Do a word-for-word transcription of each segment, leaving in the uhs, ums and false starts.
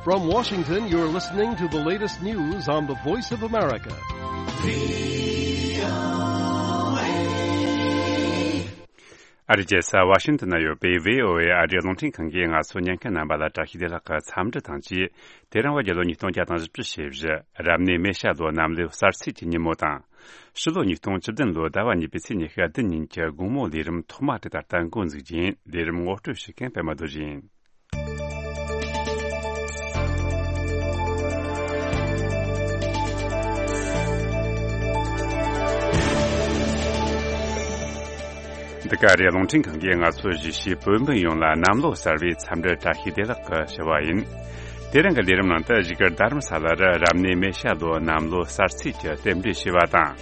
From Washington, you're listening to the latest news on the Voice of America. ཨ་རིའི་རྒྱལ་ས་ཝ་ཤིང་ཏོན་ན་ཡོད་པའི་བྷི་ཨོ་ཨེ་ཨ་རིའི་རླུང་འཕྲིན་ཁང་གིས་ང་ཚོ་ཉན་མཁན་རྣམ་པ་ལ་བཀྲ་ཤིས་བདེ་ལེགས་ཀྱི་འཚམས་འདྲི་དང་བཅས། དེ་རིང་བ་རྒྱལ་ལོ་ཉིས་སྟོང་བརྒྱ་དང་བཞི་བཅུ་ཞེ་བཞི། རབ་གནས་མེ་བྱ་ལོ་གནམ་ལོའི་གསར་ཚེས་ཀྱི་ཉིན་མོ་དང་། ཕྱི་ལོ་ཉིས་སྟོང་བཅུ་བདུན་ལོའི་ཟླ་བ་གཉིས་པའི་ཚེས་ཉི་ཤུ་བདུན་ཉིན་གྱི་དགོང་མོའི་ལས་རིམ་ཐོག་མ་དེ་ད་ལྟ་འགོ་འཛུགས་རྒྱུ་ཡིན། ལས་རིམ་ངོ་སྤྲོད་བྱེད་མཁན་པད་མ་རྡོ་རྗེ་ཡིན། འདི་ག་རེད། རླུང་འཕྲིན་ཁང་གིས་ང་ཚོའི་གཞིས་བྱེས་བོད་མི་ཡོངས་ལ་གནམ་ལོ་གསར་བའི་འཚམས་འདྲི་བཀྲ་ཤིས་བདེ་ལེགས་ཀྱི་ཞུ་བ་ཡིན། དེ་རིང་གི་ལས་རིམ་ནང་དུ་བཞུགས་སྒར་རྡ་རམ་ས་ལར་རབ་གནས་མེ་བྱ་ལོ་གནམ་ལོ་གསར་ཚེས་ཀྱི་རྟེན་འབྲེལ་ཞུས་པ་དང་།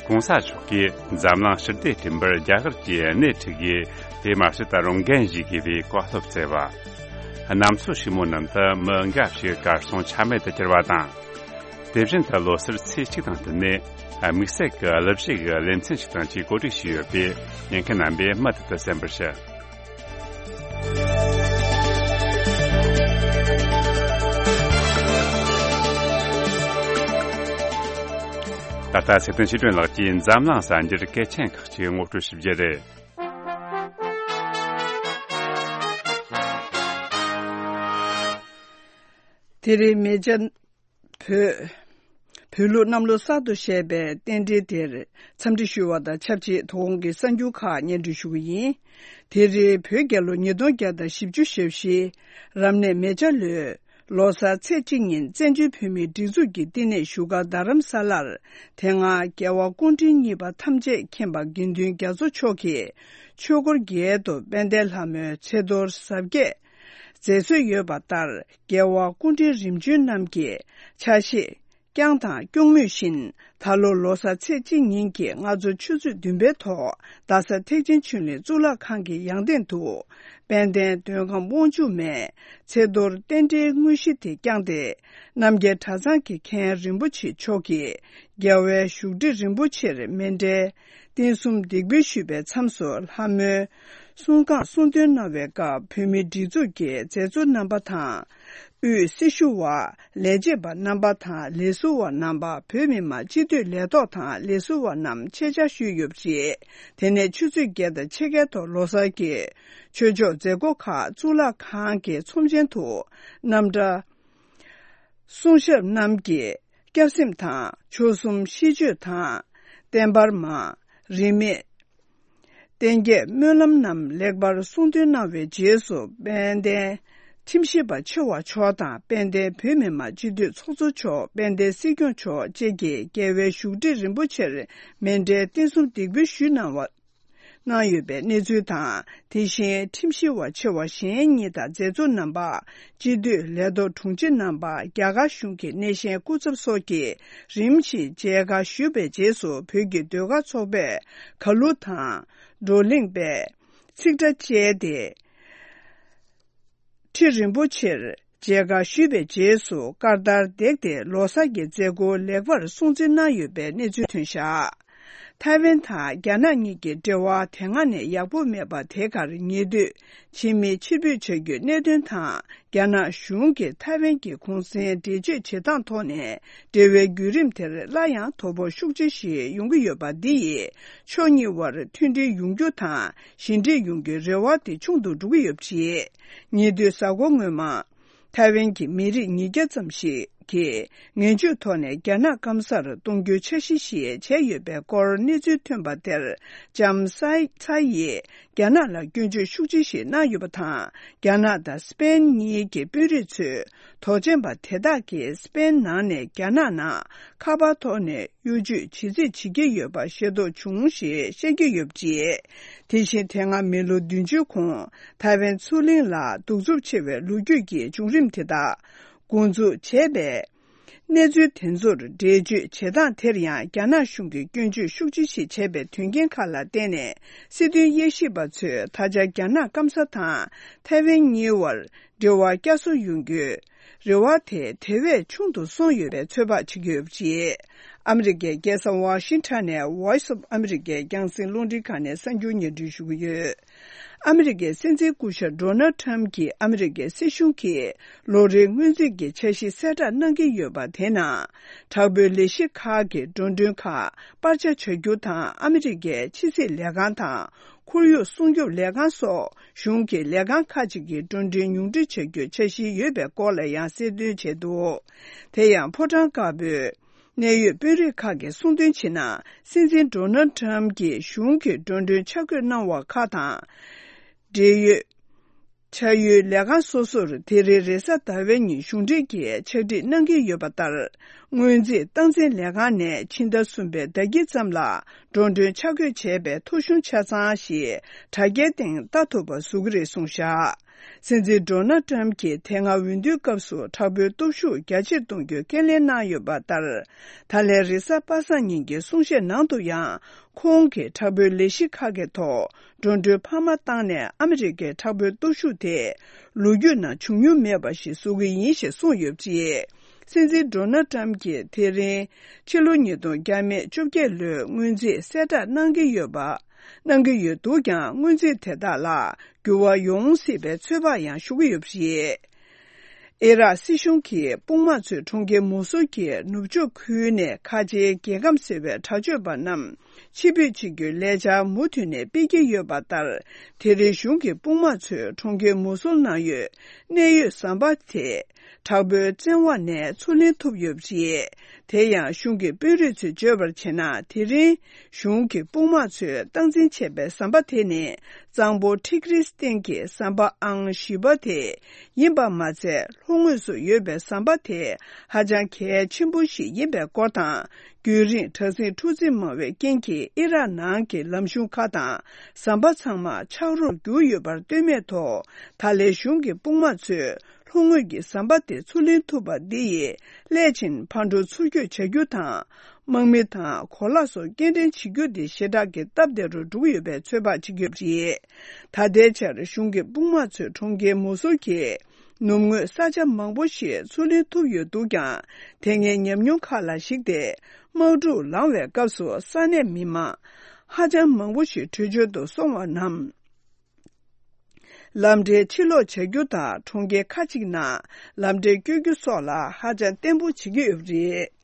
གོང་ས་མཆོག་གིས་འཛམ་གླིང་ཞི་བདེ་བསྐྲུན་པར་རྒྱ་གར་གྱིས་སྣེ་ཁྲིད་དགོས། དེ་མ་ཟད་ད་རུང་འགན་བཞེས་དགོས་པའི་བཀའ་སློབ་སྩལ་བ། གནམ་མཚོ་ཕྱུག་མོ་ནང་དུ་མི་འགའ་ཞིག་གར་སོང་ཆ་མེད་དུ་གྱུར་བ་དང་། དེ་བཞིན་དུ་ལོ་སར་ཚེས་གཅིག་དང་བསྟུན་ནས་དམིགས་བསལ་གྱི་གླུ་གཞས་ཀྱི་ལེ་ཚན་ཞིག་དང་བཅས་གོ་སྒྲིག་བྱས་ཡོད་པས། ཉན་མཁན་རྣམ་པས་མུ་མཐུད་དུ་གསན་པར་ཞུ། ད་ལྟ་ཚེ་བརྟན་ཆོས་སྒྲོན་ལགས་ཀྱིས་འཛམ་གླིང་གསར་འགྱུར་གལ་ཆེན་ཁག་ཅིག་ངོ་སྤྲོད་ཞུ་རྒྱུ་རེད། དེ་རིང་མེ་བྱ་བོད། བོད་ལུགས་གནམ་ལོ་གསར་དུ་བཞད་པའི་རྟེན་འབྲེལ་དེར་འཚམས་འདྲི་ཞུ་བ་དང་ཆབས་ཅིག་དོ་དགོང་གི་གསར་འགྱུར་ཁག་སྙན་སྒྲོན་ཞུ་གི་ཡིན། དེ་རིང་བོད་རྒྱལ་ལོ་ཉིས་སྟོང་བརྒྱ་དང་བཞི་བཅུ་ཞེ་བཞི། རབ་གནས་མེ་བྱ་ལོའི་ལོ་གསར་ཚེས་གཅིག་ཉིན་བཙན་བྱོལ་བོད་མིའི་སྒྲིག་འཛུགས་ཀྱི་བསྟི་གནས་བཞུགས་སྒར་རྡ་རམ་ས་ལར། དེ་སྔ་རྒྱལ་བ་སྐུ་ཕྲེང་གཉིས་པ་ཐམས་ཅད་མཁྱེན་པ་དགེ་འདུན་རྒྱ་མཚོ་མཆོག་གིས་ཆོས་འཁོར་རྒྱལ་དུ་དཔལ་ལྡན་ལྷ་མོའི་ཚེ་གཏོར་གཟབ་རྒྱས་མཛད་སྲོལ་ཡོད་པ་ལྟར། རྒྱལ་བ་སྐུ་ཕྲེང་རིམ་བྱོན་རྣམས་ཀྱི་ཕྱག་བཞེས་བསྐྱངས་དང་སྐྱོང་མུས་བཞིན། ད་ལོ་ལོ་གསར་ཚེས་གཅིག་ཉིན་གྱི་སྔ་དྲོ་ཆུ་ཚོད་བདུན་པའི་ཐོག་རྡ་ས་ཐེག་ཆེན་ཆོས་གླིང་གཙུག་ལག་ཁང་གི་ཡང་སྟེང་དུ། དཔལ་ལྡན་མདོ་ཁམས་དབང་ཕྱུག་མའི་ཚེ་གཏོར་རྟེན་འབྲེལ་དངོས་གཞི་དེ་བསྐྱངས་ཏེ། རྣམ་རྒྱལ་གྲྭ་ཚང་གི་མཁན་རིན་པོ་ཆེ་མཆོག་གིས་རྒྱལ་བའི་བཞུགས་ཁྲི་རིན་པོ་ཆེར་མཎྜལ་རྟེན་གསུམ་འདེགས་འབུལ་ཞུས་པའི་མཚམས་སུ་ལྷ་མོའི་གསུང་བསྐངས་གསུང་འདོན་གནང་བའི་སྐབས། བོད་མིའི་སྒྲིག་འཛུགས་ཀྱི་མཛད་གཙོ་རྣམ་པ་དང་། དབུས་སྲི་ཞུ་བ། ལས་བྱེད་པ་རྣམ་པ་དང་ལས་ཟུར་བ་རྣམ་པ། བོད་མི་མང་སྤྱི་འཐུས་ལས་ཐོག་དང་ལས་ཟུར་བ་རྣམས་ཆེད་བཅར་ཞུས་ཡོད་པ་རེད། དེ་ནས་ཆུ་ཚོད་བརྒྱད་དང་ཕྱེད་ཀའི་ཐོག་ལོ་གསར་གྱི་ཆོས་ཕྱོགས་མཛད་སྒོ་ཁག་གཙུག་ལག་ཁང་གི་ཚོམས་ཆེན་དུ་རྣམ་གྲྭ། གསུང་ཞབས་རྣམས་ཀྱིས་སྐྱབས་སེམས་དང་། མཆོག་གསུམ་ཤིས་བརྗོད་དང་། བརྟན་པར་མ། རིས་མེད་བསྟན་རྒྱས་སྨོན་ལམ་རྣམས་ལེགས་པར་གསུང་འདོན་གནང་བའི་རྗེས་སུ། དཔལ་ལྡན་ཁྲིམས་ཞིབ་པ་ཆེ་བ་མཆོག་དང་། དཔལ་ལྡན་བོད་མི་མང་སྤྱི་འཐུས་ཚོགས་གཙོ་མཆོག་དཔལ་ལྡན་སྲིད་སྐྱོང་མཆོག་བཅས་ཀྱིས་རྒྱལ་བའི་བཞུགས་ཁྲི་རིན་པོ་ཆེར་མཎྜལ་རྟེན་གསུམ་འདེགས་འབུལ་ཞུས་གནང་བ། གནང་ཡོད་པའི་གནས་ཚུལ་དང་། དེ་བཞིན་ཁྲིམས་ཞིབ་པ་ཆེ་བ་གཞན་གཉིས་དང་མཛད་གཙོ་རྣམ་པ། སྤྱི་འཐུས་ལས་ཐོག་དྲུང་ཆེ་རྣམ་པ། རྒྱ་གར་གཞུང་གི་སྣེ་ཤན་སྐུ་ཚབ་སོགས་ཀྱིས་རིམ་བཞིན་མཇལ་ཁ་ཞུས་པའི་རྗེས་སུ། བོད་ཀྱི་ཟློས་གར་ཚོགས་པས་གར་གླུ་དང་། བགྲོ་གླེང་པས་ཚིག་སྒྲ་བཅས་ཏེ། ཁྲི་རིན་པོ་ཆེར་མཇལ་ཁ་ཞུས་པའི་རྗེས་སུ། ཀ་ཏར་བསྡད་དེ་ལོ་གསར་གྱི་མཛད་སྒོ་ལེགས་པར་སྲུང་བརྩི་གནང་ཡོད་པའི་གནས་ཚུལ་ཐོན་བཞག་ཐའེ་ཝན་དང་རྒྱ་ནག་གཉིས་ཀྱི་འབྲེལ་བ་དེ་སྔ་ནས་ཡག་པོ་མེད་པ་དེ་གར་ཉེ་དུས་ཕྱི་མི་ཕྱིར་འབུད་བྱ་རྒྱུའི་གནད་དོན་དང་། རྒྱ་ནག་གཞུང་གིས་ཐའེ་ཝན་གྱི་གུང་གསེང་འགྲེལ་བརྗོད་བྱེད་སྟངས་ཐོག་ནས། འབྲེལ་བའི་བརྒྱུད་རིམ་དེར་སླར་ཡང་དོ་ཕོག་ཤུགས་ཆེ་ཞིག་ཡོང་གི་ཡོད་པ་འདི་ཡིས། ཕྱོགས་གཉིས་དབར་མཐུན་སྒྲིལ་ཡོང་རྒྱུ་དང་། ཞི་འགྲིག་ཡོང་རྒྱུའི་རེ་བ་དེ་ཆུང་དུ་འགྲོ་གི་ཡོད་པ་རེད། ཉེ་དུས་གཟའ་འཁོར་སྔོན་མ། ཐའེ་ཝན་གྱི་མི་རིགས་ཉིས་བརྒྱ་ཙམ་ཞིག་གིས་ངན་ཇུས་ཐོག་ནས་རྒྱ་ནག་སྐམ་སར་གཏོང་རྒྱུའི་འཆར་གཞི་ཞིག་བྱས་ཡོད་པའི་སྐོར་གནས་ཚུལ་ཐོན་པ་དེར། ལྕམ་ས་ཚ་ཡིས་རྒྱ་ནག་ལ་སྐྱོན་བརྗོད་ཤུགས་ཆེ་ཞིག་གནང་ཡོད་པ་དང་། རྒྱ་ནག་དང་སི་པེན་གཉིས་ཀྱི་དཔོན་རིགས་ཚོས་དོགས་ཅན་པ་དེ་དག་གིས་སི་པེན་ནང་ནས་རྒྱ་ནག་ནང་ཁ་པར་ཐོག་ནས་གཡོ་ཇུས་ཇི་སྲིད་བྱེད་ཀྱི་ཡོད་པ་ཤེས་རྟོགས་བྱུང་ཞེས་བཤད་ཀྱི་ཡོད་པ་རེད། དེ་བཞིན་དེ་སྔ་མི་ལོ་བདུན་ཅུའི་གོང་ཐའེ་ཝན་མཚོ་གླིང་ལ་གདུག་རྩུབ་ཆེ་བའི་ལོ་རྒྱུས་ཀྱི་བྱུང་རིམ་དེ་དག་འགོ་འཛུགས་བྱས་པའི་གནས་ཚུལ་དེ་ཚོར་འགྲེལ་བརྗོད་བྱེད་སྟངས་དེར་ཡང་རྒྱ་ནག་གཞུང་གིས་སྐྱོན་བརྗོད་ཤུགས་ཆེ་ཞིག་བྱས་པའི་དོན་རྐྱེན་ཁག་ལ་བརྟེན་ནས། སྲིད་དོན་དབྱེ་ཞིབ་པ་ཚོས་ད་ཆ་རྒྱ་ནག་སྐམ་ས་དང་ཐའེ་ཝན་གཉིས་དབར་འབྲེལ་བ་བསྐྱར་གསོ་ཡོང་རྒྱུའི་ རེ་བ་དེ་དེ་བས་ཆུང་དུ་སོང་ཡོད་པའི་ཚོད་དཔག་བྱེད་ཀྱི་ཡོད་པ་རེད། ཨ་མི་རི་ཀའི་རྒྱལ་ས་ཝ་ཤིང་ཊོན་ནས་Voice of America རྒྱང་སྲིང་རླུང་འཕྲིན་ཁང་ནས་གསར་འགྱུར་སྙན་སྒྲོན་ཞུ་གི་ཡོད། ཨ་མི་རི་ཀའི་སྲིད་འཛིན་སྐུ་ཞབས་ཌོ་ནལ་ཊམ་གྱིས་ཨ་མི་རི་ཀའི་སྲིད་གཞུང་གིས་ལོ་རེའི་སྔོན་རྩིས་ཀྱི་འཆར་གཞི་གསལ་བསྒྲགས་གནང་གི་ཡོད་པ་དེ་ནང་། དྲག་པོའི་ལས་གཞི་ཁག་གི་འགྲོ་གྲོན་ཁག་སྤར་ཆ་བྱ་རྒྱུ་དང་། ཨ་མི་རི་ཀའི་ཕྱི་སྲིད་ལས་ཁང་དང་། ཁོར་ཡུག་སྲུང་སྐྱོབ་ལས་ཁང་སོགས་གཞུང་གི་ལས་ཁང་ཁག་ཅིག་གི་འགྲོ་གྲོན་ཉུང་འཕྲི་བྱ་རྒྱུའི་འཆར་གཞི་ཡོད་པའི་སྐོར་ལ་ཡང་གསལ་སྟོན་བྱས་འདུག་དེ་ཡང་ཕོ་བྲང་དཀར་པོའི་གནད་ཡོད་དཔོན་རིགས་ཁག་གིས་གསུངས་དོན་བྱས་ན། སྲིད་འཛིན་ཌོ་ནལ་ཊམ་གྱིས་གཞུང་གི་འགྲོ་གྲོན་ཆ་བགོས་གནང་བ་ཁག་དང་། འབྲེལ་ཡོད་ཕྱག་ཡུལ་ལས་ཁང་སོ་སོར་དེ་རིང་རེས་གཟའ་ཟླ་བའི་ཉིན་གཞུང་འབྲེལ་གྱིས་ཕྱག་བྲིས་གནང་གི་ཡོད་པ་ལྟར། སྔོན་རྩིས་སྟངས་འཛིན་ལས་ཁང་ནས་ཕྱི་ཟླ་གསུམ་པའི་ཟླ་དཀྱིལ་ཙམ་ལ་འགྲོ་གྲོན་ཆ་བགོས་བྱས་པའི་ཐོ་གཞུང་ཆ་ཚང་ཞིག་དྲ་རྒྱའི་སྟེང་ལྟ་ཐུབ་པ་བཟོ་གི་རེད་གསུངས་བཞག་སྲིད་འཛིན་ཌོ་ནལ་ཊམ་གྱིས་དེ་སྔ་འོས་བསྡུའི་སྐབས་སུ་དྲག་པོའི་སྟོབས་ཤུགས་རྒྱ་ཆེར་གཏོང་རྒྱུའི་ཁས་ལེན་གནང་ཡོད་པ་ལྟར། ད་ལན་རེས་གཟའ་པ་སངས་ཉིན་གྱི་གསུང་བཤད་ནང་དུ་ཡང་། ཁོང་གིས་དྲག་པོའི་ལས་གཞི་ཁག་གི་ཐོག་འགྲོ་གྲོན་འཕར་མ་བཏང་ནས། ཨ་མི་རི་ཀའི་དྲག་པོའི་སྟོབས་ཤུགས་དེ་ལོ་རྒྱུས་ནང་བྱུང་མྱོང་མེད་པ་ཞིག་བཟོ་གི་ཡིན་ཞེས་གསུངས་ཡོད་པ་རེད། སྲིད་འཛིན་ཌོ་ནལ་ཊམ་གྱིས་དེ་རིང་ཕྱི་ལོ་ཉིས་སྟོང་བརྒྱ་མེད་བཅོ་བརྒྱད་ལོའི་སྔོན་རྩིས་གསལ་བསྒྲགས་གནང་གི་ཡོད་པ། གནང་གི་ཡོད་འདུག་ཀྱང་། སྔོན་རྩིས་དེ་དག་ལ་འགྱུར་བ་ཡོང་སྲིད་པའི་ཚོད་དཔག་ཡང་ཞུ་གི་ཡོད་པ་རེད། ཨི་རག་སྲིད་གཞུང་གིས་དཔུང་དམག་ཚོས་གྲོང་ཁྱེར་མོ་སུལ་གྱི་ནུབ་ཕྱོགས་ཁུལ་ནས་ཁ་ཆེའི་རྒྱལ་ཁམས་ཟེར་བའི་དྲག་སྤྱོད་པ་རྣམས་ཕྱིར་འབུད་བྱེད་རྒྱུའི་ལས་འཆར་མུ་མཐུད་ནས་སྤེལ་གྱི་ཡོད་པ་ལྟར། དེ་རིང་གཞུང་གི་དཔུང་དམག་ཚོས་གྲོང་ཁྱེར་མོ་སུལ་ནང་ཡོད་གནད་ཡོད་ཟམ་པ་དེ། དྲག་པོའི་བཙན་དབང་ནས་ཚུར་ལེན་ཐུབ་ཡོད་པ་རེད། དེ་ཡང་གཞུང་གི་དཔོན་རིགས་ཚོས་བརྗོད་པར་བྱས་ན། དེ་རིང་གཞུང་གི་དཔུང་དམག་ཚོས་སྟངས་འཛིན་བྱས་པའི་ཟམ་པ་དེ་ནི། གཙང་པོ་ཊིག་རིའི་སྟེང་གི་ཟམ་པ་ཨང་བཞི་པ་དེ་ཡིན་པ་མ་ཚད། ལྷོ་ངོས་སུ་ཡོད་པའི་ཟམ་པ་དེ་ཧ་ཅང་གལ་ཆེན་པོ་ཞིག་ཡིན་པའི་སྐོར་དང་། རྒྱུན་རིང་དྲག་ཟིང་འཁྲུག་འཛིང་མང་བའི་རྐྱེན་གྱིས། ཨི་རག་ནང་གི་ལམ་གཞུང་ཁག་དང་ཟམ་པ་ཚང་མ་ཆག་རོར་གྱུར་ཡོད་པར་ལྟོས་མེད་ཐོག་ད་ལན་གཞུང་གི་དཔུང་དམག་ཚོས། ལྷོ་ངོས་ཀྱི་ཟམ་པ་དེ་ཚུར་ལེན་ཐུབ་པ་འདི་ཡིས། སླད་ཕྱིན་ཕར་འགྲོ་ཚུར་སྐྱོད་བྱ་རྒྱུ་དང་། དམག་མི་དང་གོ་ལག་སོགས་སྐྱེལ་འདྲེན་བྱེད་རྒྱུ་དེ་ཞེ་དྲག་གི་སྟབས་བདེ་རུ་འགྲོ་གི་ཡོད་པའི་ཚོད་དཔག་བྱེད་ཀྱི་ཡོད་པ་རེད། ད་ལྟའི་ཆར་གཞུང་གི་དཔུང་དམག་ཚོས་གྲོང་ཁྱེར་མོ་སུལ་གྱི་ནུབ་ངོས་ས་ཆ་མང་པོ་ཞིག་ཚུར་ལེན་ཐུབ་ཡོད་འདུག་ཀྱང་། དེ་སྔའི་ཉམས་མྱོང་ཁག་ལ་གཞིགས་ཏེ། དམག་འཁྲུག་ལངས་པའི་སྐབས་སུ་ས་གནས་མི་མང་ཧ་ཅང་མང་པོ་ཞིག་བྲོས་བྱོལ་དུ་སོང་བ་རྣམས། ལམ་འབྲས་ཕྱིར་སློག་བྱ་རྒྱུ་དང་། གྲོང་ཁྱེར་ཁག་ཅིག་ནང་ལམ་འབྲས་བསྐྱོད་རྒྱུ་སོགས་ལ་ཧ་ཅང་བརྟན་པོ་བྱེད་ཀྱི་ཡོད་པ་རེད།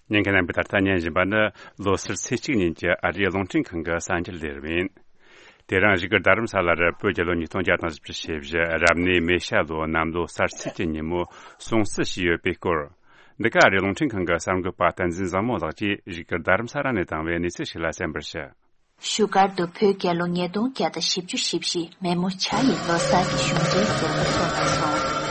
ཉན་མཁན་རྣམ་པས་ད་ལྟ་ཉན་བཞིན་པ་ནི་ལོ་སར་ཚེས་གཅིག་ཉིན་གྱི་ཨ་རིའི་རླུང་འཕྲིན་ཁང་གི་གསར་འགྱུར་ལས་རིམ་ཡིན། དེ་རིང་བཞུགས་སྒར་རྡ་རམ་ས་ལར་བོད་རྒྱལ་ལོ་ཉིས་སྟོང་བརྒྱ་དང་བཞི་བཅུ་ཞེ་བཞི་རབ་གནས་མེ་ཤ་ལོའི་གནམ་ལོ་གསར་ཚེས་ཀྱི་ཉིན་མོ་སྲུང་བརྩི་བྱས་ཡོད་པའི་སྐོར། འདི་ག་ཨ་རིའི་རླུང་འཕྲིན་ཁང་གི་གསར་འགོད་པ་བསྟན་འཛིན་བཟང་མོ་ལགས་ཀྱིས་བཞུགས་སྒར་རྡ་རམ་ས་ལ་ནས་བཏང་བའི་གནས་ཚུལ་ཞིག་ལ་གསན་པར་ཞུ། བཞུགས་སྒར་དུ་བོད་རྒྱལ་ལོ་ཉིས་སྟོང་བརྒྱ་དང་བཞི་བཅུ་ཞེ་བཞི་མེ་མོ་བྱ་ཡི་ལོ་གསར་གྱི་གཞུང་འབྲེལ་མཛད་སྒོ་ཚོགས་གནང་སོང་།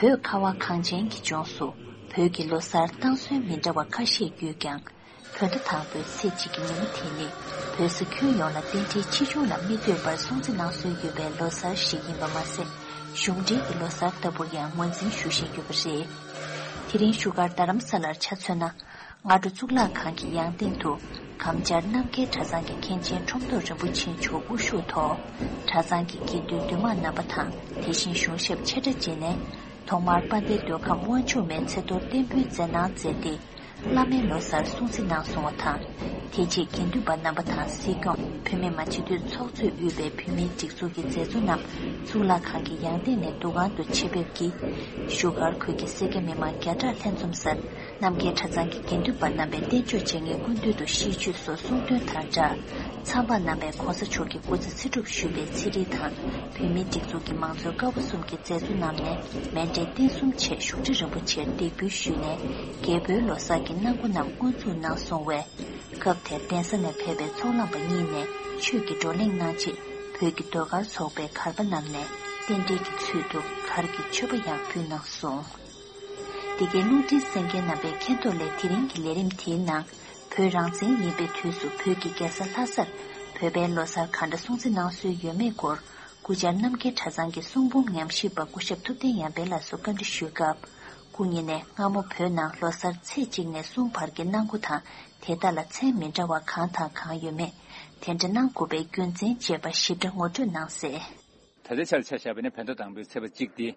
བོད་ཁ་བ་གངས་ཅན་གྱི་ལྗོངས་སུ་བོད་ཀྱི་ལོ་གསར་བཏང་སྲོལ་མི་འདྲ་བ་ཁ་ཤས་ཡོད་ཀྱང་། བོད་ཟླ་དང་པོའི་ཚེས་གཅིག་གི་ཉིན་མོ་དེ་ནི་བོད་ས་ཁྱོན་ཡོངས་ལ་རྟེན་འབྲེལ་ཆེ་ཆུང་ལ་མི་ལྟོས་པར་སྲུང་བརྩི་གནང་སྲོལ་ཡོད་པའི་ལོ་གསར་ཞིག་ཡིན་པ་མ་ཟད། གཞུང་འབྲེལ་གྱི་ལོ་གསར་ལྟ་བུར་ཡང་ངོས་འཛིན་ཞུ་བཞིན་ཡོད་པ་རེད། དེ་རིང་བཞུགས་སྒར་རྡ་རམ་ས་ལར་ཆ་མཚོན་ན། སྔ་དྲོ་གཙུག་ལག་ཁང་གི་ཡང་སྟེང་དུ་གམ་བཅར་རྣམ་རྒྱལ་གྲྭ་ཚང་གི་མཁན་ཆེན་ཁྲོམ་ཐོག་རིན་པོ་ཆེ་མཆོག་དབུ་བཞུགས་ཐོག་གྲྭ་ཚང་གི་དགེ་འདུན་འདུས་མང་རྣམ་པ་དང་། དེ་བཞིན་གཞུང་ཞབས་ཆེ་ཕྲ་བཅས་ནས་ཐོག་མར་དཔལ་ལྡན་མདོ་ཁམས་དབང་ཕྱུག་མའི་ཚེ་ཐོར་རྟེན་འབུལ་མཛད་གནང་མཛད་དེ། བླ་མའི་ལོ་གསར་སྲུང་བརྩི་གནང་སོང་བ་དང་། དེ་རྗེས་དགེ་འདུན་པ་རྣམ་པ་དང་སྲིད་སྐྱོང་། བོད་མི་མང་སྤྱི་འཐུས་ཚོགས་གཙོས་དབུས་པའི་བོད་མིའི་སྒྲིག་འཛུགས་ཀྱི་མཛད་གཙོ་རྣམས་གཙུག་ལག་ཁང་གི་ཡང་སྟེང་ནས་འདུ་ཁང་དུ་ཆེད་ཕེབས་ཀྱིས། བཞུགས་སྒར་ཁུལ་གྱི་སེར་སྐྱ་མི་མང་བརྒྱ་ཕྲག་ལྷན་འཛོམས་སར་རྣམ་རྒྱལ་གྲྭ་ཚང་གི་དགེ་འདུན་པ་རྣམ་པས་རྟེན་མཆོག་བྱེད་མཁན་སྐུ་མདུན་དུ་ཤིས་བརྗོད་སོགས་གསུང་འདོན་དང་སྦྲགས། ཚངས་པ་རྣམ་པས་༸གོང་ས་མཆོག་གི་སྐུ་ཚེ་ཚེ་སྒྲུབ་ཞུ་བའི་ཚེ་རིལ་དང་། བོད་མིའི་སྒྲིག་འཛུགས་ཀྱི་མང་གཙོའི་ཀ་བ་གསུམ་གྱི་མཛད་གཙོ་རྣམས་ནས་མཎྜལ་རྟེན་གསུམ་བཅས་བཞུགས་ཁྲི་རིན་པོ་ཆེར་འདེགས་འབུལ་ཞུས་ནས། རྒྱལ་པོའི་ལོ་གསར་གྱི་གནང་སྒོ་རྣམས་དབུ་འཛུགས་གནང་སོང་བས། སྐབས་དེར་གདན་ས་ནས་ཕེབས་པའི་ཚོགས་བླངས་པ་གཉིས་ནས་ཆོས་ཀྱི་བགྲོ་གླེང་གནང་རྗེས། བོད་ཀྱི་ཟློས་གར་ཚོགས་པའི་གར་པ་རྣམས་ནས་རྟེན་འབྲེལ་གྱི་ཚུལ་དུ་གར་གྱི་མཆོད་པ་ཡང་ཕུལ་གནང་སོང་། འདི་གའི་རླུང་འཕྲིན་གསན་མཁན་རྣམ་པས་མཁྱེན་རྟོགས་སླད། དེ་རིང་གི་ལས་རིམ་དེའི་ནང་། བོད་རང་བཙན་ཡིན་པའི་དུས་སུ་བོད་ཀྱི་རྒྱལ་ས་ལྷ་སར་བོད་པའི་ལོ་གསར་ག་འདྲ་སྲུང་བརྩི་གནང་སྲོལ་ཡོད་མེད་སྐོར། སྐུ་བཅར་རྣམ་རྒྱལ་གྲྭ་ཚང་གི་གསུང་འབུམ་ཉམས་ཞིབ་པ་སྐུ་ཞབས་ཐུབ་བསྟན་ཡར་འཕེལ་ལགས་སུ་བཀའ་འདྲི་ཞུས་སྐབས། སྐུ་ཉིད་ནས་སྔ་མོ་བོད་ནང་ལོ་གསར་ཚེས་གཅིག་ནས་གསུམ་བར་གྱི་གནང་སྒོ་དང་དེ་དག་ལ་མཚན་མི་འདྲ་བ་གང་དང་གང་ཡོད་མེད། དེ་འདྲ་གནང་དགོས་པའི་རྒྱུ་མཚན་བཅས་པ་ཞིབ་ཕྲ་ངོ་སྤྲོད་གནང་གསལ། ད་ལྟའི་ཆར་ཆ་བཞག་པ་ཡིན་ན་བོད་ཟླ་དང་པོའི་ཚེས་པ་གཅིག་དེ།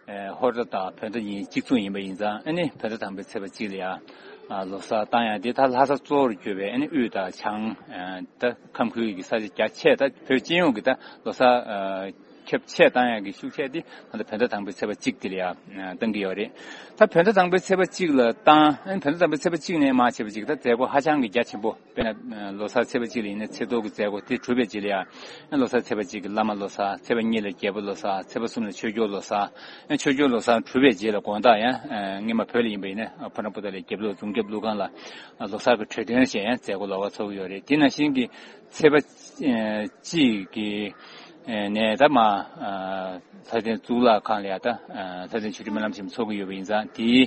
ཨེ་ཧོར་ཟླ་དང་བོད་ཟླ་གཉིས་གཅིག་མཚུངས་ཡིན་པ་ཡིན་ཙང་ཨ་ནི་བོད་ཟླ་དང་པོའི་ཚེས་པ་གཅིག་ལ་ཡ། ཨ་ལོ་གསར་བཏང་ཡ་དེ་ད་ལྷ་ས་གཙོ་བོར་གྱུར་པའི་ཨ་ནི་དབུས་དང་བྱང་། ཨ་ད་ཁམས་ཁུལ་གྱི་ས་ཆ་རྒྱ་ཆེ་ད་བོད་སྤྱི་ཡོངས་ཀྱི་ད་ལོ་གསར་ཨ་ཁྱབ་ཆེ་བཏང་ཡ་གི་ཤུགས་ཆེ་དེ་ད་ལྟ་བོད་ཟླ་དང་པོའི་ཚེས་པ་གཅིག་དེ་ལ་ཡ་ཨ་བཏང་གི་ཡོད་རེད། ད་བོད་ཟླ་དང་པོའི་ཚེས་པ་གཅིག་ལ་བཏང་ཨ་ནི་བོད་ཟླ་དང་པོའི་ཚེས་པ་གཅིག་ནས་མར་བྱས་པ་གཅིག་ད་མཛད་སྒོ་ཧ་ཅང་གི་རྒྱ་ཆེན་པོ། དཔེར་ན་ལོ་གསར་ཚེས་པ་གཅིག་ལ་ཡིན་ན་ཚེས་ཐོ་གི་མཛད་སྒོ་དེ་གྲུབ་པའི་རྗེས་ལ་ཡང་ལོ་གསར་ཚེས་པ་གཅིག་གི་བླ་མ་ལོ་གསར། ཚེས་པ་གཉིས་ལ་རྒྱལ་པོ་ལོ་གསར། ཚེས་པ་གསུམ་ལ་ཆོས་སྐྱོང་ལོ་གསར། ཆོས་སྐྱོང་ལོ་གསར་གྲུབ་པའི་རྗེས་ལ་དགོང་དག་ཡང་སྔོན་མ་བོད་ལ་ཡིན་པ་ཡིན་ན་ཕོ་བྲང་པོ་ཏ་ལའི་རྒྱབ་ལོགས་རྫོང་རྒྱབ་ཀླུ་ཁང་ལ་ལོ་གསར་གྱི་གྲོས་སྟོན་ཞེས་ཡང་མཛད་སྒོ་ལོ་གསར་ཚོགས་ཀྱི་ཡོད་རེད། དེ་ནང་བཞིན་གྱི་ཚེས་པ་གཅིག་གི་ནས་ད་མ། ལྷ་ལྡན་གཙུག་ལག་ཁང་ལ་ཡ་ད་ལྷ་ལྡན་ཆོས་སྒྲོན་སྨོན་ལམ་ཆེན་མོ་ཚོགས་ཀྱི་ཡོད་པ་ཡིན་ཙང་དེའི་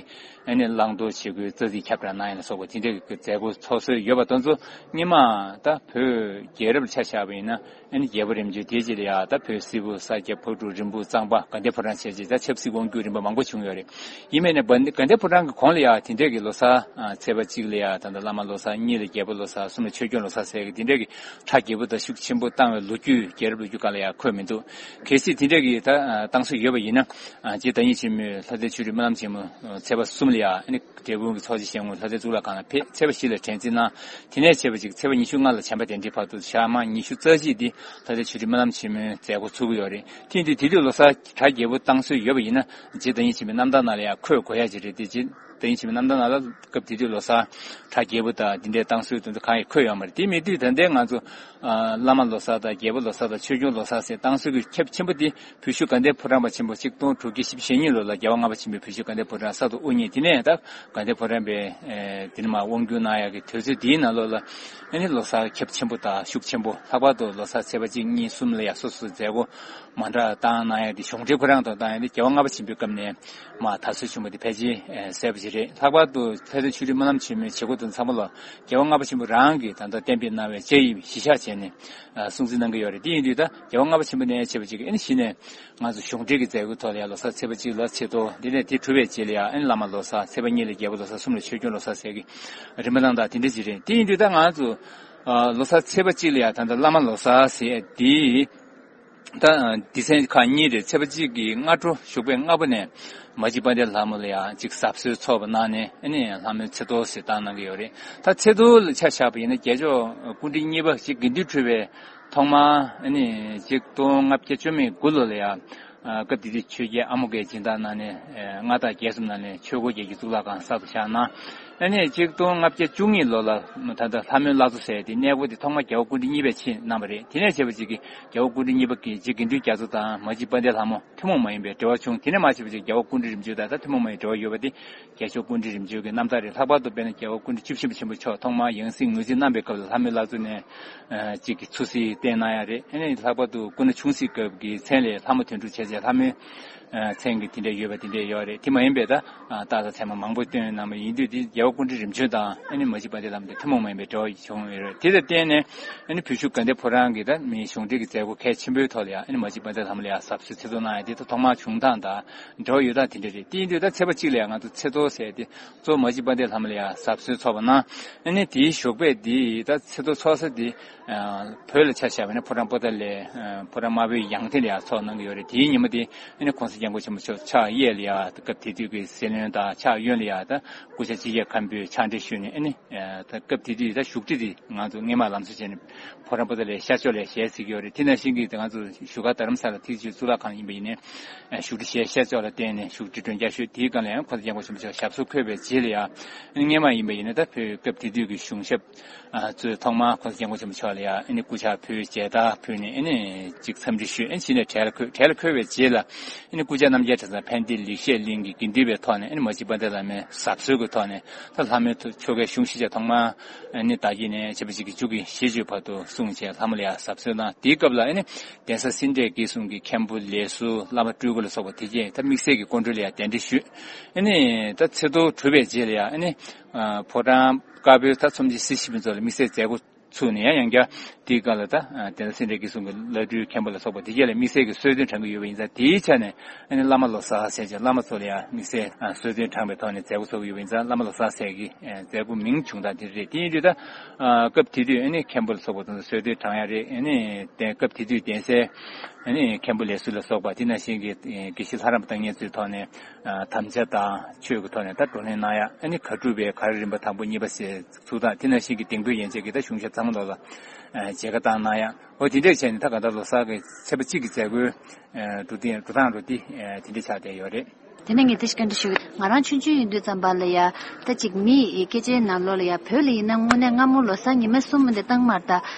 ཨ་ནི་བླང་དོར་བྱེད་སྒོའི་རྩ་ཚིག་ཁྱབ་བསྒྲགས་གནང་ཡ་ལ་སོགས་པ་དེ་འདྲའི་གི་མཛད་སྒོ་ཚོགས་སྲོལ་ཡོད་པ་དེ་ཚོ་སྔོན་མ་ད་བོད་རྒྱལ་རབས་ལ་ཆ་བཞག་པ་ཡིན་ན་ཨ་ནི་རྒྱལ་པོ་རིམ་བྱོན་དེའི་རྗེས་ལ་ཡ་ད་བོད་སིལ་བུ་ས་སྐྱ་ཕག་གྲུ་རིན་སྤུངས་གཙང་པ་དགའ་ལྡན་ཕོ་བྲང་བྱས་རྗེས་ད་ཆབ་སྲིད་དབང་སྒྱུར་རིམ་པ་མང་པོ་བྱུང་ཡོད་རེད། ཡིན་མིན་ནས་དགའ་ལྡན་ཕོ་བྲང་གི་གོང་ལ་ཡ་དེ་འདྲའི་གི་ལོ་གསར་ཚེས་པ་གཅིག་ལ་ཡ་ད་ལྟ་བླ་མ་ལོ་གསར། གཉིས་ལ་རྒྱལ་པོ་ལོ་གསར། གསུམ་ལ་ཆོས་སྐྱོང་ལོ་གསར་ཟེར་གི་དེ་འདྲའི་གི་གྲ་རྒྱས་པོ་དང་ཤུགས་ཆེན་པོ་བཏང་བའི་ལོ་རྒྱུས་རྒྱལ་རབས་ལོ་རྒྱུས་སྒང་ལ་ཡང་འཁོད་མི་འདུག་གལ་སྲིད་དེ་འདྲ་གི་ད་བཏང་སྲོལ་ཡོད་པ་ཡིན་ན། རྗེ་བདག་ཉིད་ཆེན་མོས་ལྷ་ལྡན་ཆོས་སྒྲོན་སྨོན་ལམ་ཆེན་མོ་ཚེས་པ་གསུམ་ལ་ཡང་འབྲས་སྤུངས་ཀྱི་ཚོགས་ཆེན་བཞེངས་སྔོན་ལྷ་ལྡན་གཙུག་ལག་ཁང་ལ་ཕེབས། ཚེས་པ་བཞི་ལ་དྲན་རྩིས་གནང་། དེ་ནས་བྱས་པ་ཅིག་ཚེས་པ་ཉི་ཤུ་ལྔ་ལ་བྱམས་པ་གདན་འདྲེན་བར་དུ་ཞག་མ་ཉི་ཤུ་རྩ་གཅིག་འདི་ལྷ་ལྡན་ཆོས་སྒྲོན་སྨོན་ལམ་ཆེན་མོའི་མཛད་སྒོ་ཚུགས་ཀྱི་ཡོད་རེད། དེ་ཡིན་དུས་དེ་དུས་ལོ་གསར་གྲ་རྒྱས་པོ་བཏང་སྲོལ་ཡོད་པ་ཡིན་ན་རྗེ་བདག་ཉིད་ཆེན་མོའི་རྣམ་ཐར་ནང་ལ་ཡང་འཁོད་དགོས་ཡ་ཅིག་རེད་དེ་རྗེ། དེ་ཡིན་ཕྱིན་པའི་རྣམ་ཐར་ནང་ལ་སྐབས་དེ་དུས་ལོ་གསར་གྲ་རྒྱས་པོ་དང་འདི་འདྲའི་བཏང་སྲོལ་དེ་ཚོ་གང་ཡང་འཁོད་ཡོད་མ་རེད། དེ་མེད་དུས་ད་ལྟའི་ང་ཚོ་ཨ་བླ་མ་ལོ་གསར་དང་རྒྱལ་པོ་ལོ་གསར་དང་ཆོས་སྐྱོང་ལོ་གསར་ཟེར་བཏང་སྲོལ་གྱི་ཁྱབ་ཆེན་པོ་དེ་བོད་བཞུགས་དགའ་ལྡན་ཕོ་བྲང་པ་ཆེན་པོ་ཆིག་སྟོང་དྲུག་བརྒྱ་བཞི་བཅུ་ཞེ་གཉིས་ལོ་ལ་རྒྱལ་བ་ལྔ་པ་ཆེན་པོས་བོད་བཞུགས་དགའ་ལྡན་ཕོ་བྲང་གསར་དུ་དབུ་བརྙེས། དེ་ནས་ད་དགའ་ལྡན་ཕོ་བྲང་པའི་ཨེ་དེ་ནས་མར་དབང་བསྒྱུར་གནང་ཡག་གི་དུས་ཚོད་དེའི་ནང་ལོགས་ལ་ཨ་ནི་ལོ་གསར་ཁྱབ་ཆེན་པོ་དང་ཤུགས་ཆེན་པོ། ལྷག་པར་དུ་ལོ་གསར་ཚེས་པ་གཅིག་གཉིས་གསུམ་ལ་ཡང་སོ་སོའི་མཛད་སྒོ་མང་དྲགས་བཏང་གནང་ཡ་དེ་གཞུང་འབྲེལ་ཁོ་རང་དང་བཏང་ཡ་དེ་རྒྱལ་བ་ལྔ་པ་ཆེན་པོའི་སྐབས་ནས་མར་དར་སྲོལ་བྱུང་བ་དེ་ཕལ་ཆེར་གསལ་པོ་ཞིག་རེད། ལྷག་པར་དུ་ལྷ་ལྡན་ཆོས་སྒྲོན་སྨོན་ལམ་ཆེན་མོའི་བྱེད་སྒོ་དང་ཚང་མ་ལ་རྒྱལ་བ་ལྔ་པ་ཆེན་པོ་རང་གིས་ད་ལྟ་གཏན་འབེབས་གནང་བའི་བཅའ་ཡིག་གཞི་བཞག་བྱས་ནས་སྲུང་བརྩི་གནང་གི་ཡོད་རེད། དེ་ཡིན་དུས་ད་རྒྱལ་བ་ལྔ་པ་ཆེན་པོ་ནས་བྱས་པ་ཅིག་ཨ་ནི་གཞི་ནས་ང་ཚོ་གཞུང་འབྲེལ་གྱི་མཛད་སྒོའི་ཐོག་ལ་ཡང་ལོ་གསར་ཚེས་པ་གཅིག་ལ་ཆེ་མཐོ་འདི་ནས་དེ་གྲུབ་པའི་རྗེས་ལ་ཡང་ཨ་ནི་བླ་མ་ལོ་གསར། ཚེས་པ་གཉིས་ལ་རྒྱལ་པོ་ལོ་གསར། གསུམ་ལ་ཆོས་སྐྱོང་ལོ་གསར་ཟེར་གི་རིམ་པ་གནང་སྟངས་དེ་འདྲ་ཅིག་རེད། དེ་ཡིན་དུས་ད་ང་ཚོ་ཨ་ལོ་གསར་ཚེས་པ་གཅིག་ལ་ཡང་ད་ལྟ་བླ་མ་ལོ་གསར་ཟེར་དེ། ད་སྡེ་ཚན་ཁག་གཉིས་རེད། ཚེས་པ་གཅིག་གི་སྔ་དྲོ་ཞོགས་པའི་སྔ་པོ་ནས་མ་གཅིག་དཔལ་ལྡན་ལྷ་མོ་ལ་ཡང་གཅིག་གཟབ་གསོལ་ཚོགས་པ་གནང་ནས་ཨ་ནི་ལྷ་མོའི་ཚེས་ཐོ་ཟེར་བཏང་གནང་གི་ཡོད་རེད། ད་ཚེས་ཐོ་ལ་ཆ་བཞག་པ་ཡིན་ན་རྒྱལ་མཆོག་སྐུ་ཕྲེང་གཉིས་པ་གཅིག་དགེ་འདུན་གྲུབ་པའི་ཐོག་མར་ཨ་ནི་གཅིག་སྟོང་ལྔ་བརྒྱ་བཅུ་མེད་དགུ་ལོ་ལ་ཡང་སྐབས་དེ་དུས་ཆོས་རྒྱལ་ཨ་མོ་གིས་སྦྱིན་བདག་གནང་ནས་མངའ་བདག་རྒྱལ་གསུམ་ནང་ནས་ཆོས་འཁོར་རྒྱལ་གྱི་གཙུག་ལག་ཁང་གསར་དུ་བཞེངས་གནང་། ཨ་ནི་གཅིག་སྟོང་ལྔ་བརྒྱ་བཅུ་གཉིས་ལོ་ལ་ད་ལྟ་ལྷ་མོའི་བླ་མཚོ་ཟེར་དེ་གནས་སྐོར་དེ་ཐོག་མར་རྒྱལ་བ་སྐུ་ཕྲེང་གཉིས་པས་ཕྱིན་གནང་བ་རེད། དེ་ནས་བྱས་པ་ཅིག་གིས་རྒྱལ་བ་སྐུ་ཕྲེང་གཉིས་པ་གིས་རྗེ་དགེ་འདུན་རྒྱ་མཚོ་དང་མ་གཅིག་དཔལ་ལྡན་ལྷ་མོ་ཐུན་མོང་མ་ཡིན་པའི་འབྲེལ་བ་བྱུང་། དེ་ནས་མར་བྱས་པ་ཅིག་རྒྱལ་བ་སྐུ་ཕྲེང་རིམ་བྱོན་དང་ད་ཐུན་མོང་མ་ཡིན་འབྲེལ་བ་ཡོད་པ་དེ་རྒྱལ་མཆོག་སྐུ་ཕྲེང་རིམ་བྱོན་གྱི་རྣམ་ཐར་རེད། ལྷག་པར་དུ་དཔེར་ན་རྒྱལ་བ་སྐུ་ཕྲེང་བཅུ་བཞི་པ་ཆེན་པོ་མཆོག་ཐོག་མར་ཡང་སྲིད་ངོས་འཛིན་གནང་པའི་སྐབས་ལ་ལྷ་མོའི་བླ་མཚོ་ནས་ཅིག་གི་ཚུར་གཟིགས་བསྟན་གནང་ཡ་རེད། ཨ་ནི་ལྷག་པར་དུ་སྐུ་ན་ཆུང་སྲིད་སྐབས་ཀྱི་མཚན་ལས་ལྷ་མོ་དོན་གྲུབ་བྱས་རྗེས་ལྷ་མོའི་མཚན་གྱི་དེ་འདྲ་ཡོད་པ་དེ་འདྲ་ཡོད་རེད། དེ་མ་ཡིན་པའི་ད་རྟགས་དང་མཚན་མ་མང་པོ་བཏོན་གནང་བ་ཡིན་དུས་དེ་རྒྱལ་བ་སྐུ་ཕྲེང་རིམ་བྱོན་དང་ཨ་ནི་མ་གཅིག་དཔལ་ལྡན་ལྷ་མོ་དེ་ཐུན་མོང་མ་ཡིན་པའི་འབྲེལ་བ་བྱུང་ཡོད་རེད། དེ་ལ་བརྟེན་ནས་ཨ་ནི་བོད་བཞུགས་དགའ་ལྡན་ཕོ་བྲང་གི་ད་མི་གཞུང་འབྲེལ་གྱི་མཛད་སྒོ་གལ་ཆེན་པོའི་ཐོག་ལ་ཡང་ཨ་ནི་མ་གཅིག་དཔལ་ལྡན་ལྷ་མོ་ལ་ཡང་གཟབ་གསོལ་ཆེ་མཐོང་གནང་ཡ་དེ་ད་ཐོག་མར་བྱུང་སྟངས་དང་འབྲེལ་བ་ཡོད་སྟངས་དེ་འདྲ་རེད། དེ་ཡིན་དུས་ད་ཚེས་པ་གཅིག་ལ་ཡང་ང་ཚོ་ཚེས་ཐོ་ཟེར་དེ་གཙོ་བོ་མ་གཅིག་དཔལ་ལྡན་ལྷ་མོ་ལ་ཡང་གཟབ་གསོལ་ཚོགས་པ་གནང་། ཨ་ནི་དེའི་ཞོགས་པས་དེ་ད་ཚེས་ཐོ་ཚོགས་ས་དེ་བོད་ལ་ཆ་བཞག་པ་ཡིན་ན་ཕོ་བྲང་པོ་ཏཱ་ལའི་ཕོ་བྲང་དམར་པོའི་ཡང་སྟེང་ལ་ཡང་ཚོགས་གནང་གི་ཡོད་རེད། དེའི་ཉིན་མོ་དེ་ཨ་ནི་གོང་ས་སྐྱབས་མགོན་ཆེན་པོ་མཆོག་ཕྱག་གཡས་ལ་ཡང་སྐབས་དེ་དུས་ཀྱི་སྲིད་བློན་དང་ཕྱག་གཡོན་ལ་ཡང་ད་སྐུ་ཕྱྭ་སྤྱི་ཁྱབ་མཁན་པོས་ཕྱག་འབྲེལ་ཞུས་ནས་ཨ་ནི་ད་སྐབས་དེ་དུས་ད་བཞུགས་ཁྲི་དེ་ང་ཚོ་སྔས་མ་ལམ་སེང་བྱས་ནས་ཕོ་བྲང་པོ་ཏཱ་ལའི་ཤར་ཕྱོགས་ལ་ཡང་ཞལ་གཟིགས་ཀྱི་ཡོད་རེད། དེ་ནང་བཞིན་གྱི་ང་ཚོ་བཞུགས་སྒར་རྡ་རམ་ས་ལ་ཐེག་ཆེན་གཙུག་ལག་ཁང་ཡིན་པ་ཡིན་ནའི་བཞུགས་ཁྲི་ཤར་ཤར་ཕྱོགས་ལ་བརྟེན་ནས་བཞུགས་ཁྲི་མགྲོན་བརྒྱ་ཤོད། དེའི་སྒང་ལ་ཡང་གོང་ས་སྐྱབས་མགོན་ཆེན་པོ་མཆོག་ཞབས་སོར་འཁོད་པའི་རྗེས་ལ་ཡང་ཨ་ནི་སྔས་མ་ཡིན་པ་ཡིན་ན་ད་བོད་སྐབས་དེ་དུས་ཀྱི་གཞུང་ཞབས་ཨ་གཙོས་ཐོག་མར་གོང་ས་སྐྱབས་མགོན་ཆེན་པོ་མཆོག་ལ་ཡང་ཨ་ནི་སྐུ་ཕྱག་ཕུལ། མཇལ་དར་ཕུལ་ནས་ཨ་ནི་ཅིག་འཚམས་འདྲི་ཞུས། ཨ་ནི་གཞི་ནས་གྲལ་ལ་འཁོད། གྲལ་ལ་འཁོད་པའི་རྗེས་ལ་ཨ་ནི་སྐུ་བཅར་རྣམ་རྒྱལ་གྲྭ་ཚང་ཕན་བདེ་ལེགས་བཤད་གླིང་གི་དགེ་འདུན་པའི་ཐོག་ནས་ཨ་ནི་མ་གཅིག་དཔལ་ལྡན་བླ་མའི་གཟབ་གསོལ་གྱི་ཐོག་ནས་ད་ལྷ་མོའི་ཐོ་ཆོ་གའི་གཞུང་ཤེས་བྱ་ཐོག་མར་ཨ་ནི་བདག་གིས་ནས་བྱས་པ་ཅིག་གི་མཇུག་གི་ཤིས་བརྗོད་བར་དུ་གསུངས་བྱས་ལྷ་མོ་ལ་ཡང་གཟབ་གསོལ་གནང་། དེའི་སྐབས་ལ་ཨ་ནི་གདན་ས་སེ་འབྲས་དགེ་གསུམ་གྱི་མཁན་པོ་ལས་ཟུར་བླ་མ་སྤྲུལ་སྐུ་ལ་སོགས་པ་དེ་རྗེས་ད་དམིགས་བསལ་གྱི་སྐུ་མགྲོན་ལ་ཡང་གདན་འདྲེན་ཞུས། ཨ་ནི་ད་ཚེས་ཐོ་གྲུབ་པའི་རྗེས་ལ་ཡང་ཨ་ནི་ཕོ་བྲང་དཀར་པོའི་ད་ཚོམས་ཆེན་སྲིད་ཞི་བའི་ཚོགས་ལ་དམིགས་བསལ་མཛད་སྒོ་ ཚུགས་ནས་ཡང་ཡང་བསྐྱར་དེའི་སྐབས་ལ་ད་དེ་ལ་སེ་འབྲས་དགེ་གསུམ་གྱི་བླ་སྤྲུལ་མཁན་པོ་ལ་སོགས་པ་དེ་རྗེས་ལ་དམིགས་བསལ་གྱི་གསོལ་སྟོན་དྲངས་ཀྱི་ཡོད་པ་ཡིན་ཙང་། དེའི་ཆ་ནས་ཨ་ནི་བླ་མ་ལོ་གསར་ཟེར་བྱས་བླ་མ་ཚོ་ལ་ཡང་དམིགས་བསལ་གསོལ་སྟོན་དྲངས་པའི་ཐོག་ནས་མཛད་སྒོ་ཚོགས་ཀྱི་ཡོད་པ་ཡིན་ཙང་། བླ་མ་ལོ་གསར་ཟེར་གྱི་མཛད་སྒོ་མིང་བྱུང་སྟངས་དེ་རེད། དེ་ཡིན་དུས་ད་སྐབས་དེ་དུས་ཨ་ནི་མཁན་པོ་ལ་སོགས་པ་དང་གསོལ་སྟོན་དྲངས་ཡ་རེད། ཨ་ནི་དེ་སྐབས་དེ་དུས་གདན་སའི་ཨ་ནི་མཁན་པོ་ལས་ཟུར་ལ་སོགས་པ། དེ་ནང་བཞིན་གྱི་དགེ་བཤེས་ལྷ་རམས་པ་བསྟེན་མཁན་ཚོའི་ཐོག་ནས་དམ་བཅའ་དང་ཆོས་ཀྱི་ཐོག་ནས་ད་བགྲོ་གླེང་གནང་ཡ། ཨ་ནི་གར་སྒྲུབ་པའི་གར་རིམ་པ་དང་པོ་གཉིས་པ་ཟེར་ཚུགས་སྟངས། དེ་ནང་བཞིན་གྱི་ལྡིང་དཔོན་ཡན་ཆད་ཀྱི་ད་གཞུང་ཞབས་ཚང་མ་ལོག་ལ་མཇལ་ཁ་བཏང་གནང་ཡ། འོ་དེ་འདྲས་བྱས་ནས་ད་ག་ད་ལོ་གསར་གྱི་ཚེས་པ་གཅིག་གི་མཛད་སྒོའི་འགྲོ་སྟངས་འགྲོ་སྟངས་རུ་དེ་དེ་འདྲས་ཆགས་བསྡད་ཡོད་རེད། དེ་ནས་ངས་དེ་ཞིག་བཀའ་འདྲི་ཞུ་གི། ང་རང་ཆུང་ཆུང་ཡིན་དུས་ཙམ་པ་ལ་ཡ། ད་ཅིག་མི་ཡི་སྐད་ཆའི་ནང་ལོགས་ལ་ཡ། བོད་ལ་ཡིན་ན་དངོས་གནས་སྔ་མོ་ལོ་གསར་ཉི་མ་གསུམ་མ་འདི་བཏང་མར། ད་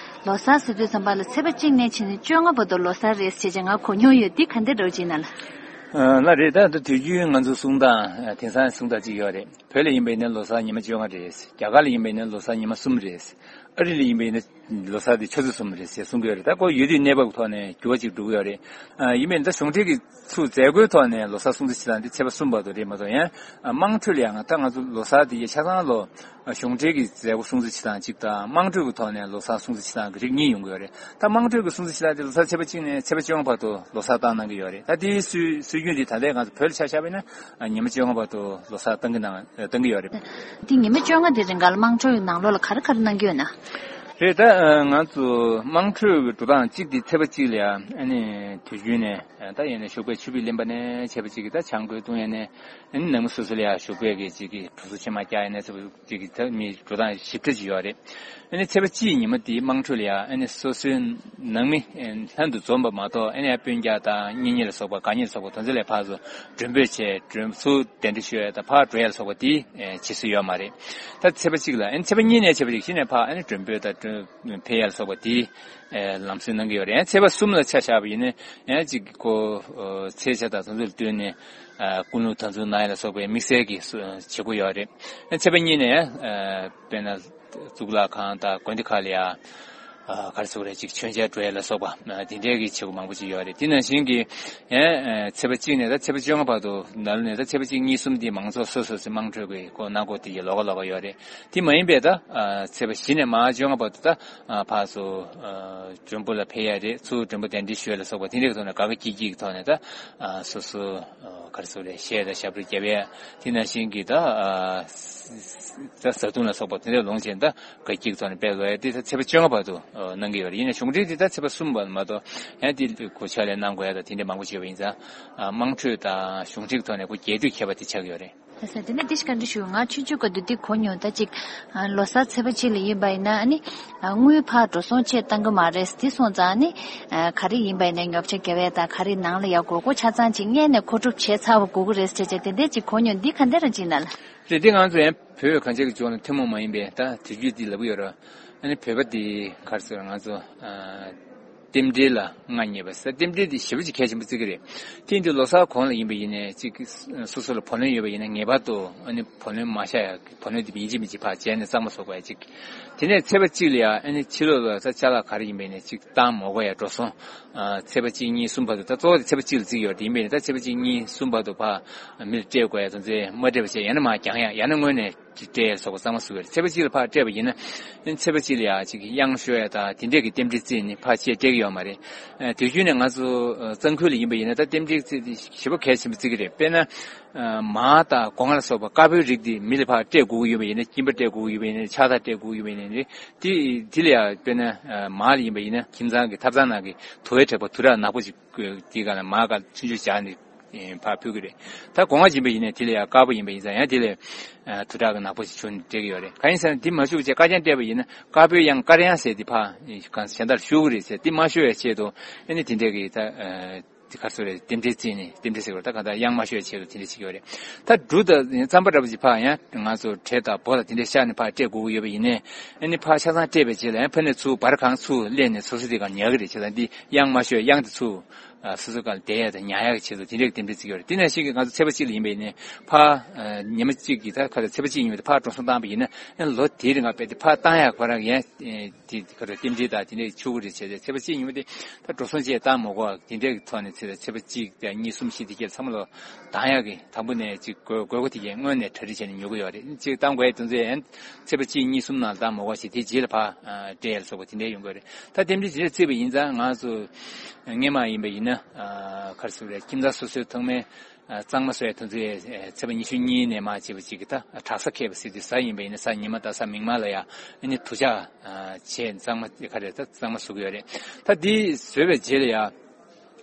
ལོ་གསར་ཟེར་དུས་ཙམ་པ་ལ་ཚེས་པ་གཅིག་ནས་བྱས་ནས་བཅོ་ལྔ་བར་དུ་ལོ་གསར་རེད་ཟེར་བྱས་ང་གོ་མྱོང་ཡོད། འདི་ག་འདྲ་འདྲ་བོ་ཅིག་ན་ལ། ལགས་རེད། ད་ད་དུས་རྒྱུན་ང་ཚོ་གསུང་སྟངས་དེང་སང་གསུང་སྟངས་ཅིག་ཡོད་རེད། བོད་ལ་ཡིན་པ་ཡིན་ན་ལོ་གསར་ཉི་མ་བཅོ་ལྔ་རེད། རྒྱ་གར་ལ་ཡིན་པ་ཡིན་ན་ལོ་གསར་ཉི་མ་གསུམ་རེད། ཨ་རི་ལ་ཡིན་པ་ཡིན་ན་ལོ་གསར་དེ་ཆུ་ཚོད་གསུམ་རེད་ཟེར་གསུང་གི་ཡོད་རེད། ད་ཁོ་ཡུལ་དུས་གནས་བབ་ཀྱི་ཐོག་ནས་འགྱུར་བ་ཅིག་འགྲོ་གི་ཡོད་རེད། ཡིན་པ་ཡིན་ན་ད་གཞུང་འབྲེལ་གྱི་ཚུར་མཛད་སྒོའི་ཐོག་ནས་ལོ་གསར་སྲུང་བརྩི་བྱེད་སྟངས་དེ་ཚེས་པ་གསུམ་བར་དུ་རེད་མ་གཏོགས། ཡང་དམངས་ཁྲོད་ལ་ཡང་ད་ང་ཚོ་ལོ་གསར་དེ་ཆ་ཚང་ལོ་གཞུང་འབྲེལ་གྱི་མཛད་སྒོ་སྲུང་བརྩི་བྱེད་སྟངས་གཅིག་དང་། དམངས་ཁྲོད་ཀྱི་ཐོག་ནས་ལོ་གསར་སྲུང་བརྩི་བྱེད་སྟངས་ཀྱི་རིགས་གཉིས་ཡོང་གི་ཡོད་རེད། ད་དམངས་ཁྲོད་ཀྱི་སྲུང་བརྩི་བྱེད་སྟངས་དེ་ལོ་གསར་ཚེས་པ་གཅིག་ནས་ཚེས་པ་བཅོ་ལྔ་བར་དུ་ལོ་གསར་བཏང་གནང་གི་ཡོད་རེད། ད་དེའི་སྲོལ་སྲོལ་རྒྱུན་དེ་ད་ལྟའི་ང་ཚོ་བོད་ལ་ཆ་བཞག་པ་ཡིན་ན་ཉི་མ་བཅོ་ལྔ་བར་དུ་ལོ་གསར་བཏང་གི་གནང་བཏང་གི་ཡོད་རེད། དེ་ཉི་མ་བཅོ་ལྔ་དེ་རིང་ག་ལ་དམངས་ཁྲོད་ཀྱི་ནང་ལོགས་ལ་ག་རེ་ག་རེ་གནང་གི་ཡོད་ན། རེད། ད་ང་ཚོ་དམངས་ཁྲོད་ཀྱི་འགྲོ་སྟངས་གཅིག་དེ་ཚེས་པ་གཅིག་ལ་ཡ། ཨ་ནི་དུས་རྒྱུན་ནས་ད་ཡིན་ན་བཞུགས་པའི་ཆུ་བུས་ལེན་པ་ནས་བྱས་པ་གཅིག་གིས་ད་བྱང་སྒོའི་བཏུང་ཡ་ནས། ཨ་ནི་ནང་མི་སོ་སོ་ལ་ཡ་བཞུགས་པའི་གི་གཅིག་གིས་གྲོ་སོ་ཕྱེ་མར་བཀྱག་ཡ་ནས་ཚེས་པ་གཅིག་གི་ད་མི་འགྲོ་སྟངས་ཞིབ་ཕྲ་ཅིག་ཡོད་རེད། ཨ་ནི་ཚེས་པ་གཅིག་ཉི་མ་དེའི་དམངས་ཁྲོད་ལ་ཡ། ཨ་ནི་སོ་སོའི་ནང་མི་ལྷན་དུ་འཛོམས་པ་མ་གཏོགས། ཨ་ནི་ཡ་སྤུན་ཀྱག་དང་གཉེན་ཉེ་ལ་སོགས་པ། དགའ་ཉེ་ལ་སོགས་པ་དེ་ཚོ་ལ་ཕར་ཚུར་མགྲོན་འབོད་བྱས། མགྲོན་ཚུར་གདན་འདྲེན་ཞུ་ཡ་དང་ཕར་འགྲོ་ཡ་ལ་སོགས་པ་དེ་བྱེད་སྲོལ་ཡོད་མ་རེད། ད་ཚེས་པ་གཅིག་ལ། ཨ་ནི་ཚེས་པ་གཉིས་ནས་བྱས་པ་ཅིག་གཞི་ནས་ཕར་ཨ་ནི་མགྲོན་འབོད་དང་མགྲོན་ཕེབས་ཡ་ལ་སོགས་པ་དེ་ལམ་སྲོལ་གནང་གི་ཡོད་རེད། ཨ་ནི་ཚེས་པ་གསུམ་ལ་ཆ་བཞག་པ་ཡིན་ན་ཡང་གཅིག་གི་ཁོ་ཚེས་ཆ་དང་དེ་ཚོ་ལ་བསྟུན་ནས་ཀུན་སློང་དམ་བཙུགས་གནང་ཡ་ལ་སོགས་པའི་དམིགས་བསལ་གྱི་བྱེད་སྒོ་ཡོད་རེད། ཨ་ནི་ཚེས་པ་གཉིས་ནས་དཔེར་ན་གཙུག་ལག་ཁང་དང་དགོན་སྡེ་ཁག་ལ་ཡ། ཨ་ག་རེ་ཟེར་དགོས་རེད། ཅིག་མཆོད་མཇལ་འགྲོ་ཡ་ལ་སོགས་པ། ཨ་དེ་འདྲའི་གི་བྱེད་སྒོ་མང་པོ་ཅིག་ཡོད་རེད། དེ་ནང་བཞིན་གྱི་ཡང་ཨ་ཚེས་པ་གཅིག་ནས་ད་ཚེས་པ་བཅོ་ལྔ་བར་དུ། ནང་ལོགས་ནས་ད་ཚེས་པ་གཅིག་གཉིས་གསུམ་དེ་མང་ཚོགས་སོ་སོ་སོའི་དམངས་ཁྲོད་ཀྱི་སྒོ་གནང་སྒོ་དེ་ཡི་ལོགས་ཀ་ལོགས་ཀ་ཡོད་རེད། དེ་མ་ཡིན་པའི་ད་ཨ་ཚེས་པ་བཞི་ནས་མར་བཅོ་ལྔ་བར་དུ་ད་ཨ་ཕར་ཚུར་ཨ་མགྲོན་པོ་ལ་ཕེབས་ཡ་རེད། ཚུར་མགྲོན་པོ་གདན་འདྲེན་ཞུ་ཡ་ལ་སོགས་པ་དེ་འདྲའི་གི་ཐོག་ནས་དགའ་དགའ་སྐྱིད་སྐྱིད་ཀྱི་ཐོག་ནས་ད་ཨ་སོ་སོ་ཨ་ག་རེ་ཟེར་དགོས་རེད། གཞས་དང་ཞབས་བྲོ་རྒྱབ་ཡ། དེ་ནང་བཞིན་གྱི་ད་ཨ་ད་བཟའ་བཏུང་ལ་སོགས་པ་དེ་འདྲ་ལོངས་སྤྱད་ད་དགའ་སྐྱིད་ཀྱི་ཐོག་ནས་དཔེ་ལོ་ཡ་དེ་ད་ཚེས་པ་བཅོ་ལྔ་བར་དུ་ཨ་གནང་གི་ཡོད་རེད། ཡིན་ན་གཞུང་འབྲེལ་དེ་ད་ཚེས་པ་གསུམ་བར་མ་གཏོགས། ཡང་དེ་གོ་ཆ་ལས་གནང་དགོས་ཡ་དང་དེ་འདྲ་མང་པོ་བྱས་པ་ཡིན་ཙང་། ཨ་དམངས་ཁྲོད་དང་གཞུང་འབྲེལ་གྱི་ཐོག་ནས་ཁོ་རྒྱས་བསྡུས་ཁྱད་པར་དེ་ཆགས་ཀྱི་ཡོད་རེད། ལགས་སོ། དེ་ནས་འདི་ཞིག་བཀའ་འདྲི་ཞུ། ང་ཆུང་ཆུང་སྐབས་དུས་དེ་གོ་མྱོང་། ད་ཅིག་ཨ་ལོ་གསར་ཚེས་པ་གཅིག་ལ་ཡིན་པ་ཡིན་ན། ཨ་ནི་ཨ་དངུལ་ཕར་འགྲོ་སོང་ཆེད་བཏང་གི་མ་རེད། དེ་སོང་ཙང་ཨ་ནི་ཨ་ག་རེ་ཡིན་པ་ཡིན་ན་ཉོ་ཆ་རྒྱག་ཡ་དང་། ག་རེ་ནང་ལ་ཡ་དགོས་མཁོ་ཆ་ཚང་ཅིག་སྔོན་ནས་མཁོ་སྒྲུབ་བྱས་ཚར་བ་དགོས་ཀྱི་རེད་ཟེར་བྱས། དེ་འདྲའི་ཅིག་གོ་མྱོང་། འདི་ག་འདྲ་རང་ཅིག་ན་ལ། རེད། འདི་ང་ཚོ་ཡང་བོད་གངས་ཅན་གྱི་ལྗོངས་ལ་ཐུན་མོང་མ་ཡིན་པའི་ད་དུས་རྒྱུན་འདི་ལབ་ཀྱི་ཡོད་རེད། ཨ་ནི་བོད་པ་འདི་ག་རེ་ཟེར། ང་ཚོ་ཨ་རྟེན་འབྲེལ་ལ་མངའ་བརྙེས་པ་ཟེར། རྟེན་འབྲེལ་འདི་ཞེ་པོ་ཅིག་གལ་ཆེན་པོ་བརྩི་གི་རེད། དེ་ཡིན་དུས་ལོ་གསར་གོང་ལ་ཡིན་པ་ཡིན་ནའི་ཅིག་སོ་སོ་ལ་བུ་ལོན་ཡོད་པ་ཡིན་ན་ངེས་པར་དུ་ཨ་ནི་བུ་ལོན་མ་བཞག་ཡ། བུ་ལོན་འདི་ཡིན་གཅིག་མིན་གཅིག་ཕར་བྱས་ནས་གཙང་མ་བཟོ་དགོས་ཡ་གཅིག། དེ་ནས་ཚེས་པ་གཅིག་ལ་ཡ་ཨ་ནི་ཕྱི་ལོགས་ལ་ད་ཅ་ལག་ག་རེ་ཡིན་པ་ཡིན་ནའི་ཅིག་བཏང་མ་དགོས་ཡ། འགྲོ་སོང་ཨ་ཚེས་པ་གཅིག་གཉིས་གསུམ་བར་དུ། ད་གཙོ་བོ་དེ་ཚེས་པ་གཅིག་ལ་བརྩི་གི་ཡོད་རེད། ཡིན་པ་ཡིན་ནའི་ད་ཚེས་པ་གཅིག་གཉིས་གསུམ་བར་དུ་ཕར་མི་ལ་སྤྲད་དགོས་ཡ་དེ་ཚོ་མ་སྤྲད་པ་བྱས། ཡང་ན་མར་འགྱངས་ཡ། ཡང་ན་དངོས་གནས་སྤྲད་ཡ་སོགས་པ་གཙང་མ་བཟོ་གི་རེད། ཚེས་པ་གཅིག་ལ་ཕར་སྤྲད་པ་ཡིན་ན། ཚེས་པ་གཅིག་ལ་ཡ་ཅིག་གཡང་ཤོར་ཡ་དང་དེ་འདྲས་ཀྱི་རྟེན་འབྲེལ་བརྩིས་ནས་ཕར་ཆད་སྤྲད་ཀྱི་ཡོད་མ་རེད། ཨ་དུས་རྒྱུན་ནས་ང་ཚོ་ཨ་གཙང་ཁུལ་ལ་ཡིན་པ་ཡིན་ན་ད་རྟེན་འབྲེལ་བརྩི་དེ་ཞེ་པོ་གལ་ཆེན་པོ་བརྩི་གི་རེད། དཔེར་ན་ཨ་མར་དང་སྒོ་ང་ལ་སོགས་པ་དཀར་པོའི་རིགས་དེ་མི་ལ་ཕར་སྤྲད་དགོས་ཀྱི་ཡོད་པ་ཡིན་ན། གྱིན་པ་སྤྲད་དགོས་ཀྱི་ཡོད་པ་ཡིན་ན། གྱིན་པ་སྤྲད་དགོས་ཀྱི་ཡོད་པ་ཡིན་ན་རེད། དེ་དེ་ལ་ཡ་དཔེར་ན་ཨ་མར་ལ་ཡིན་པ་ཡིན་ན་ཁྱིམ་ཚང་གི་ཐབ་ཚང་ནང་གི་དུ་བའི་དྲེག་པ་དུ་ར་ནག་པོ་ཅིག་དེའི་སྒང་ལ་མར་ག་ཆུང་ཆུང་བཞག་ནས་ཕར་ཕུལ་གི་རེད། ད་སྒོ་ང་ཡིན་པ་ཡིན་ན་དེ་ལ་ཡ་དཀར་པོ་ཡིན་པ་ཡིན་ཙང་། ཡང་དེ་ལས་དུ་དྲག་གི་ནག་པོ་ཞིག་བྱུང་ནས་སྤྲད་ཀྱི་ཡོད་རེད། གང་ཡིན་ཟེར་ན་དེ་མ་ཤོར་བ་བྱས་དཀར་རྐྱང་སྤྲད་པ་ཡིན་ན་དཀར་པོའི་གཡང་དཀར་གཡང་ཟེར་དེ་ཕར་གང་གཞན་དག་ལ་ཤོར་གི་རེད་ཟེར། དེ་མ་ཤོར་བའི་ཆེད་དུ་ཨ་ནི་དེ་འདྲས་ཀྱི་ད་དེ་ག་རེ་ཟེར་རེད། རྟེན་འབྲེལ་བརྩིས་ནས། རྟེན་འབྲེལ་ཟེར་བ་ད་གང་ལྟར་གཡང་མ་ཤོར་བའི་ཆེད་དུ་དེ་འདྲས་བྱེད་ཀྱི་ཡོད་རེད། ད་འབྲུ་དང་རྩམ་པ་འདྲ་པོ་ཅིག་ཕར་ཡང་ང་ཚོ་བྲེ་དང་སྦོ་དང་དེ་འདྲས་བཞག་ནས་ཕར་སྤྲད་དགོས་ཀྱི་ཡོད་པ་ཡིན་ནའི། ཨ་ནི་ཕར་ཆ་ཚང་སྤྲད་པའི་རྗེས་ལ་ཡང་ཕ་ནས་ཚུར་བར་གང་ཚུར་སླེབས་ནས་སོ་སོ་དེ་གང་ཉར་གི་རེད། བྱས་ཙང་འདི་གཡང་མ་ཤོར། གཡང་དེ་ཚུར་ སོ་སོའི་སྒང་ལ་བསྡད་ཡག་དང་ཉལ་ཡག་གི་ཆེད་དུ་དེ་འདྲའི་རྟེན་འབྲེལ་བརྩི་གི་ཡོད་རེད། དེ་ནང་བཞིན་གྱི་ང་ཚོ་ཚེས་པ་གཅིག་ལ་ཡིན་པ་ཡིན་ནའི་ཕར་ཉི་མ་གཅིག་གི་ད་ཁ་ཚ་ཚེས་པ་གཅིག་ཡིན་པ་དེ་ཕར་འགྲོ་སོང་བཏང་པ་ཡིན་ན་ལོ་དེའི་རིང་ལ་དཔེ་དེ་ཕར་བཏང་ཡག་ཁོ་རང་ཡང་དེ་ཁ་ཚ་རྟེན་འབྲེལ་དང་དེ་འདྲའི་ཆོག་གི་རེད་བྱས་ཏེ་ཚེས་པ་གཅིག་ཡིན་པ་དེ་ད་འགྲོ་སོང་བཅས་བཏང་མ་དགོས་པ་དེ་འདྲའི་ཐོག་ནས་ཚེས་པ་གཅིག་དང་གཉིས་གསུམ་བཞི་དེ་གྱད་ཚང་མ་ལོ་བཏང་ཡག་གི་དང་པོ་ནས་ཅིག་དགོས་དགོས་མཁོ་དེ་གྱད་སྔོན་ནས་གྲ་སྒྲིག་བྱས་ནས་ཉོ་གི་ཡོད་རེད། ཅིག་བཏང་དགོས་དེ་ཚོ་ཡང་ཚེས་པ་གཅིག་གཉིས་གསུམ་ནང་བཏང་མ་དགོས་ཤིག་དེ་རྗེས་ལ་ཕར་སྤྲད་ཡག་ལ་སོགས་པ་དེ་འདྲ་ཡོང་གི་ཡོད་རེད། ད་རྟེན་འབྲེལ་དེ་འདྲ་བརྩིས་པ་ཡིན་ཙང་ང་ཚོ་སྔས་མ་ཡིན་པ་ཡིན་ན་ག་རེ་ཟེར་དགོས་རེད། ཁྱིམ་ཚང་སོ་སོའི་ཐོག་མའི་གཙང་མ་བཟོ་ཡག་དེ་ཚོ་ཚེས་པ་ཉི་ཤུ་གཉིས་ནས་མར་བྱས་པ་ཅིག་གི་ད་དྲག་གཟའ་འཁེལ་བ་ཟེར་དུས་གཟའ་ཡིན་པ་ཡིན་ན་གཟའ་ཉི་མ་དང་གཟའ་མིག་དམར་ལ་ཡང་ཨ་ནི་དུར་ལྕགས་བྱས་གཙང་མ་ག་རེ་ད་གཙང་མ་བཟོ་གི་ཡོད་རེད། ད་འདི་བཟོས་པའི་རྗེས་ལ་ཡང་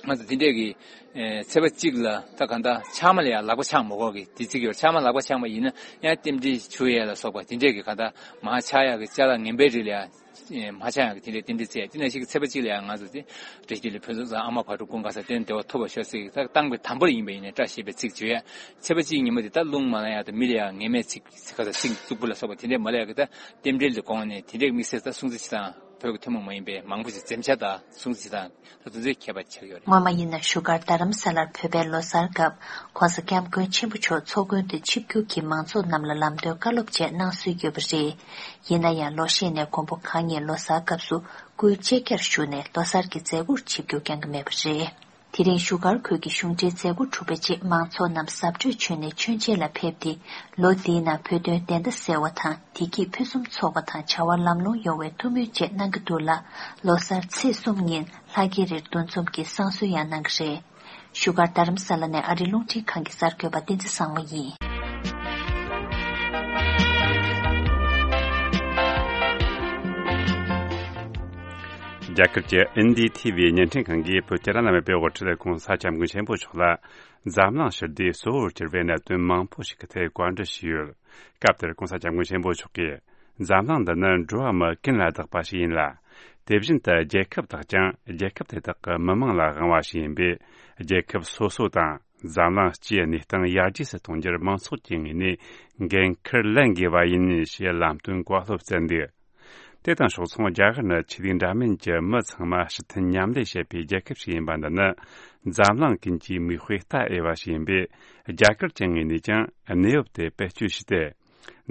ང་ཚོ་འདི་འདྲས་ཀྱི་ཚེས་པ་གཅིག་ལ་ད་གང་ལྟར་ཕྱགས་མ་ལ་ཡང་ལག་པ་འཆང་མ་དགོས་ཀྱི་དེ་བརྩི་གི་ཡོད། ཕྱགས་མ་ལག་པ་འཆང་བ་ཡིན་ན་ཡང་རྟེན་འབྲེལ་འཆུ་ཡས་ལ་སོགས་པ་དེ་འདྲས་ཀྱི་གང་ལྟར་མར་ཆག་ཡག་གི་ཅ་ལག་ངན་པའི་རིགས་ལ་ཡང་མ་ཆག་ཡག་གི་དེ་འདྲས་རྟེན་འབྲེལ་བརྩི་ཡ། དེ་ནང་བཞིན་གྱི་ཚེས་པ་གཅིག་ལ་ཡང་ང་ཚོ་དེ་བཀྲ་ཤིས་ལ་ཕུན་ཚོགས་ཚང་ཨ་མ་བག་དྲོ་ཀུན་དགའ་ས་བརྟན་བདེ་བ་ཐོབ་པར་ཤོག་ཟེར་གྱི་ད་བཏང་པའི་དམ་པོར་ཡིན་པ་ཡིན་ན་བཀྲ་ཤིས་པའི་ཚིག་བརྗོད་ཡ། ཚེས་པ་གཅིག་ཉིན་མོ་དེ་ད་རླུང་མ་ལངས་ཡག་དང་མི་ལ་ཡང་ངན་སྨྲས་ཚིག་ག་ས་ཚིག་རྩུབ་པོ་ལ་སོགས་པ་དེ་འདྲས་མ་ལབ་ཡག་གི་ད་རྟེན་འབྲེལ་ལ་དགོངས་ནས་དེ་འདྲས་དམིགས་བསལ་ད་སྲུང་བརྩི་བྱེད་སྟངས་བོད་ཀྱི་ཐུན་མོང་མ་ཡིན་པའི་མང་པོ་ཞིག་འཛེམ་བྱ་དང་སྲུང་བརྩི་བྱེད་སྟངས་ད་དེ་ཚོའི་ཁྱད་པར་ཆགས་ཡོད་རེད། སྔོན་མ་ཡིན་ན་བཞུགས་སྒར་རྡ་རམ་ས་ལར་བོད་པའི་ལོ་གསར་སྐབས་༧གོང་ས་༧སྐྱབས་མགོན་ཆེན་པོ་མཆོག་ཚོགས་མགོན་དུ་ཆིབས་བསྒྱུར་གྱིས་མང་ཚོགས་རྣམས་ལ་ལམ་སྟོན་བཀའ་སློབ་བཅས་གནང་སྲོལ་ཡོད་པ་རེད། ཡིན་ན་ཡང་ལོ་ཤས་ནས་མགོན་པོ་གང་ཉིད་ལོ་གསར་སྐབས་སུ་སྐུའི་ལྕེ་བརྒྱར་བཞུགས་ནས་ལོ་གསར་གྱི་མཛད་སྒོར་ཆིབས་བསྒྱུར་བསྐྱངས་ཀྱི་མེད་པ་རེད། དེ་རིང་བཞུགས་སྒར་ཁུལ་གྱི་གཞུང་འབྲེལ་མཛད་སྒོ་གྲུབ་པའི་རྗེས་མང་ཚོགས་རྣམས་གཟབ་གྲོས་བྱོན་ནས་མཆོད་མཇལ་ལ་ཕེབས་ཏེ། ལོ་འདིའི་ནང་བོད་དོན་བདེན་མཐའ་གསལ་བ་དང་བདེ་སྐྱིད་ཕུན་སུམ་ཚོགས་པ་དང་བྱ་བ་ལམ་ལྷོང་ཡོང་བའི་ཐུགས་སྨོན་བཅས་གནང་གི་འདུག་ལ། ལོ་གསར་ཚེས་གསུམ་ཉིན་ལྷ་རྒྱལ་རིར་འདུ་འཛོམས་ཀྱིས་བསང་གསོལ་ཡང་གནང་གི་རེད། བཞུགས་སྒར་རྡ་རམ་ས་ལ་ནས་ཨ་རི་རླུང་འཕྲིན་ཁང་གི་གསར་འགོད་པ་བསྟན་འཛིན་བཟང་མོ་ཡིན། རྒྱ་གར་གྱི་ཨེན་ཌི་ཐི་ཝི་བརྙན་འཕྲིན་ཁང་གིས་བོད་ཀྱི་བླ་ན་མེད་པའི་དབུ་ཁྲིད་༧གོང་ས་༧སྐྱབས་མགོན་ཆེན་པོ་མཆོག་ལ་འཛམ་གླིང་ཞི་བདེའི་གཙོ་བོར་གྱུར་པའི་གནད་དོན་མང་པོ་ཞིག་གི་ཐད་བཀའ་འདྲི་ཞུས་ཡོད། སྐབས་དེར་༧གོང་ས་༧སྐྱབས་མགོན་ཆེན་པོ་མཆོག་གིས་འཛམ་གླིང་འདི་ནི་འགྲོ་བ་མི་ཀུན་ལ་བདག་པ་ཞིག་ཡིན་ལ། དེ་བཞིན་དུ་རྒྱལ་ཁབ་དག་ཀྱང་རྒྱལ་ཁབ་དེ་དག་གི་མི་དམངས་ལ་དབང་བ་ཞིག་ཡིན་པས། རྒྱལ་ཁབ་སོ་སོ་དང་འཛམ་གླིང་སྤྱིའི་གནས་སྟངས་ཡར་རྒྱས་སུ་གཏོང་རྒྱུར་མང་ཚོགས་ཀྱི་ངོས་ནས་འགན་འཁུར་ལེན་དགོས་པ་ཡིན་ཞེས་ལམ་སྟོན་བཀའ་སློབ་སྩལ་འདུག་དེ་དང་ཕྱོགས་མཚུངས་རྒྱ་གར་ནི་ཆོས་ལུགས་འདྲ་མིན་གྱི་མི་ཚང་མ་ཕྱིར་འཐེན་མཉམ་ལས་བྱེད་པའི་རྒྱལ་ཁབ་ཞིག་ཡིན་པ་འདི་ནི་འཛམ་གླིང་ཀུན་གྱི་མིག་དཔེ་ལྟ་འོས་པ་ཞིག་ཡིན་པས། རྒྱ་གར་གྱི་ངོས་ནས་ཀྱང་གནས་བབ་དེ་བེད་སྤྱོད་བྱས་ཏེ།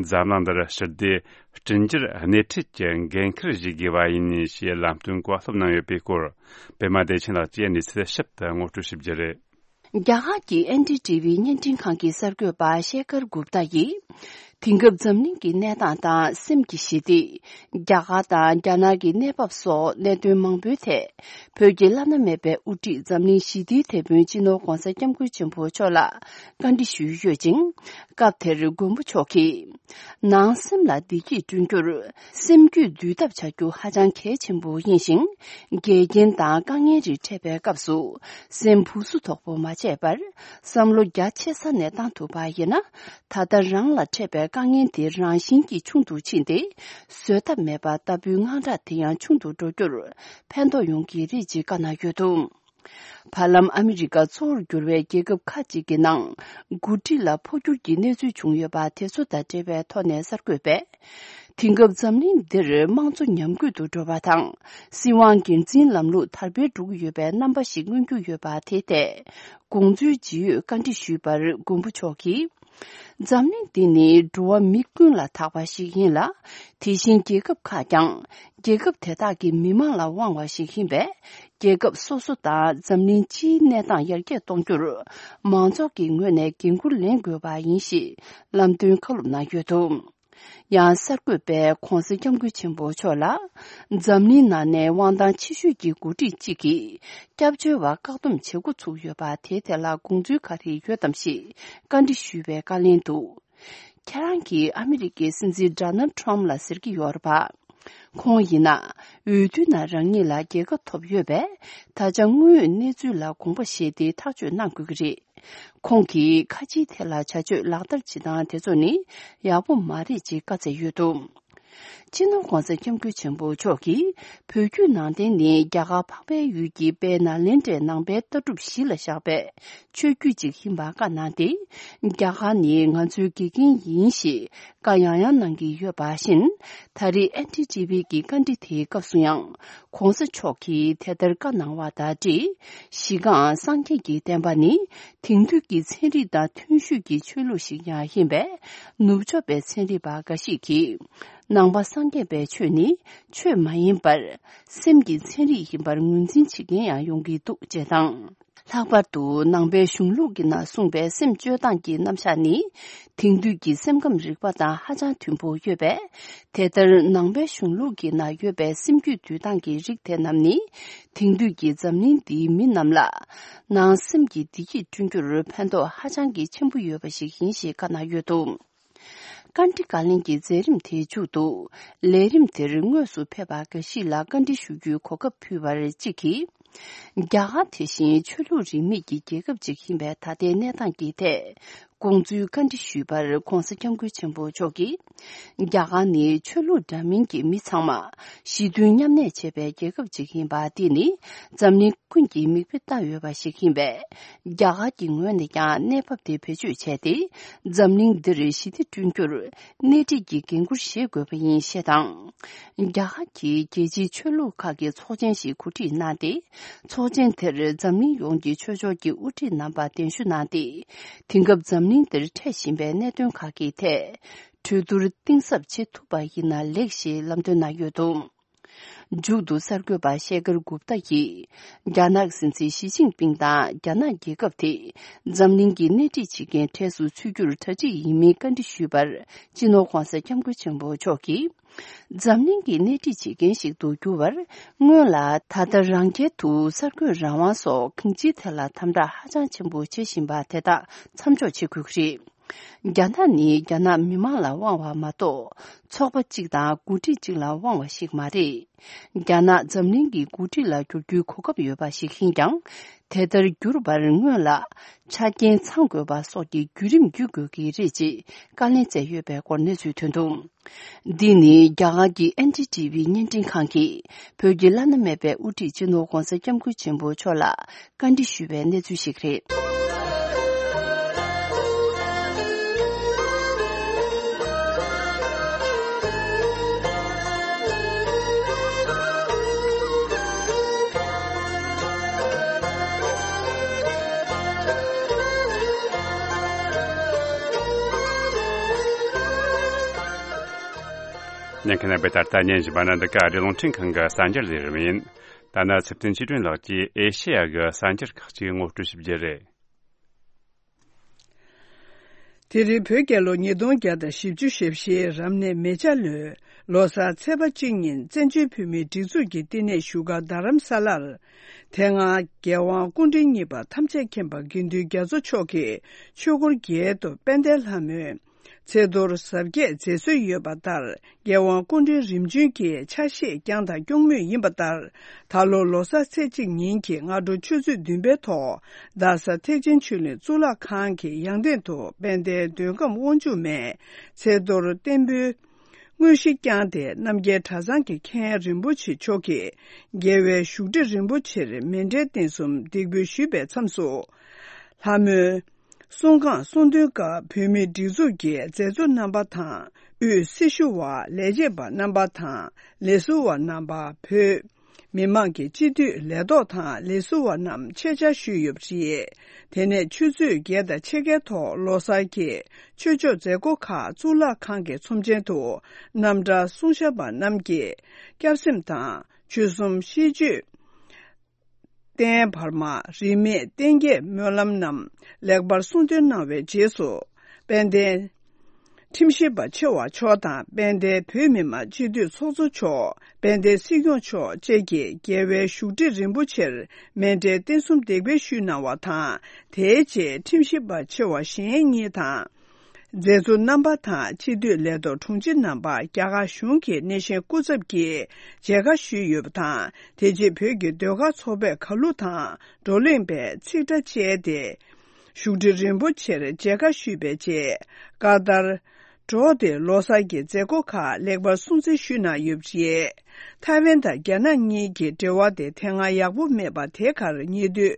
འཛམ་གླིང་འདིར་ཞི་བདེ་བསྐྲུན་རྒྱུར་སྣེ་ཁྲིད་ཀྱི་འགན་འཁུར་བཞེས་དགོས་པ་ཡིན་ཞེས་ལམ་སྟོན་བཀའ་སློབ་གནང་ཡོད་པའི་སྐོར། པད་མ་བདེ་ཆེན་ལགས་ཀྱིས་གནས་ཚུལ་ཞིབ་ཏུ་ངོ་སྤྲོད་ཞུ་རྒྱུ་རེད། རྒྱ་གར་གྱི་ཨེན་ཌི་ཊི་ཝི་བརྙན་འཕྲིན་ཁང་གི་གསར་འགོད་པ་ཤེ་ཁར་གུབ་ཏ་ཡིས། དེང་སྐབས་འཛམ་གླིང་གི་གནས་སྟངས་དང་སེམས་ཀྱི་ཞི་བདེ། རྒྱ་གར་དང་རྒྱ་ནག་གི་གནས་བབ་སོགས་གནད་དོན་མང་པོའི་ཐད། བོད་ཀྱི་བླ་ན་མེད་པའི་དབུ་ཁྲིད་འཛམ་གླིང་ཞི་བདེའི་དེད་དཔོན་སྤྱི་ནོར་༧གོང་ས་༧སྐྱབས་མགོན་ཆེན་པོ་མཆོག་ལ་བཀའ་འདྲི་ཞུས་ཡོད་ཅིང་། སྐབས་དེར་མགོན་པོ་མཆོག་གིས། ནང་སེམས་ལ་བདེ་སྐྱིད་བསྐྲུན་རྒྱུར། སེམས་རྒྱུད་འདུལ་ཐབས་བྱ་རྒྱུ་ཧ་ཅང་གལ་ཆེན་པོ་ཡིན་ཞིང་། འགལ་རྐྱེན་དང་དཀའ་ངལ་རིགས་འཕྲད་པའི་སྐབས་སུ། སེམས་སྦུག་སུབ་དོག་པོ་མ་བྱས་པར། བསམ་བློ་རྒྱ་ཆེ་ས་ནས་བཏང་ཐུབ་པ་ཡིན་ན། ད་ལྟ་རང་ལ་འཕྲད་པའི་དཀའ་ངལ་དེ་རང་བཞིན་གྱིས་ཆུང་དུ་ཕྱིན་ཏེ། བཟོད་ཐབས་མེད་པ་ལྟ་བུའི་དངངས་སྐྲག་དེ་ཡང་ཆུང་དུ་འགྲོ་རྒྱུར་ཕན་ཐོགས་ཡོང་གི་རེད་ཅེས་བཀའ་གནང་ཡོད་འདུག་བར་ལམ་ཨ་མི་རི་ཀ་གཙོ་བོར་གྱུར་བའི་རྒྱལ་ཁབ་ཁག་ཅིག་གི་ནང་འགོ་ཁྲིད་ལ་འཕོ་འགྱུར་གྱི་གནས་ཚུལ་བྱུང་ཡོད་པ་དེ་ཚོ་དང་འབྲེལ་བའི་ཐོག་ནས་གསར་འགོད་པས། དེང་སྐབས་འཛམ་གླིང་འདིར་དམངས་གཙོ་ཉམས་རྒུད་དུ་འགྲོ་བ་དང་། སྲིད་དབང་སྒེར་འཛིན་ལམ་ལུགས་དར་སྤེལ་འགྲོ་གི་ཡོད་པའི་རྣམ་པ་ཞིག་མངོན་གྱི་ཡོད་པ་དེའི་ཐད། དགོངས་ཚུལ་ཇི་ཡོད་བཀའ་འདྲི་ཞུས་པར་མགོན་པོ་མཆོག་གིས། འཛམ་གླིང་འདི་ནི་འགྲོ་བ་མི་ཀུན་ལ་བདག་པ་ཞིག་ཡིན་ལ། དེ་བཞིན་རྒྱལ་ཁབ་ཁག་ཀྱང་རྒྱལ་ཁབ་དེ་དག་གི་མི་དམངས་ལ་དབང་བ་ཞིག་ཡིན་པས། རྒྱལ་ཁབ་སོ་སོ་དང་འཛམ་གླིང་སྤྱིའི་གནས་སྟངས་ཡར་རྒྱས་གཏོང་རྒྱུར། མང་ཚོགས་ཀྱི་ངོས་ནས་འགན་འཁུར་ལེན་དགོས་པ་ཡིན་ཞེས་ལམ་སྟོན་བཀའ་སློབ་གནང་ཡོད་འདུག་ཡང་གསར་འགོད་པས་༧གོང་ས་༧སྐྱབས་མགོན་ཆེན་པོ་མཆོག་ལ། འཛམ་གླིང་ནང་ནས་དབང་ཐང་ཆེ་ཤོས་ཀྱི་འགོ་ཁྲིད་གཅིག་གིས། སྐྱབས་བཅོལ་བ་བཀག་སྡོམ་བྱེད་འགོ་ཚུགས་ཡོད་པ་དེའི་ཐད་ལ་དགོངས་ཚུལ་ག་རེ་ཡོད་དམ་ཞེས་བཀའ་འདྲི་ཞུས་པའི་བཀའ་ལན་དུ། ཁྱེད་རང་གིས་ཨ་མི་རི་ཀའི་སྲིད་འཛིན་ཌོ་ནལ་ཊམ་ལ་ཟེར་གྱི་ཡོད་རེད་པ། ཁོང་ཡིན་ན། འོས་བསྡུའི་ནང་རང་ཉིད་ལ་རྒྱལ་ཁ་ཐོབ་ཡོད་པས། ད་ཆ་དངོས་ཡོད་གནས་ཚུལ་ལ་དགོངས་པ་བཞེས་ཏེ་ཐག་གཅོད་གནང་དགོས་ཀྱི་རེད། ཁོང་གིས་ཁ་ཆེའི་ཐད་ལ་བྱ་སྤྱོད་ལག་བསྟར་བྱེད་སྟངས་དེ་ཚོ་ནི་ཡག་པོ་མ་རེད་ཅེས་བཀའ་སྩལ་ཡོད་འདུག་སྤྱི་ནོར་༧གོང་ས་༧སྐྱབས་མགོན་ཆེན་པོ་མཆོག་གིས་བོད་བརྒྱུད་ནང་བསྟན་ནི་རྒྱ་གར་འཕགས་པའི་ཡུལ་གྱི་དཔལ་ནཱ་ལེནྡྲའི་ནང་པའི་ལྟ་གྲུབ་གཞི་ལ་བཞག་པའི་ཆོས་བརྒྱུད་ཅིག་ཡིན་པ་བཀའ་གནང་སྟེ། རྒྱ་གར་ནི་ང་ཚོའི་དགེ་རྒན་ཡིན་ཞེས་བཀའ་ཡང་ཡང་གནང་གི་ཡོད་པ་བཞིན། ད་རེས་ཨེན་ཌི་ཊི་ཝི་གི་བཀའ་འདྲི་དེའི་སྐབས་སུ་ཡང་༧གོང་ས་མཆོག་གིས་དེ་ལྟར་བཀའ་གནང་བ་དང་འབྲེལ། གཞི་རྐང་སངས་རྒྱས་ཀྱི་བསྟན་པ་ནི་དེང་དུས་ཀྱི་ཚན་རིག་དང་མཐུན་ཤོས་ཀྱི་ཆོས་ལུགས་ཤིག་ཀྱང་ཡིན་པས། ནུབ་ཕྱོགས་པའི་ཚན་རིག་པ་འགའ་ཞིག་གིས། ནང་པ་སངས་རྒྱས་པའི་ཆོས་ནི་ཆོས་མ་ཡིན་པར། སེམས་ཀྱི་ཚན་རིག་ཡིན་པར་ངོས་འཛིན་བྱེད་མཁན་ཡང་ཡོང་གི་འདུག་ཅེས་དང་། ལྷག་པར་དུ་ནང་པའི་གཞུང་ལུགས་ཀྱི་ནང་གསུངས་པའི་སེམས་སྤྱོད་སྟངས་ཀྱི་རྣམ་གཞག་ནི། དེང་དུས་ཀྱི་སེམས་ཁམས་རིག་པ་དང་ཧ་ཅང་མཐུན་པོ་ཡོད་པས། དེ་ལྟར་ནང་པའི་གཞུང་ལུགས་ཀྱི་ནང་ཡོད་པའི་སེམས་རྒྱུད་འདུལ་སྟངས་ཀྱི་རིགས་དེ་རྣམས་ནི། དེང་དུས་ཀྱི་འཛམ་གླིང་འདིའི་མི་རྣམས་ལ། ནང་སེམས་ཀྱི་བདེ་སྐྱིད་བསྐྲུན་རྒྱུར་ཕན་ཐོགས་ཧ་ཅང་གི་ཆེན་པོ་ཡོད་པ་ཞིག་ཡིན་ཞེས་བཀའ་གནང་ཡོད་འདུག་བཀའ་འདྲི་བཀའ་ལན་གྱི་མཛད་རིམ་དེའི་མཇུག་ཏུ། ལས་རིམ་དེར་དངོས་སུ་ཕེབས་པ་འགའ་ཞིག་ལ་བཀའ་འདྲི་ཞུ་རྒྱུའི་གོ་སྐབས་ཕུལ་བར་གཅིག་གིས། རྒྱ་གར་དེ་བཞིན་ཆོས་ལུགས་རིས་མེད་ཀྱི་རྒྱལ་ཁབ་ཅིག་ཡིན་པའི་ད་ལྟའི་གནས་སྟངས་ཀྱི་ཐད། དགོངས་ཚུལ་བཀའ་འདྲི་ཞུས་པར་༧གོང་ས་༧སྐྱབས་མགོན་ཆེན་པོ་མཆོག་གིས། རྒྱ་གར་ནི་ཆོས་ལུགས་འདྲ་མིན་གྱི་མི་ཚང་མ་ཞི་མཐུན་མཉམ་གནས་བྱེད་པའི་རྒྱལ་ཁབ་ཅིག་ཡིན་པ་འདི་ནི་འཛམ་གླིང་ཀུན་གྱིས་མིག་དཔེ་ལྟ་འོས་པ་ཞིག་ཡིན་པས། རྒྱ་གར་གྱི་ངོས་ནས་ཀྱང་གནས་བབ་དེ་བེད་སྤྱོད་བྱས་ཏེ། འཛམ་གླིང་འདིར་ཞི་བདེ་བསྐྲུན་རྒྱུར་སྣེ་ཁྲིད་ཀྱི་འགན་འཁུར་བཞེས་དགོས་པ་ཡིན་ཞེས་དང་། རྒྱ་གར་གྱིས་རྒྱལ་སྤྱིའི་ཆོས་ལུགས་ཁག་གི་ཚོགས་ཆེན་ཞིག་གོ་སྒྲིག་གནང་སྟེ། ཚོགས་ཆེན་དེར་འཛམ་གླིང་ཡོངས་ཀྱི་ཆོས་ཕྱོགས་ཀྱི་དབུ་ཁྲིད་རྣམ་པ་གདན་ཞུ་གནང་སྟེ། དེང་སྐབས་འཛམ་གླིང་འདིར་འཕྲད་བཞིན་པའི་གནད་དོན་ཁག་གི་ཐད། གྲོས་བསྡུར་གཏིང་ཟབ་བྱེད་ཐུབ་པ་ཡིན་ན་ལེགས་ཞེས་ལམ་སྟོན་གནང་ཡོད་འདུག་མཇུག་ཏུ་གསར་འགོད་པ་ཤེ་ཁར་གུབ་ཏ་ཡིས། རྒྱ་ནག་སྲིད་འཛིན་ཞི་ཅིན་ཕིང་དང་རྒྱ་ནག་རྒྱལ་ཁབ་དེ་འཛམ་གླིང་གི་སྣེ་ཁྲིད་བྱེད་མཁན་གྲས་སུ་ཚུད་རྒྱུར་གྲ་སྒྲིག་ཡིན་མིན་བཀའ་འདྲི་ཞུས་པར། སྤྱི་ནོར་༧གོང་ས་༧སྐྱབས་མགོན་ཆེན་པོ་མཆོག་གིས། འཛམ་གླིང་གི་སྣེ་ཁྲིད་བྱེད་མཁན་ཞིག་ཏུ་འགྱུར་བར། སྔོན་ལ་ད་ལྟ་རང་རྒྱལ་དུ་གསར་འགོད་རང་དབང་སོགས་གང་ཅིའི་ཐད་ལ་དམ་དྲག་ཧ་ཅང་ཆེན་པོ་བྱེད་བཞིན་པ་དེ་དག་མཚམས་འཇོག་བྱེད་དགོས་ཀྱི་རེད། རྒྱ་ནག་ནི་རྒྱ་ནག་མི་མང་ལ་དབང་བ་མ་གཏོགས། ཚོགས་པ་གཅིག་དང་འགོ་ཁྲིད་གཅིག་ལ་དབང་བ་ཞིག་མ་རེད། རྒྱ་ནག་འཛམ་གླིང་གི་འགོ་ཁྲིད་ལ་འགྱུར་རྒྱུའི་གོ་སྐབས་ཡོད་པ་ཞིག་ཡིན་ཀྱང་། དེ་ལྟར་འགྱུར་བར་སྔོན་ལ་ཆ་རྐྱེན་ཚང་དགོས་པ་སོགས་ཀྱི་བརྒྱུད་རིམ་བརྒྱུད་དགོས་ཀྱི་རེད་ཅེས་བཀའ་ལན་སྩལ་ཡོད་པའི་སྐོར་གནས་ཚུལ་ཐོན་འདུག་འདི་ནི་རྒྱ་གར་གྱི་ཨེན་ཌི་ཊི་ཝི་བརྙན་འཕྲིན་ཁང་གིས་བོད་ཀྱི་བླ་ན་མེད་པའི་དབུ་ཁྲིད་སྤྱི་ནོར་༧གོང་ས་༧སྐྱབས་མགོན་ཆེན་པོ་མཆོག་ལ། བཀའ་འདྲི་ཞུས་པའི་གནས་ཚུལ་ཞིག་རེད། ཉན་མཁན་རྣམ་པས་ད་ལྟ་ཉན་བཞིན་པ་ནི་འདི་ག་རེད། རླུང་འཕྲིན་ཁང་གི་གསར་འགྱུར་ལས་རིམ་ཡིན། ད་ནི་ཚེ་བརྟན་ཆོས་སྒྲོན་ལགས་ཀྱིས་ཨེ་ཤེ་ཡ་གི་གསར་འགྱུར་ཁག་ཅིག་ངོ་སྤྲོད་ཞུ་རྒྱུ་རེད། དེ་རིང་བོད་རྒྱལ་ལོ་ཉིས་སྟོང་བརྒྱ་དང་བཞི་བཅུ་ཞེ་བཞིའི་རབ་གནས་མེ་བྱ་ལོའི་ལོ་གསར་ཚེས་པ་གཅིག་ཉིན་བཙན་བྱོལ་བོད་མིའི་སྒྲིག་འཛུགས་ཀྱི་བསྟི་གནས་བཞུགས་སྒར་རྡ་རམ་ས་ལར། དེ་སྔ་རྒྱལ་དབང་སྐུ་ཕྲེང་གཉིས་པ་ཐམས་ཅད་མཁྱེན་པ་དགེ་འདུན་རྒྱ་མཚོ་མཆོག་གིས་ཆོས་འཁོར་རྒྱལ་དུ་དཔལ་ལྡན་ལྷ་མོའི་ཚེས་གཏོར་གཟབ་རྒྱས་མཛད་སྲོལ་ཡོད་པ་ལྟར། རྒྱལ་དབང་སྐུ་ཕྲེང་རིམ་བྱོན་གྱི་ཆ་ཤས་བསྐྱངས་དང་སྐྱོང་མུས་ཡིན་པ་ལྟར། ད་ལོ་ལོ་གསར་ཚེས་གཅིག་ཉིན་གྱི་སྔ་དྲོ་ཆུ་ཚོད་བདུན་པའི་ཐོག་རྡ་ས་ཐེག་ཆེན་ཆོས་གླིང་གཙུག་ལག་ཁང་གི་ཡང་སྟེང་དུ་དཔལ་ལྡན་མདོ་ཁམས་དབང་ཕྱུག་མའི་ཚེས་གཏོར་བརྟན་པོའི་དངོས་གཞི་བསྐྱངས་ཏེ། རྣམ་རྒྱལ་གྲྭ་ཚང་གི་མཁན་རིན་པོ་ཆེ་མཆོག་གིས་རྒྱལ་བའི་བཞུགས་ཁྲི་རིན་པོ་ཆེར་མཎྜལ་རྟེན་གསུམ་འདེགས་འབུལ་ཞུས་པའི་མཚམས་སུ། ལྷ་མོའི་གསུང་ཁང་གསུང་འདོན་སྐབས་བོད་མིའི་སྒྲིག་འཛུགས་ཀྱི་མཛད་གཙོ་རྣམ་པ་དང་། དབུས་སྲི་ཞུ་བ། ལས་བྱེད་པ་རྣམ་པ་དང་། ལས་ཟུར་བ་རྣམ་པ། བོད་མི་མང་གི་སྤྱི་འཐུས་ལས་ཐོག་དང་ལས་ཟུར་བ་རྣམས་ཆེད་བཅར་ཞུས་ཡོད་པ་རེད། དེ་ནས་ཆུ་ཚོད་བརྒྱད་དང་ཕྱེད་ཀའི་ཐོག་ལོ་གསར་གྱི་ཆོས་ཕྱོགས་མཛད་སྒོ་ཁག་གཙུག་ལག་ཁང་གི་ཚོམས་ཆེན་དུ་རྣམ་གྲྭ་གསུང་ཞབས་པ་རྣམས་ཀྱིས་སྐྱབས་སེམས་དང་ཆོལ་གསུམ་ཤིས་བརྗོད། རྟེན་བར་མ། རིས་མེད་རྟེན་བརྒྱད་སྨོན་ལམ་རྣམས་ལེགས་པར་གསུང་འདོན་གནང་བའི་རྗེས་སུ། དཔལ་ལྡན་ཁྲིམས་ཞིབ་པ་ཆེ་བ་མཆོག་དང་། དཔལ་ལྡན་བོད་མི་མང་སྤྱི་འཐུས་ཚོགས་གཙོ་མཆོག་དཔལ་ལྡན་སྲིད་སྐྱོང་མཆོག་བཅས་ཀྱིས་རྒྱལ་བའི་བཞུགས་ཁྲི་རིན་པོ་ཆེར་མཎྜལ་རྟེན་གསུམ་འདེགས་འབུལ་ཞུས་གནང་བ་དང་། དེའི་རྗེས་ཁྲིམས་ཞིབ་པ་ཆེ་བ་གཞན་གཉིས་དང་། མཛད་གཙོ་རྣམ་པ་དང་སྤྱི་འཐུས་ལས་ཐོག་དྲུང་ཆེ་རྣམ་པ་རྒྱ་གར་གཞུང་གི་སྣེ་ཤན་སྐུ་ཚབ་ཀྱིས་མཇལ་ཁ་ཞུས་ཡོད་པ་དང་། དེ་རྗེས་བོད་ཀྱི་ཟློས་གར་ཚོགས་པས་གར་གླུ་དང་བགྲོ་གླེང་པའི་ཚིག་སྒྲ་བཅས་ཏེ། བཞུགས་ཁྲི་རིན་པོ་ཆེར་མཇལ་ཁ་ཞུས་པའི་རྗེས། ཀ་ཏར་ འགྲོ་སྟེ་ལོ་གསར་གྱི་མཛད་སྒོ་ཁག་ལེགས་པར་སྲུང་བརྩི་ཞུས་གནང་ཡོད་པ་རེད། ཐའེ་ཝན་དང་རྒྱ་ནག་གཉིས་ཀྱི་འབྲེལ་བ་དེ་དེ་སྔ་ཡག་པོ་མེད་པ་དེ་གར་ཉེ་དུས།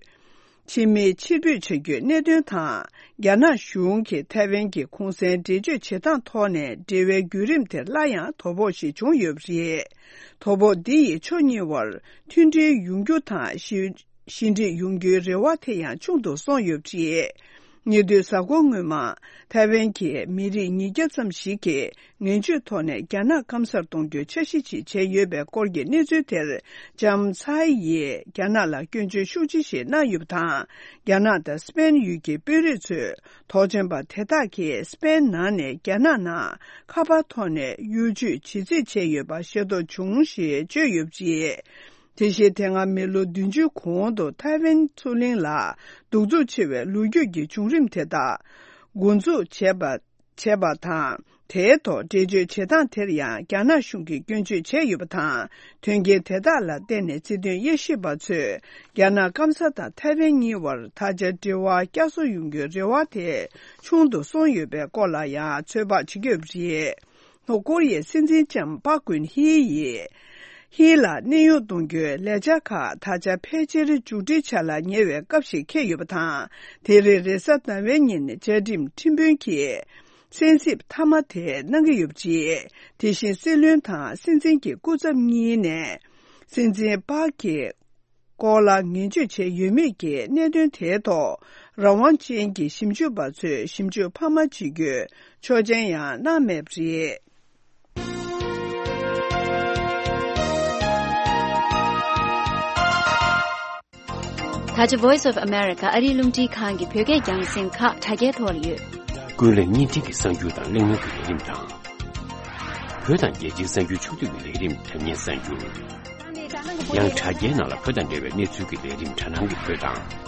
ཕྱི་མིའི་ཕྱིར་འབུད་བྱ་རྒྱུའི་གནད་དོན་དང་། རྒྱ་ནག་གཞུང་གིས་ཐའེ་ཝན་གྱི་གུང་གསེང་འགྲེལ་བརྗོད་བྱེད་སྟངས་ཐོག་ནས་འབྲེལ་བའི་བརྒྱུད་རིམ་དེར་སླར་ཡང་དོ་ཕོག་ཞིག་བྱུང་ཡོད་པ་རེད། དོ་ཕོག་འདི་ཡིས་ཕྱོགས་གཉིས་བར་མཐུན་སྒྲིལ་ཡོང་རྒྱུ་དང་ཞི། ཞི་འགྲིག་ཡོང་རྒྱུའི་རེ་བ་དེ་ཡང་ཆུང་དུ་སོང་ཡོད་པ་རེད། ཉེ་དུས་གཟའ་འཁོར་སྔོན་མ། ཐའེ་ཝན་གྱི་མི་རིགས་ཉིས་བརྒྱ་ཙམ་ཞིག་གིས་ངན་ཇུས་ཐོག་ནས་རྒྱ་ནག་སྐམ་སར་གཏོང་རྒྱུའི་འཆར་གཞི་ཞིག་བྱས་ཡོད་པའི་སྐོར་གྱི་གནས་ཚུལ་དེར། ལྕམ་ཚའེ་ཡིས་རྒྱ་ནག་ལ་སྐྱོན་བརྗོད་ཤུགས་ཆེ་ཞིག་གནང་ཡོད་པ་དང་། རྒྱ་ནག་དང་སི་པེན་ཡུལ་གྱི་དཔོན་རིགས་ཚོས་དོགས་ཅན་པ་དེ་དག་གིས་སི་པེན་ནང་ནས་རྒྱ་ནག་ནང་ཁ་པར་ཐོག་ནས་གཡོ་ཇུས་བྱེད་རྩིས་བྱས་ཡོད་པ་ཤེས་རྟོགས་བྱུང་ཞེས་བརྗོད་ཡོད་པ་རེད། དེ་བཞིན་དེ་སྔ་མི་ལོ་བདུན་ཅུའི་གོང་དུ་ཐའེ་ཝན་མཚོ་གླིང་ལ་གདུག་རྩུབ་ཆེ་བའི་ལོ་རྒྱུས་ཀྱི་བྱུང་རིམ་དེ་དག་འགོ་འཛུགས་བྱས་པ། བྱས་པ་དང་། དེའི་ཐོག་འགྲེལ་བརྗོད་བྱེད་སྟངས་དེར་ཡང་རྒྱ་ནག་གཞུང་གིས་སྐྱོན་བརྗོད་བྱས་ཡོད་པ་དང་། དོན་རྐྱེན་དེ་དག་ལ་བརྟེན་ནས་སྲིད་དོན་དབྱེ་ཞིབ་པ་ཚོས་རྒྱ་ནག་སྐམ་ས་དང་ཐའེ་ཝན་གཉིས་བར་ད་ཆ་འབྲེལ་བ་བསྐྱར་གསོ་ཡོང་རྒྱུའི་རེ་བ་དེ་ཆུང་དུ་སོང་ཡོད་པའི་སྐོར་ལ་ཡང་ཚོད་དཔག་བྱེད་ཀྱི་ཡོད་པ་རེད། ལྷོ་ཀོ་རི་ཡའི་སྲིད་འཛིན་ལྕམ་པཱ་ཀུན་ཧི་ཡིས། ཧི་ལ་གནས་དབྱུང་གཏོང་རྒྱུའི་ལས་འཆར་ཁག་ད་ཆ་ཕལ་ཆེར་མཇུག་སྒྲིལ་བྱ་ལ་ཉེ་བའི་སྐབས་ཤིག་འཁེལ་ཡོད་པ་དང་། དེ་རིང་རེས་གཟའ་ཟླ་བའི་ཉིན་བཅའ་ཁྲིམས་ཁྲིམས་དཔོན་གྱིས་གསན་གཟིགས་མཐའ་མ་དེ་གནང་གི་ཡོད་པ་རེད། དེ་བཞིན་སྲིད་བློན་དང་སྲིད་འཛིན་གྱི་སྐུ་ཚབ་གཉིས་ནས་སྲིད་འཛིན་པཱག་གི་སྐོར་ལ་ངན་ཇུས་བྱས་ཡོད་མེད་ཀྱི་གནད་དོན་དེའི་ཐོག་རང་དབང་ཅན་གྱི་ཞིབ་འཇུག་པ་ཚོས་ཞིབ་འཇུག་འཕར་མ་བྱེད་རྒྱུའི་ཆོག་མཆན་ཡང་གནང་མེད་པ་རེད། ད་ཆ་Voice of America ཨ་རིའི་རླུང་འཕྲིན་ཁང་གི་བོད་སྐད་རྒྱང་སྲིང་ཁག་དྲ་རྒྱའི་ཐོག་ལ་ཡོད། ཀུན་གླེང་བརྙན་འཕྲིན་གྱི་གསར་འགྱུར་དང་གླེང་མོལ་གྱི་ལས་རིམ་དང་། བོད་དང་རྒྱལ་སྤྱིའི་གསར་འགྱུར་ཕྱོགས་བསྡུས་ཀྱི་ལས་རིམ་དྲ་བརྙན་གསར་འགྱུར། ཡང་དྲ་རྒྱའི་ནང་ལ་བོད་དང་འབྲེལ་བའི་གནས་ཚུལ་གྱི་ལས་རིམ་དྲ་སྣང་གི་བོད་དང་།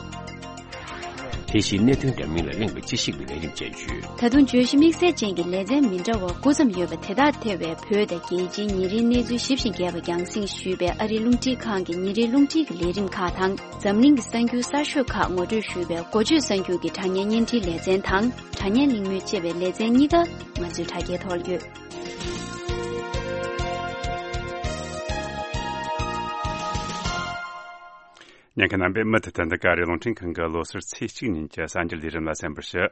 དེ་བཞིན་གནད་དོན་འདྲ་མིན་ལ་གླེང་བའི་དཔྱད་ཞིབ་ཀྱི་ལས་རིམ་བཅས་ཡོད། ད་དུང་བརྗོད་གཞི་དམིགས་བསལ་ཅན་གྱི་ལེ་ཚན་མི་འདྲ་བ་དགུ་ཙམ་ཡོད་པ་དེ་དག་ཐེ་བའི་བོད་དང་རྒྱལ་སྤྱིའི་ཉིན་རེའི་གནས་ཚུལ་ཞིབ་ཅིང་རྒྱས་པ་རྒྱང་སྲིང་ཞུས་པའི་ཨ་རིའི་རླུང་འཕྲིན་ཁང་གི་ཉིན་རེའི་རླུང་འཕྲིན་གྱི་ལས་རིམ་ཁག་དང་། འཛམ་གླིང་གི་གསར་འགྱུར་གསར་ཤོས་ཁག་ངོ་སྤྲོད་ཞུས་པའི་འགོ་བརྗོད་གསར་འགྱུར་གྱི་དྲ་བརྙན་བརྙན་འཕྲིན་ལེ་ཚན་དང་། དྲ་བརྙན་གླེང་མོལ་ཅེས་པའི་ལེ་ཚན་གཉིས་ཀ་ང་ཚོའི་དྲ་རྒྱའི་ཐོག་ལ་ཡོད། ཉན་མཁན་རྣམ་པས་མུ་མཐུད་དུ་འདི་ག་རེ་རླུང་འཕྲིན་ཁང་གི་ལོ་གསར་ཚེས་གཅིག་ཉིན་གྱི་གསར་འགྱུར་ལས་རིམ་ལ་གསན་པར་ཞུ།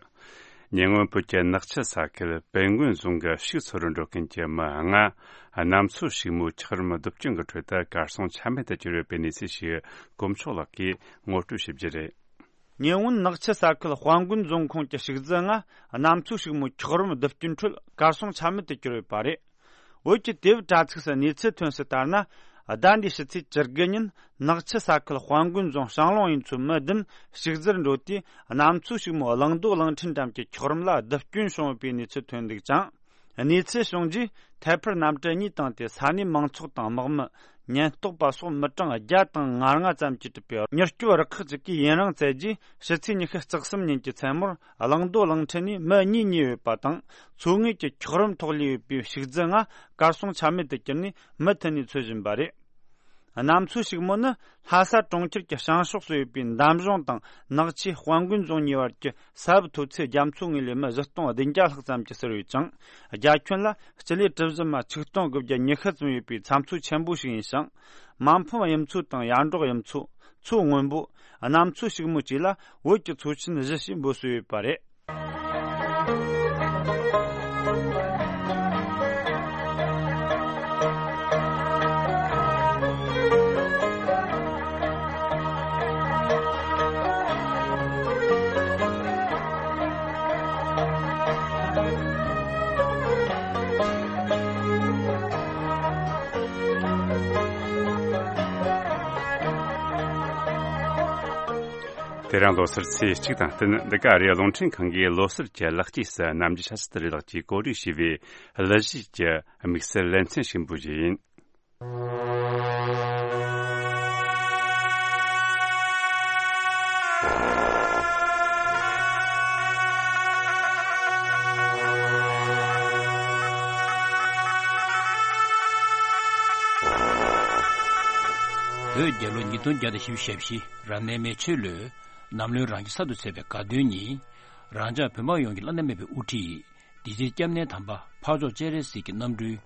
ཉེ་སྔོན་བོད་ཀྱི་ནག་ཆུ་ས་ཁུལ་དཔལ་མགོན་རྫོང་གི་ཕྱུགས་འཚོ་རུ་འགྲོ་མཁན་གྱི་མི་ལྔ་གནམ་མཚོ་ཕྱུག་མོའི་འཁྱགས་རོམ་རྡིབ་སྐྱོན་གྱི་ཁྲོད་དུ་གར་སོང་ཆ་མེད་དུ་གྱུར་ཡོད་པའི་གནས་ཚུལ་ཞིག་གོ་མཆོག་ལགས་ཀྱིས་ངོ་སྤྲོད་ཞུ་རྒྱུ་རེད། ཉེ་སྔོན་ནག་ཆུ་ས་ཁུལ་དཔལ་མགོན་རྫོང་ཁོངས་ཀྱི་ཕྱུགས་རྫི་ལྔ་གནམ་མཚོ་ཕྱུག་མོའི་འཁྱགས་རོམ་རྡིབ་སྐྱོན་ཁྲོད་གར་སོང་ཆ་མེད་དུ་གྱུར་ཡོད་པ་རེད། བོད་ཀྱི་དེབ་དྲ་ཚིགས་སུ་གནས་ཚུལ་ཐོན་གསལ་ལྟར་ན། ཟླ་འདིའི་ཕྱི་ཚེས་བཅུ་དགུ་ཉིན་ནག་ཆུ་ས་ཁུལ་དཔལ་མགོན་རྫོང་ཞང་ལུང་གཡུལ་མཚོའི་མི་བདུན་ཕྱུགས་རྫིར་འགྲོ་དུས་གནམ་མཚོ་ཕྱུག་མོ་གླང་རྡོ་གླང་ཕྲན་འགྲམ་གྱི་འཁྱགས་རོམ་ལ་རྡིབ་སྐྱོན་བྱུང་ཡོད་པའི་གནས་ཚུལ་ཐོན་འདུག་ཅིང་། གནས་ཚུལ་བྱུང་རྗེས་ཐད་འཕུར་གནམ་གྲུ་གཉིས་བཏང་སྟེ་ས་གནས་མང་ཚོགས་དང་དམག་མི། ཉེན་རྟོག་པ་སོགས་མི་གྲངས་བརྒྱ་དང་ང་ལྔ་ཙམ་གྱིས་གྲུབ་པའི་མྱུར་སྐྱོབ་རུ་ཁག་ཅིག་གིས་ཡུན་རིང་བཙལ་རྗེས་ཕྱི་ཚེས་ཉི་ཤུ་རྩ་གསུམ་ཉིན་གྱི་མཚན་མོར་གླང་རྡོ་གླང་ཕྲན་ནས་མི་གཉིས་རྙེད་ཡོད་པ་དང་། མཚོ་ངོས་ཀྱི་འཁྱགས་རོམ་ཐོག་ལུས་ཡོད་པའི་ཕྱུགས་རྫི་ལྔ་གར་སོང་ཆ་མེད་དུ་གྱུར་ནས་མུ་མཐུད་ནས་འཚོལ་བཞིན་པ་རེད། གནམ་མཚོ་ཕྱུག་མོ་ནི་ལྷ་ས་གྲོང་ཁྱེར་གྱི་བྱང་ཕྱོགས་སུ་ཡོད་པའི་འདམ་གཞུང་དང་ནག་ཆུའི་དཔལ་མགོན་རྫོང་གཉིས་བར་གྱི་ས་བབ་མཐོ་ཚད་རྒྱ་མཚོ་ངོས་ལས་མི་བཞི་སྟོང་བདུན་བརྒྱ་ལྷག་ཙམ་གྱིས་བསུར་ཡོད་ཅིང་། རྒྱ་ཁྱོན་ལ་སྤྱི་ལེ་གྲུ་བཞི་མ་ཆིག་སྟོང་དགུ་བརྒྱ་ཉི་ཤུ་ཙམ་ཡོད་པའི་ཚྭ་མཚོ་ཆེན་པོ་ཞིག་ཡིན་ཞིང་། མ་ཕམ་གཡུ་མཚོ་དང་ཡར་འབྲོག་གཡུ་མཚོ། མཚོ་སྔོན་པོ། གནམ་མཚོ་ཕྱུག་མོ་བཅས་ལ་བོད་ཀྱི་མཚོ་ཆེན་བཞི་ཞེས་འབོད་སྲོལ་ཡོད་པ་རེད། དེ་རིང་ལོ་གསར་ཚེས་གཅིག་དང་བསྟུན། འདི་ག་ཨ་རིའི་རླུང་འཕྲིན་ཁང་གིས་ལོ་གསར་གྱི་ལེགས་སྐྱེས་སུ་ནམ་རྒྱུན་ཆབ་སྲིད་བདེ་ལེགས་ཀྱིས་གོ་སྒྲིག་ཞུས་པའི་གླུ་གཞས་ཀྱི་དམིགས་བསལ་ལེ་ཚན་ཞིག་འབུལ་རྒྱུ་ཡིན། བོད་རྒྱལ་ལོ་ཉིས་སྟོང་བརྒྱ་དང་བཞི་བཅུ་ཞེ་བཞི་རབ་གནས་མེ་མཆོད་ལོའི་ནམ་ལོའི་རང་ཆས་གསར་དུ་ཚེས་པའི་དགའ་སྟོན་ཉིན། རང་ཅག་བོད་འབངས་ཡོངས་ཀྱི་བླ་ན་མེད་པའི་དབུ་ཁྲིད། དེ་རྗེས་སྐྱབས་གནས་དམ་པ་འཕགས་མཆོག་སྤྱན་རས་གཟིགས་ཀྱི་རྣམ་སྤྲུལ་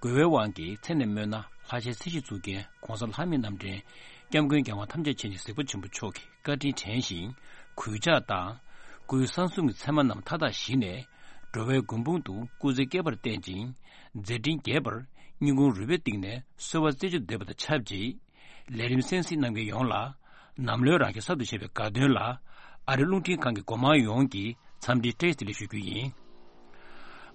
དགོས་པའི་དབང་གིས་མཚན་ནས་སྨོས་ན་ལྷ་ཞལ་ཚེ་གཞི་གཙུག་རྒྱན་གོང་ས་ལྷ་མིའི་རྣམ་འདྲེན་སྐྱབས་མགོན་རྒྱལ་དབང་ཐམས་ཅད་མཁྱེན་ཅིང་གཟིགས་པ་ཆེན་པོ་མཆོག་གི་བཀའ་དྲིན་དྲན་ཞིང་གུས་ཕྱག་དང་། སྐུའི་གསང་གསུམ་གྱི་མཚན་མ་རྣམས་མཐའ་དག་ཞི་ནས། འགྲོ་བའི་མགོན་དཔུང་དུ་སྐུ་ཚེ་བསྐལ་པར་བརྟན་ཅིང་། མཛད་འཕྲིན་རྒྱས་པར་སྙིང་ཁུང་རུས་པའི་གཏིང་ནས་གསོལ་བ་རྩེ་གཅིག་ཏུ་འདེབས་པ་དང་ཆབས་ཅིག་ལས་རིམ་གསན་གཟིགས་གནང་མཁན་ཡོངས་ལ། ནམ་ལོའི་རང་ཤུགས་གསར་དུ་བཞད་པའི་དགའ་སྟོན་ལ། ཨ་རི་རླུང་འཕྲིན་ཁང་གི་འགོ་དམངས་ཡོངས་ཀྱིས་འཚམས་འདྲི་བཀྲ་ཤིས་བདེ་ལེགས་ཞུ་རྒྱུ་ཡིན།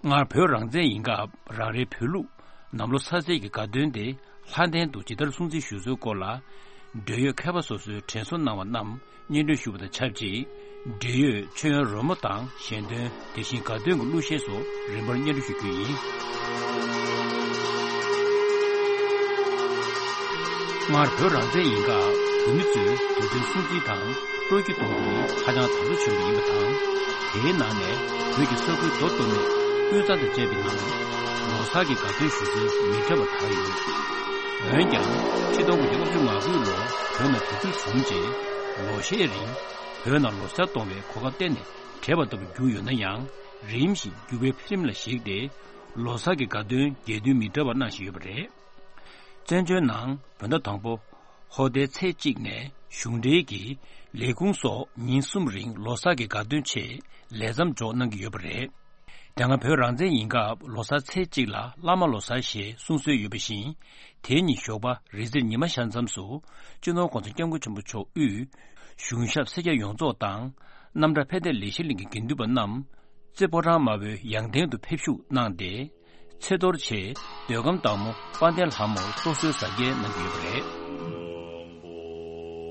སྔར་བོད་རང་བཙན་ཡིན་སྐབས་རང་རེའི་བོད་ལུགས་ནམ་ལོ་གསར་ཚེས་ཀྱི་དགའ་སྟོན་དེ་ལྷ་ལྡན་དུ་ཇི་ལྟར་སྲུང་བརྩི་ཞུ་སྲོལ་སྐོར་ལ། འབྲེལ་ཡོད་མཁས་པ་སོ་སོས་དྲན་གསོ་གནང་བ་རྣམས་སྙན་སྒྲོན་ཞུ་བ་དང་ཆབས་ཅིག་འབྲེལ་ཡོད་མཆོད་ཡོན་རོལ་མོ་དང་ཞལ་འདོན། དེ་བཞིན་དགའ་སྟོན་གྱི་གླུ་གཞས་སོགས་རིམ་པར་སྙན་སྒྲོན་ཞུ་རྒྱུ་ཡིན། སྔར་བོད་རང་བཙན་ཡིན་སྐབས་བོད་མི་ཚོས་དུས་དྲན་སྲུང་བརྩི་དང་སྤྲོ་སྐྱིད་གཏོང་རྒྱུ་ནི་ཧ་ཅང་དར་སོ་ཆེན་པོ་ཡིན་པ་དང་། དེའི་ནང་ནས་བོད་ཀྱི་ས་ཁུལ་མདོ་སྟོད་སྨད་དབུས་གཙང་དང་བཅས་པའི་ནང་ལོ་གསར་གྱི་དགའ་སྟོན་ཞུ་སྲོལ་མི་འདྲ་བ་དར་ཡོད། འོན་ཀྱང་ཆིག་སྟོང་དགུ་བརྒྱ་ལྔ་བཅུ་ང་དགུ་ལོར་བོད་ནང་དུས་ཚོད་བཟུང་རྗེས་ལོ་ཤས་རིང་བོད་ནང་ལོ་གསར་གཏོང་བའི་གོ་སྐབས་གཏན་ནས་བྲལ་བ་ལྟ་བུ་གྱུར་ཡོད་ན་ཡང་། རིམ་བཞིན་འགྱུར་བའི་འཕེལ་རིམ་ལ་གཞིགས་ཏེ་ལོ་གསར་གྱི་དགའ་སྟོན་རྒྱས་བསྡུས་མི་འདྲ་བ་གནང་བཞིན་ཡོད་པ་རེད། བཙན་བྱོལ་ནང་བོད་ཟླ་དང་པོ་ཧོར་ཟླའི་ཚེས་གཅིག་ནས་གཞུང་འབྲེལ་གྱི་ལས་ཁུངས་སོགས་ཉིན་གསུམ་རིང་ལོ་གསར་གྱི་དགའ་སྟོན་ཆེད་ལས་མཚམས་འཇོག་གནང་གི་ཡོད་པ་རེད། དེ་སྔ་བོད་རང་བཙན་ཡིན་སྐབས་ལོ་གསར་ཚེས་གཅིག་ལ་བླ་མ་ལོ་གསར་ཞེས་གསུང་སྲོལ་ཡོད་པ་བཞིན། དེ་ཉིད་ཞོགས་པ་རི་རྩེར་ཉི་མ་ཤར་མཚམས་སུ་སྤྱི་ནོར་༸གོང་ས་༸སྐྱབས་མགོན་ཆེན་པོ་མཆོག་དབུས་གཞུང་ཞབས་སེར་སྐྱ་ཡོངས་རྫོགས་དང་རྣམ་གྲྭ་ཕན་བདེ་ལས་བྱེད་གླིང་གི་དགེ་འདུན་པ་རྣམས་རྩེ་ཕོ་བྲང་དམར་པོའི་ཡང་སྟེང་དུ་ཕེབས་བཞུགས་གནང་སྟེ། ཚེས་གཏོར་ཆེད་མདོ་ཁམས་བདག་མོ་དཔལ་ལྡན་ལྷ་མོར་གཏོར་གསོལ་གཟབ་རྒྱས་གནང་གི་ཡོད་པ་རེད།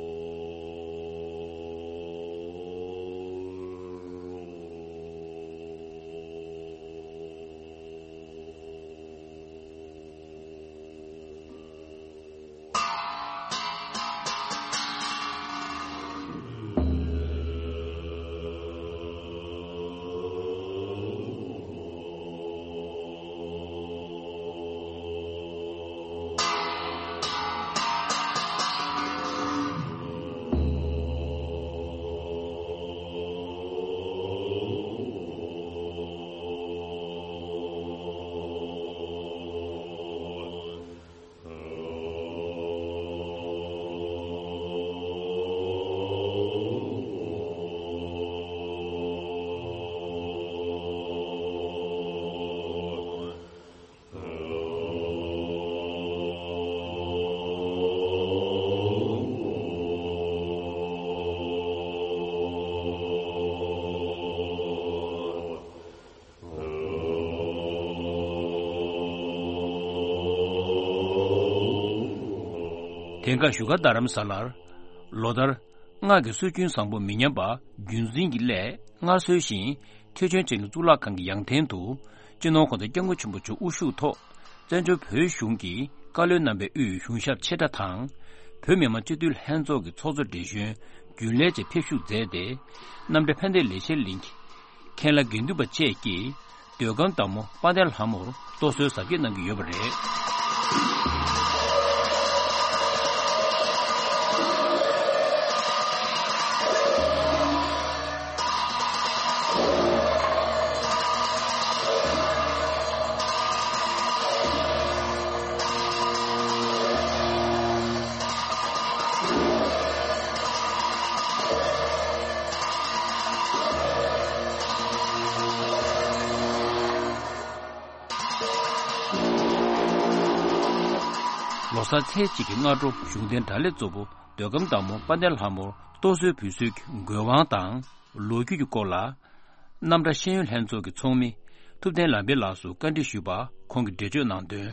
དེང་སྐབས་བཞུགས་སྒར་རྡ་རམ་ས་ལར་ལོ་ལྟར་སྔགས་ཀྱི་སྲོལ་རྒྱུན་བཟང་པོ་མི་ཉམས་པ་རྒྱུན་འཛིན་གྱི་སླད། སྔར་སྲོལ་བཞིན་ཐེག་ཆེན་འཕྲིན་ལས་གཙུག་ལག་ཁང་གི་ཡང་སྟེང་དུ་སྤྱི་ནོར་༸གོང་ས་༸སྐྱབས་མགོན་ཆེན་པོ་མཆོག་དབུ་བཞུགས་ཐོག་བཙན་བྱོལ་བོད་གཞུང་གི་བཀའ་བློན་རྣམ་པས་དབུས་གཞུང་ཞབས་ཆེ་ཕྲ་དང་། བོད་མི་མང་སྤྱི་འཐུས་ལྷན་ཚོགས་ཀྱི་ཚོགས་གཙོ་བགྲེས་གཞོན་རྒྱུན་ལས་བཅས་ཕེབས་བཞུགས་མཛད་དེ། རྣམ་གྲྭ་ཕན་བདེ་ལས་བྱེད་གླིང་གི་མཁན་བླ་དགེ་འདུན་པ་བཅས་ཀྱིས་མདོ་ཁམས་བདག་མོ་དཔལ་ལྡན་ལྷ་མོར་གཏོར་གསོལ་གཟབ་རྒྱས་གནང་གི་ཡོད་པ་རེད། ལོ་གསར་ཚེས་གཅིག་གི་སྔ་དྲོ་གཞུང་རྟེན་དགྲ་ལྷའི་གཙོ་བོ་མདོ་ཁམས་བདག་མོ་དཔལ་ལྡན་ལྷ་མོར་གཏོར་གསོལ་འབུལ་སྲོལ་གྱི་དགོས་དབང་དང་ལོ་རྒྱུས་ཀྱི་སྐོར་ལ། རྣམ་གྲྭ་ཤེས་ཡོན་ལྷན་ཚོགས་ཀྱི་ཚོགས་མི་ཐུབ་བསྟན་ལམ་འཕེལ་ལགས་སུ་བཀའ་འདྲི་ཞུས་པར་ཁོང་གིས་འགྲེལ་བརྗོད་གནང་དོན།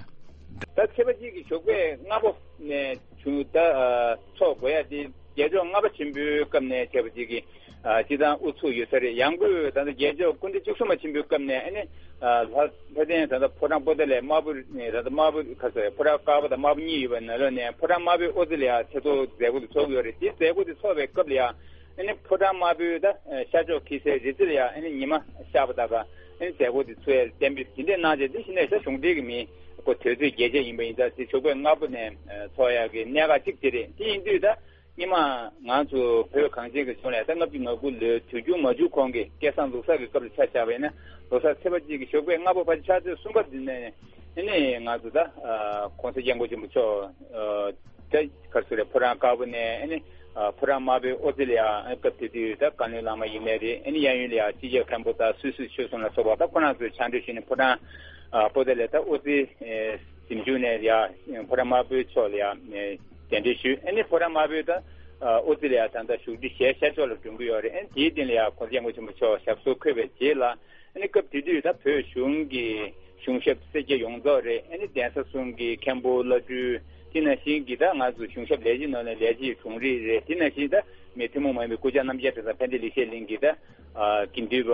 ད་ཚེས་པ་གཅིག་གི་ཞོགས་པའི་སྔ་པོ་ནས་བྱུང་ད་ཚོགས་དགོས་ཡ་དེ་རྒྱལ་མཆོག་ལྔ་པ་ཆེན་པོའི་སྐབས་ནས་བྱས་པ་ཅིག་གི་སྤྱི་བཏང་དབུ་ཚུགས་ཡོད་ས་རེད། ཡང་སྒོས་ད་ལྟ་རྒྱལ་མཆོག་སྐུ་ཕྲེང་བཅུ་གསུམ་པ་ཆེན་པོའི་སྐབས་ནས་ཨ་ནི་ལྷ་ལྷ་ལྡན་ད་ལྟ་ཕོ་བྲང་པོ་ཏཱ་ལའི་དམར་པོ་ནས་ད་ལྟ་དམར་པོ་ཁ་སོ་ཕོ་བྲང་དཀར་པོ་དང་དམར་པོ་གཉིས་ཡོད་པའི་ནང་ལོགས་ནས་ཕོ་བྲང་དམར་པོའི་ཨོ་ཙི་ལ་ཡ་ཚེ་ཐོ་མཛད་སྒོ་དེ་ཚོགས་ཡོད་རེད། དེ་མཛད་སྒོ་དེ་ཚོགས་པའི་སྐབས་ལ་ཡ། ཨ་ནི་ཕོ་བྲང་དམར་པོའི་ད་ཤར་ཕྱོགས་འཁྱིལ་སའི་རི་རྩེ་ལ་ཡང་ཨ་ནི་ཉི་མ་ཤར་བ་དག་ག་ཨ་ནི་མཛད་སྒོ་དེ་ཚུགས་ཡ་གཏན་འབེབས་དེ་འདྲས་གནང་རྗེས་དེ་གཞི་ནས་ཤར་གཞུང་འབྲེལ་གྱི་མི་ཁོ་དུས་ཚོད་རྒྱས་བྱས་ཡིན་པ་ཡིན་ཙང་དེ་ཞོགས་པའི་སྔ་པོ་ནས་ཚོགས་ཡག་གི་གནད་འགག་གཅིག་དེ་རེད། དེ་ཡིན་དུས་ད་ སྔོན་མ་ང་ཚོ་བོད་གངས་ཅན་གྱི་ལྗོངས་ལ་ད་ལྔ་བཅུ་ང་དགུ་ལོའི་དུས་འགྱུར་མ་འཇུག་གོང་གི་སྐལ་བཟང་ལོ་གསར་གྱི་སྐབས་ལ་ཆ་བཞག་པ་ཡིན་ན། ལོ་གསར་ཚེས་པ་གཅིག་གི་ཞོགས་པའི་སྔ་པོ་ཕལ་ཆེར་ཆུ་ཚོད་གསུམ་པ་འདི་ནས་ཨ་ནི་ང་ཚོ་ད་༸གོང་ས་༸སྐྱབས་མགོན་ཆེན་པོ་མཆོག་ད་ག་རེ་ཟེར་རེད། ཕོ་བྲང་དཀར་པོ་ནས་ཨ་ནི་ཕོ་བྲང་དམར་པོའི་ཨོ་རྩེ་ལ་ཡ། སྐབས་དེ་དུས་ད་བཀའ་བློན་བླ་མ་ཡིན་ནའི་རེད། ཨ་ནི་གཡས་གཡོན་ལ་ཡ་སྤྱི་ཁྱབ་མཁན་པོ་དང་སུད་སི་ཆོས་གསུམ་ལ་སོགས་པ་ད་ཁོ་རང་ཚོས་ཕྱག་འབྲེལ་ཞུས་ནས་ཕོ་བྲང་ཨོ་རྩེ་ལ་ད་ཨོ་རྩེ་གཟིམ་ཆུང་ནས་ཡ་ཕོ་བྲང་དམར་པོའི་ཕྱོགས་ལ་ཡ་གདན་འདྲེན་ཞུས། ཨ་ནི་ཕོ་བྲང་དམར་པོའི་ད་ཨོ་རྩེ་ལ་ཡ་ད་ལྟ་བཞུགས་ཁྲི་ཞལ་ཤར་ཕྱོགས་ལ་སྒྲོན་གྱི་ཡོད་རེད། ཨ་ནི་དེའི་སྟེང་ལ་ཡ་༸གོང་ས་༸སྐྱབས་མགོན་ཆེན་པོ་མཆོག་ཞབས་སོར་འཁོད་པའི་རྗེས་ལ། ཨ་ནི་སྐབས་དེ་དུས་ད་བོད་གཞུང་གི་གཞུང་ཞབས་སེར་སྐྱ་ཡོངས་རྫོགས་རེད། ཨ་ནི་གདན་ས་གསུམ་གྱི་མཁན་པོ་བླ་སྤྲུལ། དེ་ནང་བཞིན་གྱི་ད་ང་ཚོ་གཞུང་ཞབས་ལས་བྱེད་ནང་ནས་ལས་བྱེད་དྲུང་རིགས་རེད། དེ་ནང་བཞིན་ད་མི་ཐུན་མོང་མ་ཡིན་པའི་སྐུ་བཅར་རྣམ་རྒྱལ་གྲྭ་ཚང་ཕན་བདེ་ལེགས་བཤད་གླིང་གི་ད་དགེ་འདུན་པ་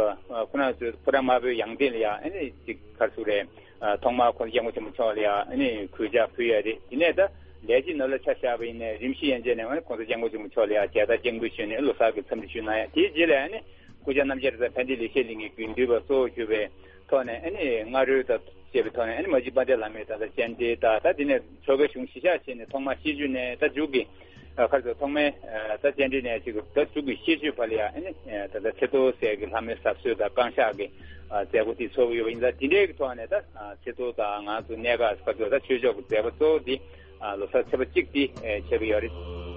ཁོ་རང་ཚོས་ཕོ་བྲང་དམར་པོའི་ཡང་སྟེང་ལ་ཡ་ཨ་ནི་ཅིག་ག་རེ་ཟེར་རེད། ཐོག་མར་༸གོང་ས་༸སྐྱབས་མགོན་ཆེན་པོ་མཆོག་ལ་ཡ་ཨ་ནི་གུས་ཕྱག་ཕུལ་ཡ་རེད། དེ་ནས་ད་ལས་བྱེད་ནང་ལ་ཆ་བཞག་པ་ཡིན་ན་རིམ་བཞིན་ཡན་ཆད་ནས་ཨ་ནི་༸གོང་ས་༸སྐྱབས་མགོན་ཆེན་པོ་མཆོག་ལ་ཡ་མཇལ་དར་སྤྱན་འབུལ་ཞུས་ནས་ལོ་གསར་གྱི་འཚམས་འདྲི་ཞུས་གནང་ཡ། དེའི་རྗེས་ལ་ཨ་ནི་སྐུ་བཅར་རྣམ་རྒྱལ་གྲྭ་ཚང་ཕན་བདེ་ལེགས་བཤད་གླིང་གི་དགེ་འདུན་པ་གཙོ་བོ་གྱུར་པའི་ཐོག་ནས་ཨ་ནི་སྔ་རོལ་དང་བཅས་པའི་ཐོག་ནས་ཨ་ནི་མ་གཅིག་དཔལ་ལྡན་བླ་མའི་ད་ལྟ་སྤྱན་འདྲེན་དང་། ད་དེ་ནས་ཆོ་གའི་གཞུང་གཞིས་ཆགས་བྱས་ནས་ཐོག་མར་ཤིས་བརྗོད་ནས་ད་མཇུག་གི་ཨ་ག་རེ་ཟེར། ཐོག་མའི་ཨ་ད་སྤྱན་འདྲེན་ནས་ཅིག་ད་མཇུག་གི་ཤིས་བརྗོད་བར་ལ་ཡ་ཨ་ནི་ཨ་ད་ལྟ་ཚེ་ཐོ་ཟེར་གི་ལྷ་མོའི་གཟབ་གསོལ་དང་བསྐང་གཤགས་ཀྱི་ཨ་མཛད་སྒོ་དེ་ཚོགས་ཀྱི་ཡོད་པ་ཡིན་ཙང་། དེ་འདྲའི་གི་ཐོག་ནས་ད་ཨ་ཚེ་ཐོ་དང་ང་ཚོ་གནད་འགག་ག་ཚོད་ད་ཆོས་ཕྱོགས་ཀྱི་མཛད་སྒོ་གཙོ་བོ་དེ་ཨ་ལོ་གསར་ཚེས་པ་གཅིག་དེ་ཨ་ཆགས་ཀྱི་ཡོད་རེད།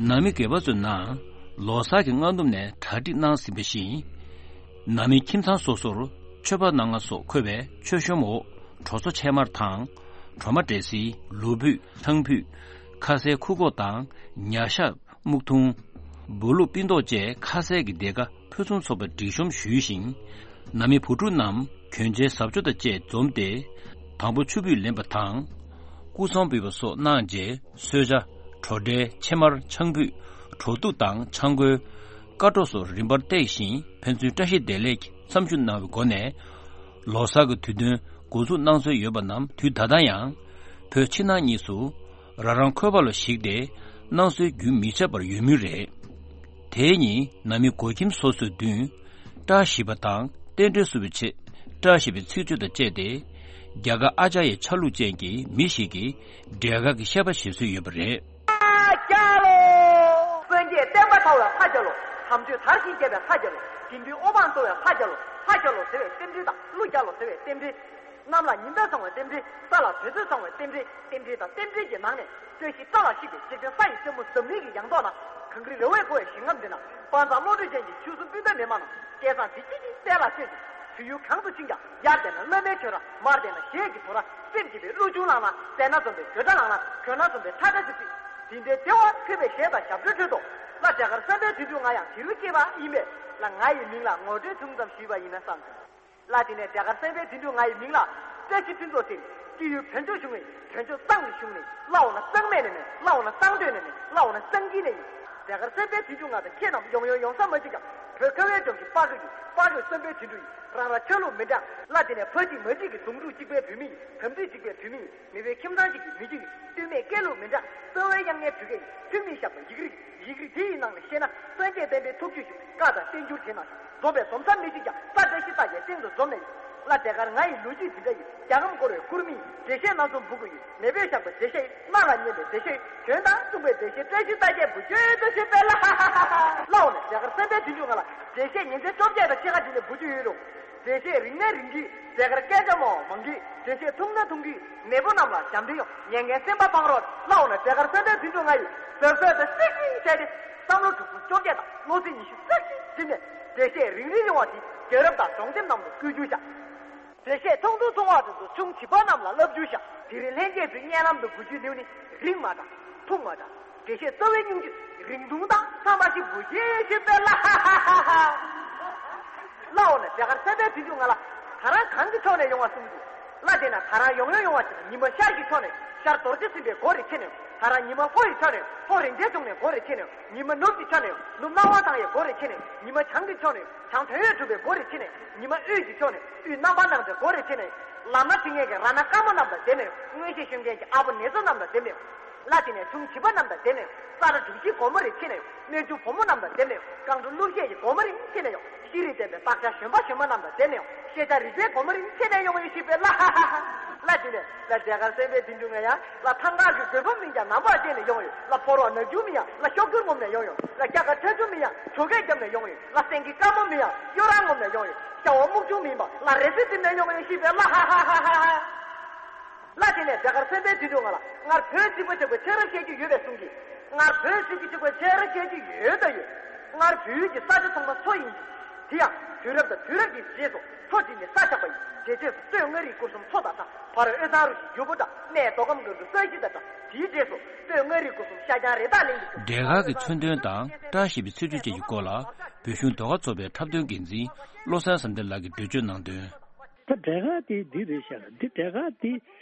ནང་མི་སྒེར་པ་ཚོའི་ནང་ལོ་གསར་གྱི་སྔ་ནུབ་ནས་གྲ་སྒྲིག་གནང་ཟིན་པ་བཞིན། ནང་མིའི་ཁྱིམ་ཚང་སོ་སོར་མཆོད་པ་གནང་ང་སོགས་འཁོད་པའི་མཆོད་གཤོམ་འོག་གྲོ་ཚོ་ཕྱེ་མར་དང་། གྲོ་མ་འབྲས་སིལ། ལོ་ཕུད། ཐང་ཕུད། ཁ་ཟས་ཁུ་ཁོག་དང་ཉ་ཤ། སྨུག་ཐུང་། སྦོ་ལུག་པིན་ཏོག་བཅས་ཁ་ཟས་ཀྱི་སྡེར་ཁ་ཕུན་སུམ་ཚོགས་པའི་སྒྲིག་གཤོམ་ཞུས་ཤིང་། ནང་མི་བུ་ཕྲུག་རྣམས་གྱོན་ཆས་གཟབ་མཆོར་དང་བཅས་འཛོམས་ཏེ། དང་པོ་ཆུ་ཕུད་ལེན་པ་དང་། སྐུ་གསུང་འབུལ་བ་སོགས་གནང་རྗེས་གསོལ་ཇ། གྲོ་འབྲས། ཕྱེ་མར། ཆང་ཕུད། གྲོ་ཐུག་དང་ཆང་ཁོལ། ཀ་གྲོ་སོགས་རིམ་པར་བཏེགས་ཤིང་ཕན་ཚུན་བཀྲ་ཤིས་བདེ་ལེགས་ཀྱི་མཚམས་ཞུ་གནང་བའི་སྒོ་ནས། ལོ་གསར་གྱི་དུས་སྟོན་འགོ་འཛུགས་གནང་སྲོལ་ཡོད་པ་རྣམས་དུས་ད་ལྟ་ཡང་བོད་ཕྱི་ནང་གཉིས་སུ་རང་རང་འཁོས་པ་ལ་གཞིགས་ཏེ་གནང་སྲོལ་རྒྱུན་མི་ཆད་པར་ཡོད་མུས་རེད། དེ་ཉིན་ནང་མི་སྒོ་ཁྱིམ་སོ་སོའི་མདུན་བཀྲ་ཤིས་པ་དང་རྟེན་འབྲེལ་བསུ་བའི་ཆེད་བཀྲ་ཤིས་པའི་ཚིག་བརྗོད་དང་བཅས་ཏེ། རྒྱ་གར་ཨ་ཅར་ཡའི་ཆ་ལུགས་ཅན་གྱི་མི་ཞིག་གིས་འབྲས་དཀར་གྱི་བཤད་པ་བྱེད་སྲོལ་ཡོད་པ་རེད། ཕ་རྒྱལ་ལོ། སངས་རྒྱས་བསྟན་པ་དར་བའི་ཕ་རྒྱལ་ལོ། དམ་ཆོས་དར་ཞིང་རྒྱས་པའི་ཕ་རྒྱལ་ལོ། དགེ་འདུན་ཨོ་འབངས་གཙོ་བའི་ཕ་རྒྱལ་ལོ། ཕ་རྒྱལ་ལོ་ཟེར་བའི་རྟེན་འབྲེལ་དང་ཀླུ་རྒྱལ་ལོ་ཟེར་བའི་རྟེན་འབྲེལ། གནམ་ལ་ཉི་ཟླ་བཟང་བའི་རྟེན་འབྲེལ། ས་ལ་དུས་ཚོད་བཟང་བའི་རྟེན་འབྲེལ། རྟེན་འབྲེལ་དང་རྟེན་འབྲེལ་གྱི་ནང་ནས། བཀྲ་ཤིས་རྟ་ལ་གཤེགས་པའི་འཇིག་རྟེན་ས་ཡི་སྲས་མོ་འཛམ་གླིང་གི་ཡང་ཐོག་ན། གངས་རི་ར་བས་བསྐོར་བའི་ཞིང་ཁམས་འདི་ན། དཔལ་བཟང་བློ་གྲོས་ཅན་གྱི་ཆོས་སྲུང་སྤུན་ཟླ་མི་དམངས་རྣམས་སྐལ་བཟང་དེ་གཅིག་གིས་གསལ་ལ་གསོལ་ཞིང་། དུས་ཡུན་གང་དུ་ཕྱིན་ཀྱང་། ཡར་བལྟས་ན་བླ་མའི་ཆོས་ར། མར་བལྟས་ན་གཞས་ཀྱི་དོ་ར། སེམས་བསྐྱེད་པའི་གླུ་ཆུང་ལངས་ན། བལྟས་ན་འཛོམས་པའི་དགོད་སྒྲ་ལངས་ན། གྱོན་ན་འཛོམས་པའི་ཁྲ་ཁྲ་ཚིག་ཚིག་དེ་འདྲའི་བདེ་བ་འཕེལ་བའི་གཞས་དང་ཞབས་བྲོའི་ཁྲོད་དུ། ལ་འབྲས་དཀར་བསམ་འཕེལ་དོན་གྲུབ་ང་ཡང་དེ་རུ་སྐྱེས་པ་ཡིན་པས། ལ་ང་ཡི་མིང་ལ་ངོ་སྤྲོད་ཐུང་ཙམ་ཞུས་པ་ཡིན་ན་བསམ་སོང་། ལ་དེ་ནས་འབྲས་དཀར་བསམ་འཕེལ་དོན་གྲུབ་ང་ཡི་མིང་ལ། བཀྲ་ཤིས་ཕུན་ཚོགས་ཟེར་ནས། སྐྱེས་ཡུལ་བོད་ལྗོངས་གཞུང་ནས། བོད་ལྗོངས་གཙང་གི་གཞུང་ནས། ལ་འོ་ན་གཙང་སྨད་ནས་མེད། ལ་འོ་ན་གཙང་སྟོད་ནས་མེད། ལ་འོ་ན་གཙང་དཀྱིལ་ནས་ཡིན། འབྲས་དཀར་བསམ་འཕེལ་དོན་གྲུབ་ང་དང་ཁྱེད་རྣམས་ཡོང་ཡོང་ཡོང་ས་མ་གཅིག་ཀྱང་། བོད་ཁ་བའི་ལྗོངས་ཀྱི་དཔའ་རྒོད་ཡིན། དཔའ་རྒོད་བསམ་འཕེལ་དོན་གྲུབ་ཡིན། རང་རང་ཆ་ལུགས་མི་འདྲ། ལ་དེ་ནས་ཕ་གཅིག་མ་གཅིག་གི་དོན་གྲུབ་གཅིག་པའི་བུད་མེད་ཡིན། དམ་ཚིག་གཅིག་པའི་བུད་མེད་ཡིན། མི་བོའི་ཁྱིམ་ཚང་གཅིག་གི་མི་གཅིག་ཡིན། སྟོད་སྨད་སྐད་ལུགས་མི་འདྲ། རྩ་བའི་དབྱངས་སྙན་བོད་སྐད་ཡིན། ཐུན་མིན་ཞགས་པ་ཡིག་རིགས། ཡིག་རིགས་དེ་ཡི་ནང་ནས་བཤད་ན། སངས་རྒྱས་བསྟན་པའི་ཐུགས་རྒྱུད་བཞུགས། བཀའ་དང་བསྟན་འགྱུར་དེ་ནང་བཞུགས། འཛོམས་པའི་འཛོམས་ས་མི་གཅིག་ཀྱང་། ས་བཀྲ་ཤིས་རྟགས་བརྒྱད་སྟེང་དུ་འཛོམས་ནས་ཡིན། ལ་འབྲས་དཀར་ང་ཡི་ལོ་རྒྱུས་འདི་འདྲ་ཡིན། རྒྱལ་ཁམས་བསྐོར་བའི་སྐུར་མི་ཡིན། འགྲེལ་བཤད་སྣ་ཚོགས་འབུལ་དགོས་ཡིན། མེས་པོས་བཞག་པའི་འགྲེལ་བཤད་ཡིན། སྣ་ལ་སྙན་པའི་འགྲེལ་བཤད་ཡིན། དོན་དང་མཚུངས་པའི་འགྲེལ་བཤད་བཀྲ་ཤིས་རྟགས་བརྒྱད་འབུལ་རྒྱུ་ཡོད་དོ་ཞེས་པས་ལ། ལ་འོ་ན་འབྲས་དཀར་བསམ་འཕེལ་དོན་གྲུབ་ང་ལ་འགྲེལ་བཤད་ཉིན་མཚན་བཅོ་བརྒྱད་དང་ཕྱེད་ཀ་དེ་ནས་འབུལ་རྒྱུ་ཡོད་རུང་། འགྲེལ་བཤད་རིང་ནས་རིང་གིས་འབྲས་དཀར་སྐད་ཆ་མང་བ་མང་གིས། འགྲེལ་བཤད་ཐུང་ནས་ཐུང་གིས་མེས་པོ་རྣམས་ལ་ཞབས་འདྲེན་ཡོང་། ཉན་མཁན་སེམས་པ་ཕངས་རོགས། ལ་འོ་ན་འབྲས་དཀར་བསམ་འཕེལ་དོན་གྲུབ་ང་ཡིས་ཟབ་ཟབ་དང་སིག་སིག་བྱས་ཏེ། བསམ་བློ་དྲུག་ཅུ་བཅོ་བརྒྱད་དང་བློ་ཚིག་ཉི་ཤུ་རྩ་གཅིག་བསྒྲིམས་ནས། འགྲེལ་བཤད་རིང་རིང་ཡོང་བ་དེ་རྒྱལ་རབས་དང་གདུང་སེམས་རྣམས་ལ་བསྐུལ་རྒྱུ་བྱ། འགྲེལ་བཤད་ཐུང་ཐུང་ཐུང་བ་དེ་ཚོ་ཆུང་བྱིས་པ་རྣམས་ལ་བསླབ་རྒྱུ་བྱ། དེ་རིང་ལྷན་རྒྱས་ཚོའི་སྙན་ལམ་དུ་འབུལ་རྒྱུའི་ལེའུ་ནི། རིང་མ་དང་། ཐུང་མ་དང་། དགེ་བཤེས་རྩ་བའི་སྙིང་བཅུད་རིང་ཐུང་དང་། ཚང་མ་ཞིག་འབུལ་གྱིས་ཞུས་པས་ལ། ཧ་ཧ་ཧ་ཧ་ཧ། ལ་འོ་ན་རྒྱ་གར་སེམས་དཔའི་དུས་འགྱུར་ང་ལ། ད་རང་གང་གི་ཕྱོགས་ནས་ཡོང་བ་གསུངས་འདུག་ལ་དེ་ན་ད་རང་ཡོང་ཡོང་ཡོང་བ་ཞིག་ཉི་མ་ཤར་གྱི་ཕྱོགས་ནས། ཤར་རྡོ་རྗེ་སེམས་དཔའི་སྒོ་རེ་ཕྱེ་ནས། ད་རང་ཉི་མ་ལྷོ་ཡི་ཕྱོགས་ནས། ལྷོ་རིན་ཆེན་ཕྱོགས་ནས་སྒོ་རེ་ཕྱེ་ནས། ཉི་མ་ནུབ་ཀྱི་ཕྱོགས་ནས། ནུབ་སྣང་བ་མཐའ་ཡས་སྒོ་རེ་ཕྱེ་ནས། ཉི་མ་བྱང་གི་ཕྱོགས་ནས། བྱང་དོན་ཡོད་གྲུབ་པའི་སྒོ་རེ་ཕྱེ་ནས། ཉི་མ་དབུས་ཀྱི་ཕྱོགས་ནས། དབུས་རྣམ་པར་སྣང་མཛད་སྒོ་རེ་ཕྱེ་ནས། ལམ་སྣ་ཇི་སྙེད་ཀྱི་ར་ན་དཀར་མོ་རྣམས་དང་ལྡན་ནས། མངོན་ཤེས་ཤོད་མཁན་གྱི་ཨ་བོ་ནེ་ཙོ་རྣམས་དང་ལྡན་ནས། ལ་དེ་ནས་ཆུང་བྱིས་པ་རྣམས་དང་ལྡན་ནས། ས་ར་གྲུ་བཞིའི་སྒོ་མོ་རེ་ཕྱེ་ནས། སྨན་ཆུང་བུ་མོ་རྣམས་དང་ལྡན་ནས། རྐང་དྲུང་གླུ་གཞས་ཀྱི་སྒོ་མོ་རེ་ཕྱེ་ནས། ཤེས་རིག་ལྡན་པའི་བདག་ཅག་གཞོན་པ་གཞོན་མ་རྣམས་དང་ལྡན་ནས། ཤེས་བྱ་རིག་པའི་སྒོ་མོ་རེ་ཕྱེ་ནས་ཡོང་བའི་ཤེས་པའི་ལ། ལ་དེ་ནས་ལ་རྒྱ་གར་སེམས་དཔའི་དུས་འགྱུར་ང་ཡང་། ལ་ཐང་ག་གི་རྒོད་པོ་མིན་ཀྱང་ནམ་བར་བརྟེན་ནས་ཡོང་ཡོད། ལ་ཕོ་རོག་ནག་ཆུང་མིན་ཡང་། ལ་ཤོག་གུར་ངོམ་ནས་ཡོང་ཡོད། ལ་སྐྱ་ཀ་ཁྲ་ཆུང་མིན་ཡང་། གྲོ་གས་བརྒྱབ་ནས་ཡོང་ཡོད། ལ་སེང་གེ་དཀར་མོ་མིན་ཡང་། གཡོ་རང་ངོམ་ནས་ཡོང་ཡོད། ཤ་བ་སྨུག་ཆུང་མིན་པ། ལ་རེ་སི་བཏིང་ནས་ཡོང་ཡོད་ཤེས་པའི་ལ། ཧ་ཧ་ཧ་ཧ་ཧ། ལ་དེ་ནས་རྒྱ་གར་སེམས་དཔའི་དུས་འགྱུར་ང་ལ། སྔར་བོད་གཅིག་པ་གཅིག་པའི་ཆོས་རབ་བཤད་རྒྱུ་ཡོད་པས་གསུངས་ཀྱི། སྔར་བོད་གཅིག་པ་གཅིག་པའི་ཆོས་རབ་བཤད་རྒྱུ་ཡོད་དང་ཡོད། སྔར་བོད་ཀྱི་ས་ཆ་ཚང་མ་མཚོ་ཡིན་གྱི། དེ་ཡང་དུས་རབས་དང་དུས་རབས་ཀྱི་རྗེས་སུ་མཚོ་གཅིག་ནས་ས་ཆགས་པ་ཡིན། དེ་རྗེས་སུ་སྟོད་མངའ་རིས་སྐོར་གསུམ་མཚོ་དང་འདྲ། བར་དབུས་གཙང་རུ་བཞི་ཡུར་བུ་འདྲ། སྨད་མདོ་ཁམས་སྒང་དྲུག་ས་གཞི་དང་འདྲ། དེའི་རྗེས་སུ་སྟོད་མངའ་རིས་སྐོར་གསུམ་ཤར་བྱང་རི་དྭགས་གླིང་དུ་གྱུར། འབྲས་དཀར་གྱི་མཚོན་དོན་དང་བཀྲ་ཤིས་པའི་ཚེ་མཇུག་བཅས་ཀྱི་སྐོར་ལ། བོད་གཞུང་ཟློས་གར་ཚོགས་པའི་འཁྲབ་སྟོན་འགན་འཛིན་བློ་བཟང་བསམ་གཏན་ལགས་ཀྱིས་འགྲེལ་བརྗོད་གནང་དོན། ད་འབྲས་དཀར་དེ་འདི་རེད་ཤག་འདི་འབྲས་དཀར་དེ་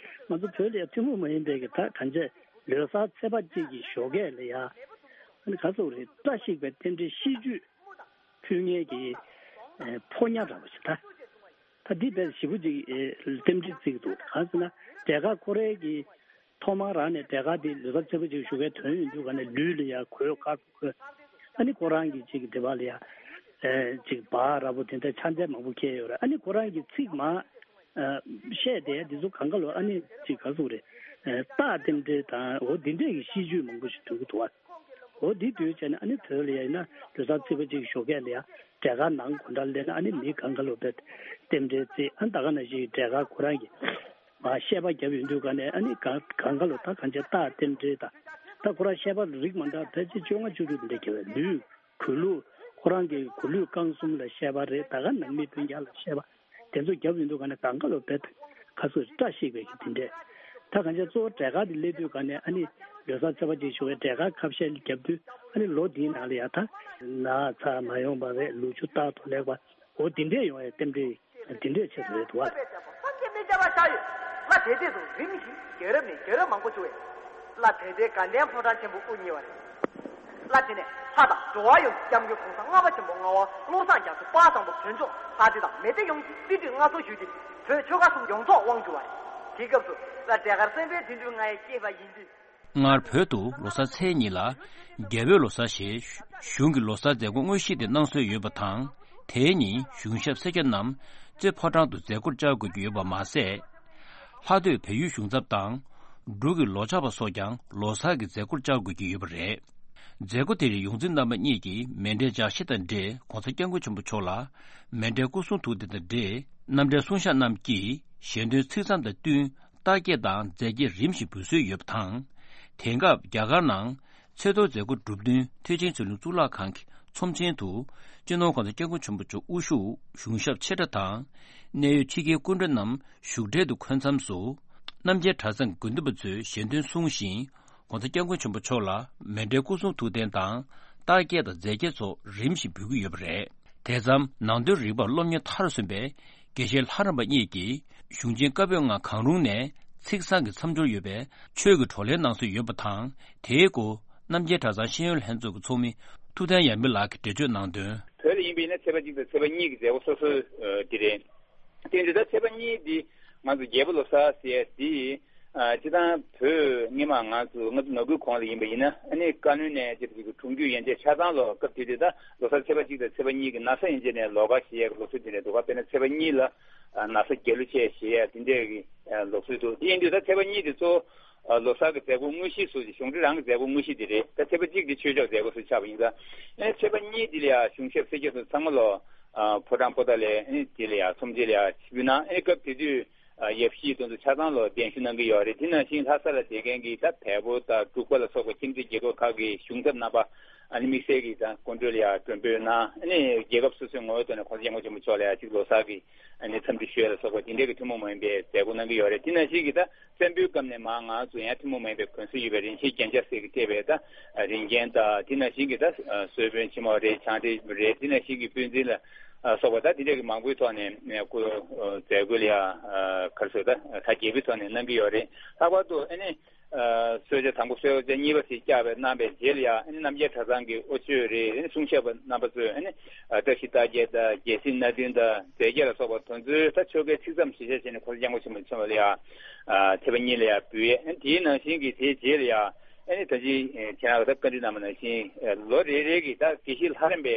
ང་ཚོ་བོད་ལ་ཡ་ཐུན་མོང་མ་ཡིན་པའི་གི་ད་གང་བྱས་ལོ་གསར་ཚེས་པ་གཅིག་གི་ཞོགས་ཀས་ལ་ཡ། ཨ་ནི་ག་ཚོད་རེད། བཀྲ་ཤིས་པའི་རྟེན་འབྲེལ་ཤིས་བརྗོད་ཕུལ་མཁན་གྱི་ཨེ་ཕོ་ཉ་འདྲ་པོ་ཞིག་ད། ད་འདི་དཔེ་ཞེ་པོ་ཅིག་ཨེ་རྟེན་འབྲེལ་བརྩི་གི་འདུག་གང་ཟེར་ན་འབྲས་དཀར་ཁོ་རའི་གི་ཐོག་མར་རང་ནས་འབྲས་དཀར་འདི་ལོ་གསར་ཚེས་པ་གཅིག་ཞོགས་ཀས་ཐོན་ཡོང་དུས་ག་ནས་ལུས་ལ་ཡ་གོས་དཀར་པོ་གོན། ཨ་ནི་ཁོ་རང་གི་ཅིག་འདི་པ་ལ་ཡ་ཨེ་ཅིག་འབག་འདྲ་པོ་དེ་འདྲ་ཕྱག་འཚལ་མང་པོ་འཁྱེར་ཡོད་རེད། ཨ་ནི་ཁོ་རང་གི་ཚིག་མ་ཨ་བཤད་དེ་འདི་ཚོ་གང་ག་ལོ། ཨ་ནི་ཅིག་ག་ཟེར་དགོས་རེད། ཨ་རྟགས་རྟེན་འབྲེལ་དང་འོ་འདི་འདྲས་ཀྱི་ཤིས་བརྗོད་མང་པོ་ཞིག་འདོན་གྱི་འདུག་བ། འོ་འདི་འདོན་བྱས་ནས་ཨ་ནི་བོད་ལ་ཡ་ཡིན་ན་ལོ་གསར་ཚེས་པ་གཅིག་ཞོགས་ཀས་ལ་ཡ་འབྲས་དཀར་ནང་གོ་འདྲ་ལེན་ན། ཨ་ནི་མི་གང་ག་ལོ་བས་རྟེན་འབྲེལ་བརྩི། ཨ་ནི་ད་ག་ནང་བཞིན་འབྲས་དཀར་ཁོ་རང་གི་མ་བཤད་པ་བརྒྱབ་ཡོང་དུས་ག་ནས་ཨ་ནི་གང་གང་ག་ལོ་ད་གང་བྱས་རྟགས་རྟེན་འབྲེལ་དང་། ད་ཁོ་རང་བཤད་པ་རིགས་མ་འདྲ་ཕལ་ཆེར་བཅོ་ལྔ་བཅུ་དྲུག་འདི་འདྲ་བརྒྱབ་པའི་ལུས། གུས་ལུགས། ཁོ་རང་གི་གུས་ལུགས་རྐང་གསུམ་ལ་བཤད་པ་རེད། ད་ག་ནང་མི་སྤུན་ཀྱག་ལ་བཤད་པ་དེ་ཚོ་བརྒྱབ་ཡོང་དུས་ག་ནས་གང་ག་ལོ་བེད་ཁ་སོ་བཀྲ་ཤིས་པའི་གི་དེ་འདྲས། ད་གང་ཅི་གཙོ་བོ་འབྲས་དཀར་དེ་སླེབས་དུས་ག་ནས་ཨ་ནི་ལོ་གསར་ཚེས་པ་གཅིག་ཞོགས་པའི་འབྲས་དཀར་ཁ་བཤད་བརྒྱབ་དུས་ཨ་ནི་ལོ་འདིའི་ནང་ལ་ཡ་ད་ན་ཚ་མ་ཡོང་བ་རེད། ལུག་ཁྱུ་རྟག་ཏུ་ལེགས་པ་འོ་དེ་འདྲས་ཡོང་བའི་རྟེན་འབྲེལ་དེ་འདྲས་ཆེད་དུ་རེད་འདུག་བ། སངས་རྒྱས་མི་མཇལ་བ་ཆགས་ཡོད། ལ་དེ་དུས་སུ་རིམ་བཞིན་རྒྱལ་རབས་ནས་རྒྱལ་རབས་མང་པོ་བྱུང་བས། ལ་དེ་དུས་དགའ་ལྡན་ཕོ་བྲང་ཆེན་པོ་དབུ་བརྙེས་པ་རེད། ལ་དེ་ནས་ལྷ་དང་འགྲོ་བ་ཡོངས་ཀྱི་སྐྱབས་མགོན་གོང་ས་ལྔ་པ་ཆེན་པོ་ངག་དབང་བློ་བཟང་རྒྱ་མཚོ་དཔལ་བཟང་པོ་བོད་ལྗོངས་ལྷ་སྡེ་དང་མི་སྡེ་ཡོངས་ཀྱིས་རྩིས་སྤྲོད་མངའ་གསོལ་ཞུས་ཏེ་བོད་ཆོལ་ཁ་གསུམ་ཡོངས་རྫོགས་དབང་བསྒྱུར་བ་རེད། དེའི་སྐབས་སུ་ལ་འབྲས་དཀར་སེམས་དཔའི་དུས་འགྲོས་ང་ཡི་སྐྱེས་པ་ཡིན་དུས། སྔར་བོད་དུ་ལོ་གསར་ཚེས་གཉིས་ལ་རྒྱལ་པོའི་ལོ་གསར་ཞེས་གཞུང་གི་ལོ་གསར་མཛད་སྒོ་དངོས་གཞི་དེ་གནང་སྲོལ་ཡོད་པ་དང་། དེའི་ཉིན་གཞུང་ཞབས་སེར་སྐྱ་རྣམས་རྩེ་ཕོ་བྲང་དུ་མཛད་སྒོར་བཅར་དགོས་ཀྱི་ཡོད་པ་མ་ཟད། ལྷག་སྡོད་བལ་ཡུལ་གཞུང་ཚབ་དང་། འབྲུག་གི་ལོ་ཆགས་པ་སོགས་ཀྱང་ལོ་གསར་གྱི་མཛད་སྒོར་བཅར་དགོས་ཀྱི་ཡོད་པ་རེད། མཛད་སྒོ་དེར་ཡོངས་འཛིན་རྣམ་པ་གཉིས་ཀྱིས་མཎྜལ་ལྗགས་བཤད་དང་འབྲེལ་༸གོང་ས་༸སྐྱབས་མགོན་ཆེན་པོ་མཆོག་ལ་མཎྜལ་སྐུ་གསུང་ཐུགས་རྟེན་དང་འབྲེལ་རྣམ་འགྲེལ་གསུང་བཤད་རྣམས་ཀྱིས་ཞལ་འདོན་ཚིག་མཚམས་དང་བསྟུན་རྟགས་བརྒྱད་དང་རྫས་བརྒྱད་རིམ་བཞིན་འབུལ་སྲོལ་ཡོད་པ་དང་། དེང་སྐབས་རྒྱ་གར་ནང་ཚེས་གཏོར་མཛད་སྒོ་གྲུབ་བསྟུན་ཐེག་ཆེན་ཆོས་གླིང་གཙུག་ལག་ཁང་གི་ཚོམས་ཆེན་དུ་སྤྱི་ནོར་༸གོང་ས་༸སྐྱབས་མགོན་ཆེན་པོ་མཆོག་དབུ་བཞུགས་གཞུང་ཞབས་ཆེ་ཕྲ་དང་། གནད་ཡོད་ཕྱི་རྒྱལ་སྐུ་མགྲོན་རྣམས་བཞུགས་གྲལ་དུ་འཁོད་མཚམས་སུ། རྣམ་རྒྱལ་གྲྭ་ཚང་དགེ་འདུན་པ་ཚོས་ཞལ་འདོན་གསུངས་ཤིང་༸གོང་ས་༸སྐྱབས་མགོན་ཆེན་པོ་མཆོག་ལ་མཎྜལ་སྐུ་གསུང་ཐུགས་རྟེན་དང་རྟགས་བརྒྱད་དང་རྫས་བརྒྱད་སོགས་རིམ་བཞིན་འབུལ་གྱི་ཡོད་པ་རེད། དེ་མཚམས་ནང་དོན་རིག་པར་སློབ་གཉེར་མཐར་སོན་པའི་དགེ་བཤེས་ལྷ་རམས་པ་གཉིས་ཀྱིས་གཞུང་ཆེན་བཀའ་པོད་ལྔ་གང་རུང་ནས་ཚིག་བཟང་གི་མཚམས་སྦྱོར་ཡོད་པའི་ཆོས་ཀྱི་བགྲོ་གླེང་གནང་སྲོལ་ཡོད་པ་དང་། དེའི་སྐོར་རྣམ་རྒྱལ་གྲྭ་ཚང་ཤེས་ཡོན་ལྷན་ཚོགས་ཀྱི་ཚོགས་མི་ཐུབ་བསྟན་ཡར་མི་ལགས་ཀྱིས་འགྲེལ་བརྗོད་གནང་དོན། བོད་ལ་ཡིན་པ་ཡིན་ན་ཚེས་པ་གཅིག་དང་ཚེས་པ་གཉིས་ཀྱི་མཛད་སྒོ་སོ་སོ་འདི་རེད། དེ་འདི་ལྟར་ཚེས་པ་གཉིས་འདི་ང་ཚོ་རྒྱལ་པོ་ལོ་གསར་ཟེར་ཡ་འདི། ཨ་སྤྱིར་བཏང་བོད་སྔོན་མ་ང་ཚོ་ང་ཚོ་ནང་ཁུལ་གོང་ལ་ཡིན་པ་ཡིན་ན་ཨ་ནི་བཀའ་བློན་ནས་ཅིག་ཅིག་གི་གྲོང་ཁྱེར་ཡན་ཆད་ཆ་ཚང་ལོ་སྐབས་དེ་དུས་ད་ལོ་གསར་ཚེས་པ་གཅིག་དང་ཚེས་པ་གཉིས་ཀྱི་ན་བཟའ་ཡན་ཆད་ནས་ལོགས་ཀ་ཞེས་ཡ་གི་ལུགས་སྲོལ་དེ་འདྲ་འདུག་ག་དཔེར་ན་ཚེས་པ་གཉིས་ལ་ཨ་ན་བཟའ་རྒྱལ་གླུ་བཅས་ཞེས་ཡ་དེ་འདྲས་ཀྱི་ཨ་ལུགས་སྲོལ་འདུག་དེ་ཡིན་དུས་ད་ཚེས་པ་གཉིས་དེ་གཙོ་བོ་ཨ་ལོ་གསར་གྱི་མཛད་སྒོ་དངོས་གཞི་སུ་གཞུང་འབྲེལ་རང་གི་མཛད་སྒོ་དངོས་གཞི་དེ་རེད། ད་ཚེས་པ་གཅིག་དེ་ཆོས་ཕྱོགས་མཛད་སྒོ་སུ་ཆགས་པ་ཡིན་ཙང་ཨ་ཚེས་པ་གཉིས་དེ་ལ་ཡ་གཞུང་ཞབས་སེར་སྐྱ་ཚོ་ཚང་མ་ལོ། ཨ་ཕོ་བྲང་པོ་ཏཱ་ལའི་ཨ་ནི་དེ་ལ་ཡང་ཚོམས་ཆེན་ལ་ཡང་ཆིབས་བསྒྱུར་གནང་། ཨ་ནི་སྐབས་དེ་དུས་ཨ་ཡབ་གཞིས་དེ་ཚོ་ཆ་ཚང་ལོ་གདན་ཞུ་གནང་གི་ཡོད་རེད། དེ་ནང་བཞིན་ལྷ་ས་ལ་བསྡད་མཁན་གྱི་ད་བལ་པོ་དང་འབྲུག་པ་ལ་སོགས་པ་ཁྱིམ་མཚེས་རྒྱལ་ཁབ་ཁག་གི་གཞུང་ཚབ་རྣམ་པ་ ཨ་ནི་དམིགས་བསལ་གྱི་ད་སྐུ་མགྲོན་ལ་ཡང་མགྲོན་འབོད་གནང་། ཨ་ནི་རྒྱལ་ཁབ་སོ་སོའི་ངོ་བོའི་ཐོག་ནས་༸གོང་ས་༸སྐྱབས་མགོན་ཆེན་པོ་མཆོག་ལ་ཡང་གཅིག་ལོ་གསར་གྱི་ཨ་ནི་འཚམས་འདྲི་ཞུ་ཡ་ལ་སོགས་པ་དེ་འདྲའི་གི་ཐུན་མོང་མ་ཡིན་པའི་མཛད་སྒོ་གནང་གི་ཡོད་རེད། དེ་ནང་བཞིན་གྱི་ད་བཙན་པོའི་སྐབས་ནས་མར་ང་ཚོ་ཡང་ཐུན་མོང་མ་ཡིན་པའི་གོན་སྲོལ་ཡོད་པའི་རིན་ཆེན་རྒྱན་ཆ་ཟེར་གྱི་སྤྲས་པའི་ད་རིན་རྒྱན་དང་། དེ་ནང་བཞིན་གྱི་ད་གསོལ་དཔོན་ཆེན་མོ་རེད། བྱང་ཁྲི་རེད། དེ་ནང་བཞིན་གྱི་དཔོན་འཛིན་ལ་སོགས་པ་ད་དེ་འདྲའི་གི་མང་པོའི་ཐོག་ནས་སྐུ་མཛད་སྒོ་ལ་ཡང་ག་རེ་ཟེར། ད་གྲ་རྒྱས་པའི་ཐོག་ནས་གནང་གི་ཡོད་རེད། ལྷག་པར་དུ་ཨ་ནི། ཨ། གསོལ་ཇ་དང་པོ་གསོལ་ཇ་གཉིས་པ་ཞིག་བཅག་པའི་གནང་བའི་རྗེས་ལ་ཡང་ཨ་ནི་རྣམ་རྒྱལ་གྲྭ་ཚང་གི་དབུ་ཆོས་རེད། ཨ་ནི་གསུང་ཞབས་པ་རྣམ་པ་ཚོས་ཨ་ནི་ཨ་བཀྲ་ཤིས་རྟགས་བརྒྱད་དང་རྒྱལ་སྲིད་སྣ་བདུན་དང་རྫས་བརྒྱད་ལ་སོགས་པ་དེ་ཚོའི་ད་ཆོ་གའི་ཚིག་མཚམས་ཞིག་བྱས་བྱས་ནས་༸གོང་ས་༸སྐྱབས་མགོན་ཆེན་པོ་མཆོག་ལ་ཡང་ཨ་ཐེག་པ་གཉིས་ལ་ཡང་འབུལ་ཡས། ཨ་ནི་དེའི་ནང་བཞིན་གྱི་དེའི་རྗེས་ལ་ཡང་ཨ་ནི་ད་ཅི་ཁྱེད་རང་གིས་ད་བཀའ་འདྲི་གནང་བ་ནང་བཞིན་ལོ་རེ་རེ་གི་ད་དགེ་བཤེས་ལྷ་རམས་པའི་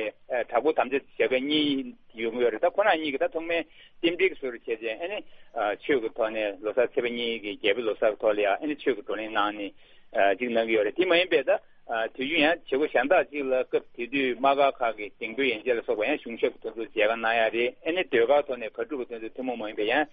གྲྭ་སྐོར་དམ་བཅའ་བྱེད་མཁན་གཉིས་ཡོང་གི་ཡོད་རེད། ད་ཁོ་རང་གཉིས་ཀྱིས་ད་ཐོག་མའི་རྟེན་འབྲེལ་གྱི་སྲོལ་བྱས་རྗེས་ཨ་ནི་ཨ་ཆོས་ཀྱི་ཐོག་ནས་ལོ་གསར་ཚེས་པ་གཉིས་ཀྱི་རྒྱལ་པོའི་ལོ་གསར་གྱི་ཐོག་ལ་ཡང་ཨ་ནི་ཆོས་ཀྱི་བགྲོ་གླེང་གནང་ནས་ཨ་ཅིག་གནང་གི་ཡོད་རེད། དེ་མ་ཡིན་པའི་ད་ཨ་དུས་རྒྱུན་ཡང་བྱེད་སྒོ་གཞན་དག་ཅིག་ལ་སྐབས་དེ་དུས་དམག་སྒར་ཁག་གི་གདེང་འབོད་ཡན་ཆད་ལ་སོགས་པ་ཡང་གཞུང་ཞབས་ཀྱི་དོན་ཚོགས་མཇལ་ཁ་གནང་ཡ་རེད། ཨ་ནི་ཟློས་གར་ཐོག་ནས་གར་སྒྲུབ་པ་དོན་ཚོགས་ཐུན་མོང་མ་ཡིན་པའི་ཡང་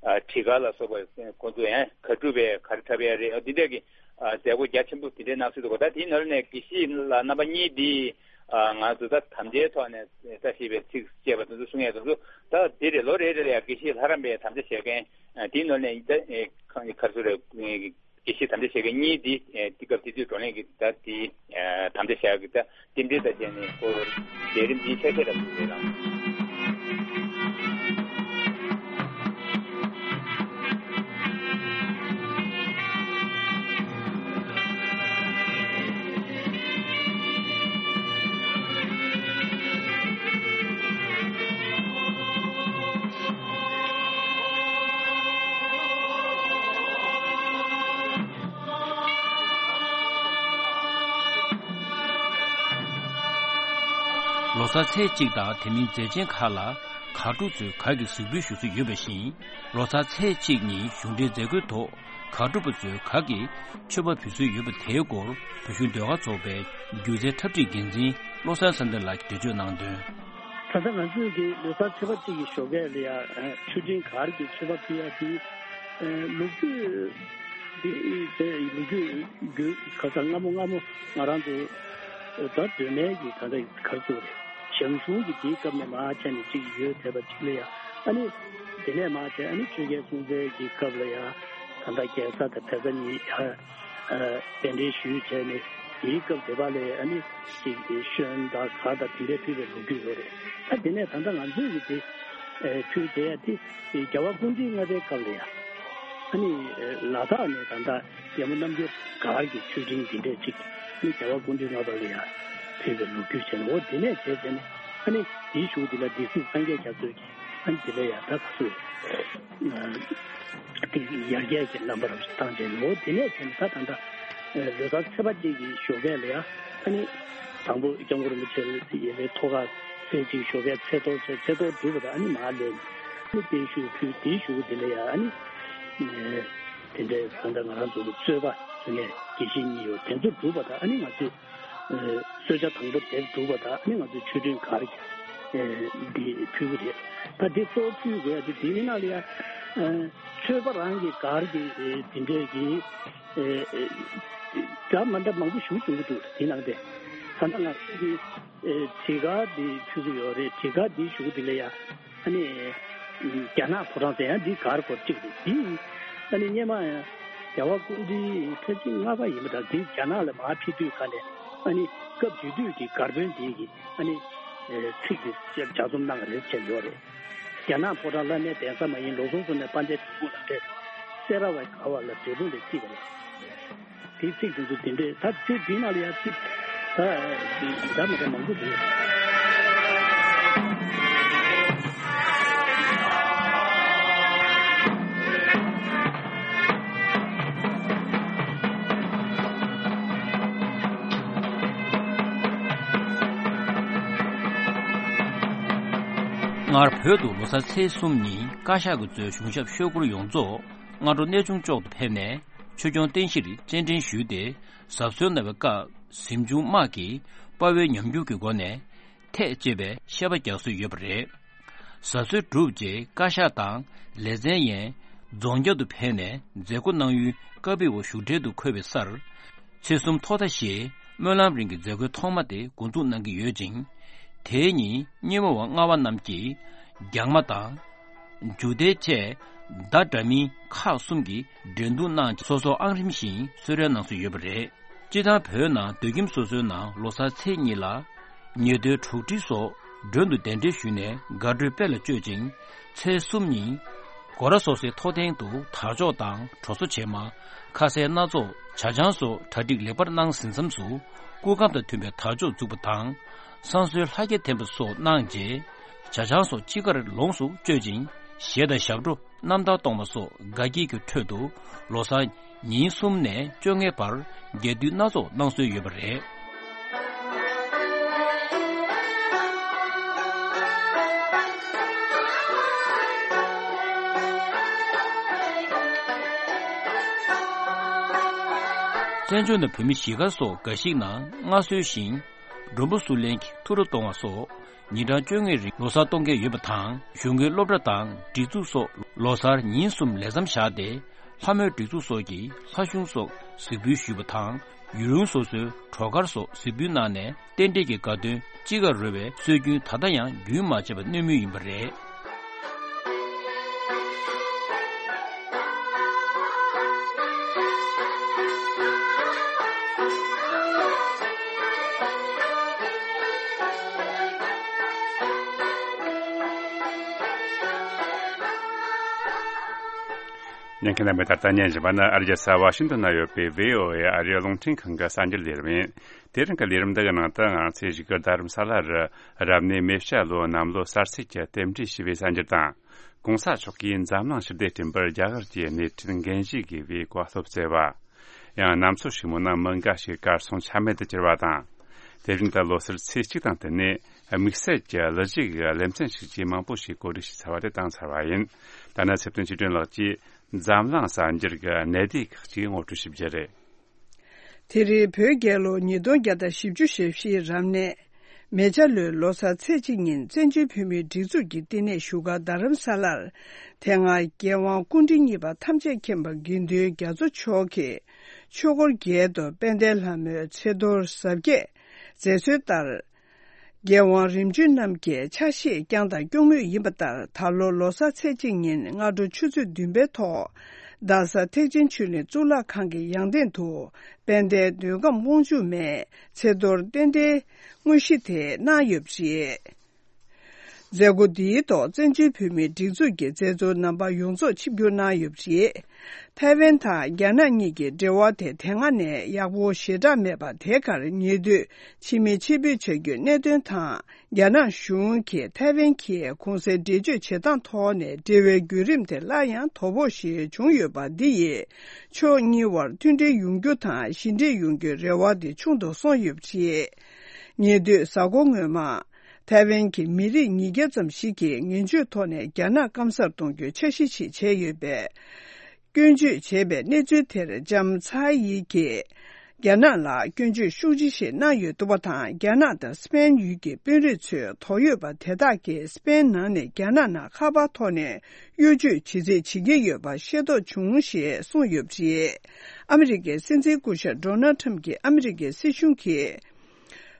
ཨ་ཁྲིད་གར་ལ་སོགས་པ་ཁོང་ཚོ་ཡང་གར་སྒྲུབ་པའི་གར་འཁྲབ་ཡ་རེད། ཨ་འདི་འདྲ་གི་ཨ་མཛད་སྒོ་རྒྱ་ཆེན་པོ་དེ་འདྲའི་གནང་སྲོལ་འདུག་གོ། ད་དེའི་ནང་ནས་དགེ་བཤེས་ལགས་རྣམ་པ་གཉིས་འདིས་ཨ་ང་ཚོ་ད་དམ་བཅའི་ཐོག་ནས་བཀྲ་ཤིས་པའི་ཚིག་བཅས་པ་དེ་ཚོ་གསུང་ཡས་དེ་ཚོ་ད་དེ་རེད། ལོ་རེ་རེ་ལ་ཡང་དགེ་བཤེས་ལྷ་རམས་པའི་དམ་བཅའ་བཞེས་མཁན་ཨ་དེའི་ནང་ནས་ད་ཨེ་ག་རེ་ཟེར་རེད། དགེ་བཤེས་དམ་བཅའ་བཞེས་མཁན་གཉིས་འདི་ཨེ་དེ་སྐབས་དེ་དུས་བགྲོ་གླེང་གི་ད་དེ་ཨེ་དམ་བཅའ་བཞག་གི་ད། རྟེན་འབྲེལ་དང་བཅས་ནས་ཁོ་ལས་རིམ་འདིའི་ཆ་ཤས་ལ་ཐུག་ཡོད་ལགས། ལོ་གསར་ཚེས་གཅིག་དང་དེ་མིན་མཛད་ཆེན་ཁག་ལ་གར་སྒྲུབ་ཚོས་གར་གྱི་གཟིགས་འབུལ་ཞུ་སྲོལ་ཡོད་པ་བཞིན། ལོ་གསར་ཚེས་གཅིག་ཉིན་གཞུང་འབྲེལ་མཛད་སྒོའི་ཐོག་གར་སྒྲུབ་པ་ཚོས་གར་གྱི་མཆོད་པ་འབུལ་སྲོལ་ཡོད་པ་དེའི་སྐོར་བོད་གཞུང་ཟློས་གར་ཚོགས་པའི་སྒྱུ་རྩལ་འཁྲབ་ཁྲིད་འགན་འཛིན་བློ་བཟང་བསམ་གཏན་ལགས་ཀྱིས་འགྲེལ་བརྗོད་གནང་དོན། ད་ལྟ་ང་ཚོས་ཀྱི་ལོ་གསར་ཚེས་པ་གཅིག་གི་ཞོགས་ཀས་ལ་ཡ་མཆོད་སྤྲིན་གར་གྱི་མཆོད་པ་ཕུལ་ཡ་དེ་ལོ་རྒྱུས་དེ་དེ་ལོ་རྒྱུས་རྒྱུས་ཁ་སང་སྔ་མོ་སྔ་མོ་ང་རང་ཚོ་ད་སྒྲོལ་མའི་གི་ད་ལྟ་གར་ཚོགས་རེད། ཞང་ཞུང་གི་དེའི་སྐབས་ནས་མར་བྱས་ནས་གཅིག་ཡོད་བསྡད་པ་གཅིག་ལ་ཡ་ཨ་ནི་དེ་ནས་མར་བྱས་ཨ་ནི་ཆོས་རྒྱལ་སྲོང་བཙན་གྱི་སྐབས་ལ་ཡ་ད་ལྟ་རྒྱལ་ས་དང་བལ་ས་གཉིས་ཡ། ཨ་གདན་འདྲེན་ཞུས་བྱས་ནས་དེའི་སྐབས་དེ་བ་ལས་ཨ་ནི་ཅིག་ཤོན་དང་གར་དང་དེ་འདྲའི་ཕུལ་བའི་ལོ་རྒྱུས་ཡོད་རེད། ད་དེ་ནས་ད་ལྟ་ང་ཚོས་ཀྱི་དེ་ཨེ་ཕུལ་བྱས་ཡ་དེ་རྒྱལ་བ་སྐུ་ཕྲེང་ལྔ་པའི་སྐབས་ལ་ཡ་ཨ་ནི་ལ་དྭགས་ནས་ད་ལྟ་རྒྱལ་མོ་རྣམ་རྒྱལ་གར་གྱི་མཆོད་སྤྲིན་འདི་འདྲས་ཅིག་ཨ་ནི་རྒྱལ་བ་སྐུ་ཕྲེང་ལྔ་པ་ལ་ཡ་ཕུལ་བའི་ལོ་རྒྱུས་བྱས་ནས། འོ་དེ་ནས་བྱས་བྱས་ནས་ཨ་ནི་དེའི་གཞུག་དེ་ལ་སྡེ་སྲིད་སངས་རྒྱས་རྒྱ་མཚོས་ཀྱིས་ཨ་ནི་དེ་ལ་ཡ་ད་ག་ཚོད་དེ་ཡར་རྒྱས་ཀྱི་རྣམ་པར་བཏང་བྱས་ནས། འོ་དེ་ནས་བྱས་ནས་ད་ད་ལྟ་ལོ་གསར་ཚེས་པ་གཅིག་གི་ཞོགས་ཀས་ལ་ཡ་ཨ་ནི་དང་པོ་སྐྱབས་མགོན་རིན་པོ་ཆེ་ཡི་ལས་ཐོག་ཁ་ཚེས་གཅིག་ཞོགས་ཀས་ཚེས་གཏོར་བྱས། ཚེས་གཏོར་གྲུབ་པ་དང་ཨ་ནི་མར་ལེན་ཨ་ནི་བརྟན་བཞུགས་ཕུལ། དེའི་གཞུག་དེ་ལ་ཡ་ཨ་ནི་དེ་འདྲའི་ད་ལྟ་ང་རང་ཚོ་གི་རྩོད་པ་ཟེར་མཁན་དགེ་བཤེས་གཉིས་ཡོད། དེ་ཚོ་གྲུབ་པ་དང་ཨ་ནི་ང་ཚོས་གསོལ་ཇ་དང་པོ་དེབ་སྒྲུབ་པ་དང་ཨ་ནི་ང་ཚོས་མཆོད་སྤྲིན་གར་གྱི་འདི་ཕུལ་གྱི་རེད། ད་འདི་གཙོ་བོ་ཕུལ་དགོས་ཡ་དེ་དེའི་ནང་ལ་ཡ་མཆོད་པ་རང་གི་གར་གྱི་འདི་འདྲས་ཀྱི་འདྲ་མ་འདྲ་མང་པོ་ཞིག་བྱུང་གི་འདུག་དེ་ནང་དེ་ད་ལྟ་ང་ཚོས་ཀྱི་བྲིས་གར་འདི་ཕུལ་གྱི་ཡོད་རེད། བྲིས་གར་འདི་ཞུ་གི་འདི་ལ་ཡ། ཨ་ནི་རྒྱ་ནག་ཕོ་བྲང་ཟེར་ཡང་འདི་གར་སྐོར་གཅིག་རེད། འདི་ཨ་ནི་སྔོན་མ་ཡང་རྒྱལ་བ་སྐུ་ཕྲེང་ཐེངས་ལྔ་པ་ཡིན་པ་དང་། འདི་རྒྱ་ནག་ལ་མར་ཕེབས་དུས་ག་ནས་ཨ་ནི་སྐབས་དེ་དུས་ཀྱི་གར་དཔོན་དེ་གིས་ཨ་ནི་ཚིག་དེ་ལྗགས་རྩོམ་གནང་བ་རེད་བྱས་ཡོད་རེད། རྒྱ་ནག་ཕོ་བྲང་བླ་མའི་གདན་ས་མ་ཡིན། ལོ་གསུམ་སོང་ནས་དཔལ་ལྡན་འབྲས་སྤུངས་ལ་འཕྲད། སེ་ར་བའི་ཁ་བ་ལ་འབྲས་སྤུངས་ལ་སྐྱིད་པ་རེད། དེའི་ཚིག་དེ་ཚོ་དེ་འདྲས། ད་དེ་དེའི་ནང་ལ་ཡང་ཚིག་ད་འདྲ་མི་འདྲ་མང་པོ་འདུག་སྔར་བོད་དུ་ལོ་གསར་ཚེས་གསུམ་ཉིན་བཀའ་ཤག་གིས་གཙོས་གཞུང་ཞབས་ཆོས་སྐོར་ཡོངས་རྫོགས་སྔ་དྲོ་གནས་ཆུང་ལྕོག་ཏུ་ཕེབས་ནས་ཆོས་སྐྱོང་བསྟན་བཤིག་རྩེད་འགྲན་ཞུས་ཏེ། གཟབ་གསོལ་གནང་བའི་སྐབས་གཟིམ་ཆུང་དམག་གིས་དཔའ་བོའི་ཉམས་འགྱུར་གྱི་སྒོ་ནས་ཐད་ཅེས་པའི་བཤད་པ་རྒྱག་སྲོལ་ཡོད་པ་རེད། གཟབ་གསོལ་གྲུབ་རྗེས་བཀའ་ཤག་དང་ལེ་ཚན་ཡན་རྫོང་བརྒྱ་དུ་ཕེབས་ནས་མཛད་སྒོ་གནང་ཡུལ་ཀ་པི་ཝ་བཞུགས་གྲལ་དུ་འཁོད་པའི་སར། ཚེས་གསུམ་ཐོག་མཐའ་ཞེས་ སྨོན་ལམ་རིང་གི་མཛད་སྒོའི་ཐོག་མ་དེ་འགོ་འཛུགས་གནང་གི་ཡོད་ཅིང་། དེའི་ཉིན་སྙེ་མོ་བ་ལྔ་པ་རྣམས་ཀྱིས་རྒྱང་མ་དང་། རྒྱུག་དེ་བཅས་བརྡ་འདྲ་མིན་ཁག་གསུམ་གྱི་འགྲན་བསྡུར་གནང་། སོ་སོ་ཨང་རིམ་བཞིན་གསོལ་རས་གནང་སྲོལ་ཡོད་པ་རེད། སྤྱིར་བཏང་བོད་ནང་སྡོད་ཁྱིམ་སོ་སོའི་ནང་ལོ་གསར་ཚེས་གཉིས་ལ་ཉེ་དུའི་གྲོགས་འདྲིས་སོགས་མགྲོན་དུ་གདན་འདྲེན་ཞུས་ནས་དགའ་སྤྲོའི་དཔལ་ལ་སྤྱོད་ཅིང་། ཚེས་གསུམ་ཉིན་སྒོ་ར་སོ་སོའི་ཐོག་སྟེང་དུ་དར་ལྕོག་དང་དྲོ་བཟོ་བྱེ་མ། ཁ་ཟས་སྣ་ཚོགས། ཇ་ཆང་སོགས་གྲ་སྒྲིག་ལེགས་པར་གནང་ཟིན་མཚམས་སུ་སྐུ་ཁམས་དང་མཐུན་པའི་དར་ལྕོག་འཛུགས་པ་དང་། བསང་གསོལ་ལྷ་རྒྱལ་འཐེན་པ་སོགས་གནང་རྗེས། ཇ་ཆང་སོགས་དཔྱིད་ཀར་ལོངས་སུ་སྤྱོད་ཅིང་། གཞས་དང་ཞབས་བྲོ། རྣམ་ཐར་གཏོང་བ་སོགས་དགའ་སྐྱིད་ཀྱི་ཁྲོད་དུ་ལོ་གསར་ཉིན་གསུམ་ནས་བཅོ་ལྔའི་བར་རྒྱས་བསྡུས་སྣ་ཚོགས་གནང་སྲོལ་ཡོད་པ་རེད། བཙན་བྱོལ་ནང་བོད་མི་གཞིས་སྒར་སོགས་འགའ་ཞིག་ནང་སྔར་སྲོལ་བཞིན་མགྲོན་པོ་བསུ་ལེན་གྱི་ཐུགས་སྤྲོ་གཏོང་བ་སོགས། ཉིན་གྲངས་བཅོ་ལྔའི་རིང་ལོ་གསར་གཏོང་མཁན་ཡོད་པ་དང་། གཞུང་གི་སློབ་གྲྭ་དང་སྒྲིག་འཛུགས་སོགས་ལོ་གསར་ཉིན་གསུམ་ལས་མཚམས་བཞག་སྟེ། ལྷ་མོའི་སྒྲིག་འཛུགས་སོགས་ཀྱིས་ལྷ་གཞུང་སོགས་གཟིགས་འབུལ་ཞུས་པ་དང་། ཡུལ་ལུང་སོ་སོའི་བྲོ་གར་སོགས་གཟིགས་འབུལ་གནང་ནས། རྟེན་འབྲེལ་གྱི་དགའ་སྟོན་དཔྱིད་ཀར་རོལ་བའི་སྲོལ་རྒྱུན་ད་ལྟ་ཡང་རྒྱུན་མ་ཆད་པར་སྣོན་མུས་ཡིན་པ་རེད། ཉན་མཁན་རྣམ་པས་ད་ལྟ་ཉན་བཞིན་པ་ནི་ཨ་རིའི་རྒྱལ་ས་ཝ་ཤིང་ཏོན་ན་ཡོད་པའི་བྷི་ཨོ་ཨེ་ཨ་རིའི་རླུང་འཕྲིན་ཁང་གི་གསར་འགྱུར་ལས་རིམ་ཡིན། དེ་རིང་གི་ལས་རིམ་འདི་གི་ནང་དུ་ང་ཚོས་བཞུགས་སྒར་རྡ་རམ་ས་ལ་རུ་རབ་གནས་མེ་བྱ་ལོའི་གནམ་ལོ་གསར་ཚེས་ཀྱི་རྟེན་འབྲེལ་ཞུས་པའི་གསར་འགྱུར་དང་། གོང་ས་མཆོག་གིས་འཛམ་གླིང་ཞི་བདེ་བསྐྲུན་པར་རྒྱ་གར་གྱི་སྣེ་ཁྲིད་འགན་བཞེས་དགོས་པའི་བཀའ་སློབ་སྩལ་བ། ཡང་གནམ་མཚོ་ཧྲིལ་མོ་ནང་མི་འགའ་ཞིག་གར་སོང་ཆ་མེད་དུ་གྱུར་བ་དང་། དེ་བཞིན་དུ་ལོ་གསར་ཚེས་གཅིག་དང་བསྟུན་ནས་དམིགས་བསལ་གྱི་གླུ་གཞས་ཀྱི་ལེ་ཚན་ཞིག་ཅེས་མང་པོ་ཞིག་གོ་སྒྲིག་བྱས་ཚར་བ་དེ་བཏང་ཚར་བ་ཡིན། ད་ནི་ཚེ་བརྟན་ཆོས་སྒྲོན་ལགས་ཀྱིས་འཛམ་གླིང་གསར་འགྱུར་གྱི་གནད་སྡེ་ཁག་ཅིག་ངོ་སྤྲོད་ཞུ་རྒྱུ་རེད། དེ་རིང་བོད་རྒྱལ་ལོ་ཉིས་སྟོང་བརྒྱ་དང་བཞི་བཅུ་ཞེ་བཞིའི་རབ་གནས་མེ་བྱ་ལོའི་ལོ་གསར་ཚེས་གཅིག་ཉིན་བཙན་བྱོལ་བོད་མིའི་སྒྲིག་འཛུགས་ཀྱི་བསྟི་གནས་བཞུགས་སྒར་རྡ་རམ་ས་ལར། དེ་སྔ་རྒྱལ་དབང་སྐུ་ཕྲེང་གཉིས་པ་ཐམས་ཅད་མཁྱེན་པ་དགེ་འདུན་རྒྱ་མཚོ་མཆོག་གིས་ཆོས་འཁོར་རྒྱལ་དུ་དཔལ་ལྡན་ལྷ་མོའི་ཚེ་གཏོར་གཟབ་རྒྱས་མཛད་སྲོལ་ལྟར། རྒྱལ་དབང་རིམ་བྱོན་རྣམས་ཀྱིས་ཕྱག་བཞེས་བསྐྱངས་དང་སྐྱོང་མུས་ཡིན་པ་ལྟར། ད་ལོ་ལོ་གསར་ཚེས་གཅིག་ཉིན་སྔ་དྲོ་ཆུ་ཚོད་བདུན་པའི་ཐོག་རྡ་ས་ཐེག་ཆེན་ཆོས་གླིང་གཙུག་ལག་ཁང་གི་ཡང་སྟེང་དུ་དཔལ་ལྡན་མདོས་ཁམས་དབང་ཕྱུག་མའི་ཚེ་གཏོར་རྟེན་འབྲེལ་དངོས་གཞི་དེ་གནང་ཡོད་པ་རེད། མཛད་སྒོ་འདིའི་ཐོག་བཙན་བྱོལ་བོད་མིའི་སྒྲིག་འཛུགས་ཀྱི་མཛད་གཙོ་རྣམ་པ་ཡོངས་རྫོགས་ཆིབས་བསྒྱུར་གནང་ཡོད་པ་རེད། ཐའེ་ཝན་དང་རྒྱ་ནག་གཉིས་ཀྱི་འབྲེལ་བ་དེ་དེ་སྔ་ནས་ཡག་པོ་ཞེ་དྲག་མེད་པ་དེ་གར་ཉེ་དུས་ཕྱི་མི་ཕྱིར་འབུད་བྱ་རྒྱུའི་གནད་དོན་དང་། རྒྱ་ནག་གཞུང་གིས་ཐའེ་ཝན་གྱི་གོང་གསལ་འགྲེལ་བརྗོད་བྱེད་སྟངས་ཐོག་ནས་འབྲེལ་བའི་བརྒྱུད་རིམ་དེ་སླར་ཡང་དོ་ཕོག་ཞིག་བྱུང་ཡོད་པ་འདི་ཡིས་ཕྱོགས་གཉིས་བར་མཐུན་སྒྲིལ་ཡོང་རྒྱུ་དང་ཞི་འགྲིག་ཡོང་རྒྱུའི་རེ་བ་དེ་ཆུང་དུ་སོང་ཡོད་པ་རེད། ཉེ་དུས་གཟའ་འཁོར་སྔོན་མ། ཐའེ་ཝན་གྱི་མི་རིགས་ཉིས་བརྒྱ་ཙམ་ཞིག་གིས་ངན་ཇུས་ཐོག་ནས་རྒྱ་ནག་སྐམ་སར་གཏོང་རྒྱུའི་འཆར་གཞི་ཞིག་བྱས་ཡོད་པས། སྐྱོན་བརྗོད་བྱས་པའི་གནས་ཚུལ་དེར་ལྕམ་ཚའེ་ཡི་གིས་རྒྱ་ནག་ལ་སྐྱོན་བརྗོད་ཤུགས་ཆེ་ཞིག་གནང་ཡོད་འདུག་པ་དང་། རྒྱ་ནག་དང་སི་པེན་ཡུལ་གྱི་དཔོན་རིགས་ཚོས་དོགས་ཡོད་པ་དེ་དག་གིས་སི་པེན་ནང་ནས་རྒྱ་ནག་ནང་ཁ་པར་ཐོག་ནས་གཡོ་ཇུས་ཇི་སྲིད་བྱེད་ཀྱི་ཡོད་པ་ཤེས་རྟོགས་བྱུང་ཞེས་གསུངས་ཡོད་པ་རེད། ཨ་མི་རི་ཀའི་སྲིད་འཛིན་སྐུ་ཞབས་ཌོ་ནལ་ཁྲམ་གྱིས་ཨ་མི་རི་ཀའི་སྲིད་གཞུང་གིས།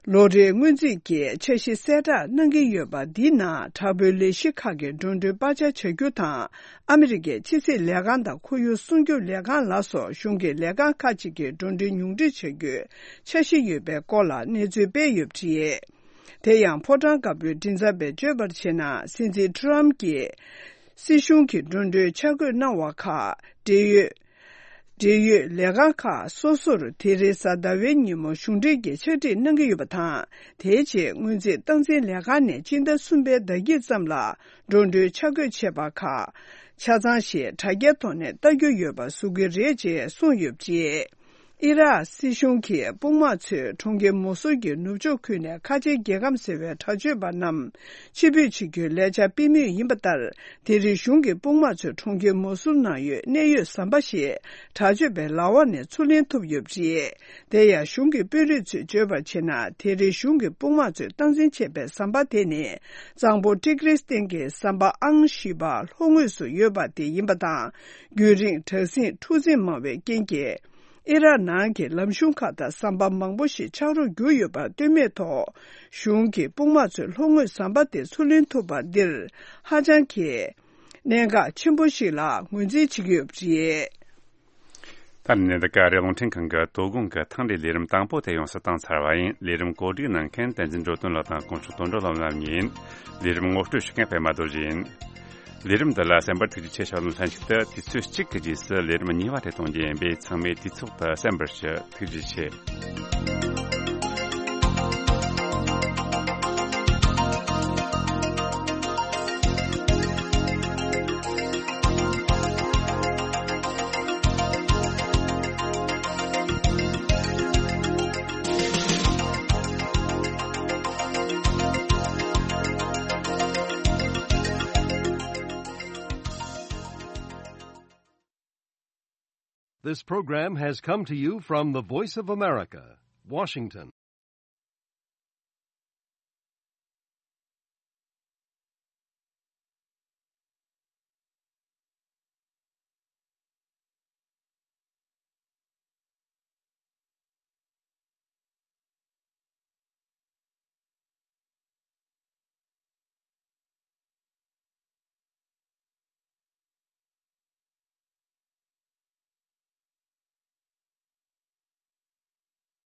ལོ་རེའི་སྔོན་རྩིས་ཀྱི་འཆར་གཞི་གསལ་བསྒྲགས་གནང་གི་ཡོད་པ་འདིའི་ནང་དྲག་པོའི་ལས་གཞི་ཁག་གི་འགྲོ་གྲོན་སྤར་ཆ་བྱ་རྒྱུ་དང་། ཨ་མི་རི་ཀའི་ཕྱི་སྲིད་ལས་ཁང་དང་ཁོར་ཡུག་སྲུང་སྐྱོབ་ལས་ཁང་ལ་སོགས་གཞུང་གི་ལས་ཁང་ཁག་ཅིག་གི་འགྲོ་གྲོན་ཉུང་འཕྲི་བྱ་རྒྱུའི་འཆར་གཞི་ཡོད་པའི་སྐོར་ལ་གནས་ཚུལ་སྤེལ་ཡོད་པ་རེད། དེ་ཡང་ཕོ་བྲང་དཀར་པོའི་མགྲིན་ཚབ་པས་བརྗོད་པར་བྱས་ན། སྲིད་འཛིན་ཊམ་གྱིས་སྲིད་གཞུང་གི་འགྲོ་གྲོན་ཆ་བགོས་གནང་བ་ཁག་འབྲེལ་ཡོད། འབྲེལ་ཡོད་ལས་ཁང་ཁག་སོ་སོར་དེ་རིང་གཟའ་ཟླ་བའི་ཉིན་མོ་གཞུང་འབྲེལ་གྱི་ཕྱག་བྲིས་གནང་གི་ཡོད་པ་དང་། དེའི་རྗེས་སྔོན་རྩིས་སྟངས་འཛིན་ལས་ཁང་ནས་སྤྱི་ཟླ་གསུམ་པའི་ཟླ་དཀྱིལ་ཙམ་ལ་འགྲོ་གྲོན་ཆ་བགོས་བྱས་པ་ཁག་ཆ་ཚང་ཞིག་དྲ་རྒྱའི་ཐོག་ནས་ལྟ་རྒྱུ་ཡོད་པ་བཟོ་གི་རེད་ཅེས་གསུངས་ཡོད་པ་རེད། ཨི་རག་སྲིད་གཞུང་གིས་དཔུང་དམག་ཚོས་གྲོང་ཁྱེར་མོ་སུལ་གྱི་ནུབ་ཕྱོགས་ཁུལ་ནས་ཁ་ཆེའི་རྒྱལ་ཁམས་ཟེར་བའི་དྲག་སྤྱོད་པ་རྣམས་ཕྱིར་འབུད་བྱེད་རྒྱུའི་ལས་འཆར་སྤེལ་མུས་ཡིན་པ་ལྟར། དེ་རིང་གཞུང་གི་དཔུང་དམག་ཚོས་གྲོང་ཁྱེར་མོ་སུལ་ནང་ཡོད་གནད་ཡོད་ཟམ་པ་ཞིག་དྲག་སྤྱོད་པའི་ལག་འོག་ནས་ཚུར་ལེན་ཐུབ་ཡོད་པ་རེད། དེ་ཡང་གཞུང་གི་དཔོན་རིགས་ཚོས་བརྗོད་པར་བྱས་ན། དེ་རིང་གཞུང་གི་དཔུང་དམག་ཚོས་སྟངས་འཛིན་བྱས་པའི་ཟམ་པ་དེ་ནི། གཙང་པོ་ཏི་གྲིས་སྟེང་གི་ཟམ་པ་ཨང་བཞི་པ་ལྷོ་ངོས་སུ་ཡོད་པ་དེ་ཡིན་པ་དང་། རྒྱུན་རིང་དྲག་ཟིང་འཁྲུག་འཛིང་མང་བའི་རྐྱེན་གྱིས། ཨི་རག་ནང་གི་ལམ་གཞུང་ཁག་དང་ཟམ་པ་མང་པོ་ཞིག་ཆག་རོགས་གྱུར་ཡོད་པར་ལྟོས་མེད་ཐོག་གཞུང་གིས་དཔུང་དམག་ཚོས་ལྷོ་ངོས་ཟམ་པ་དེ་ཚུར་ལེན་ཐུབ་པ་འདིར་ཧ་ཅང་གི་གནད་འགག་ཆེན་པོ་ཞིག་ལ་ངོས་འཛིན་བྱེད་ཀྱི་ཡོད་པ་རེད། ད་ནི་འདི་ག་རེ་རླུང་འཕྲིན་ཁང་གི་དོ་དགོང་གི་ཐེངས་འདིའི་ལས་རིམ་དང་པོ་དེ་ཡོངས་སུ་བཏང་ཚར་བ་ཡིན། ལས་རིམ་གོ་སྒྲིག་གནང་མཁན་བསྟན་འཛིན་འགྲོ་དོན་ལགས་དང་དཀོན་མཆོག་དོན་གྲུབ་ལགས་རྣམ་གཉིས་ཡིན། ལས་རིམ་ངོ་སྤྲོད་ཞུ་མཁན་པད་མ་རྡོ་རྗེ་ཡིན། ལས་རིམ་འདི་ལ་གསན་པར་ཐུགས་རྗེ་ཆེ་ཞུ་ལུང་ལྷན་ཞུགས་དུ། དུས་ཚོད་གཅིག་གི་རྗེས་སུ་ལས་རིམ་གཉིས་པ་དེ་གཏོང་རྒྱུ་ཡིན་པས། ཚང་མས་དུས་ཚོད་དུ་གསན་པར་ཞུ། ཐུགས་རྗེ་ཆེ། This program has come to you from the Voice of America, Washington.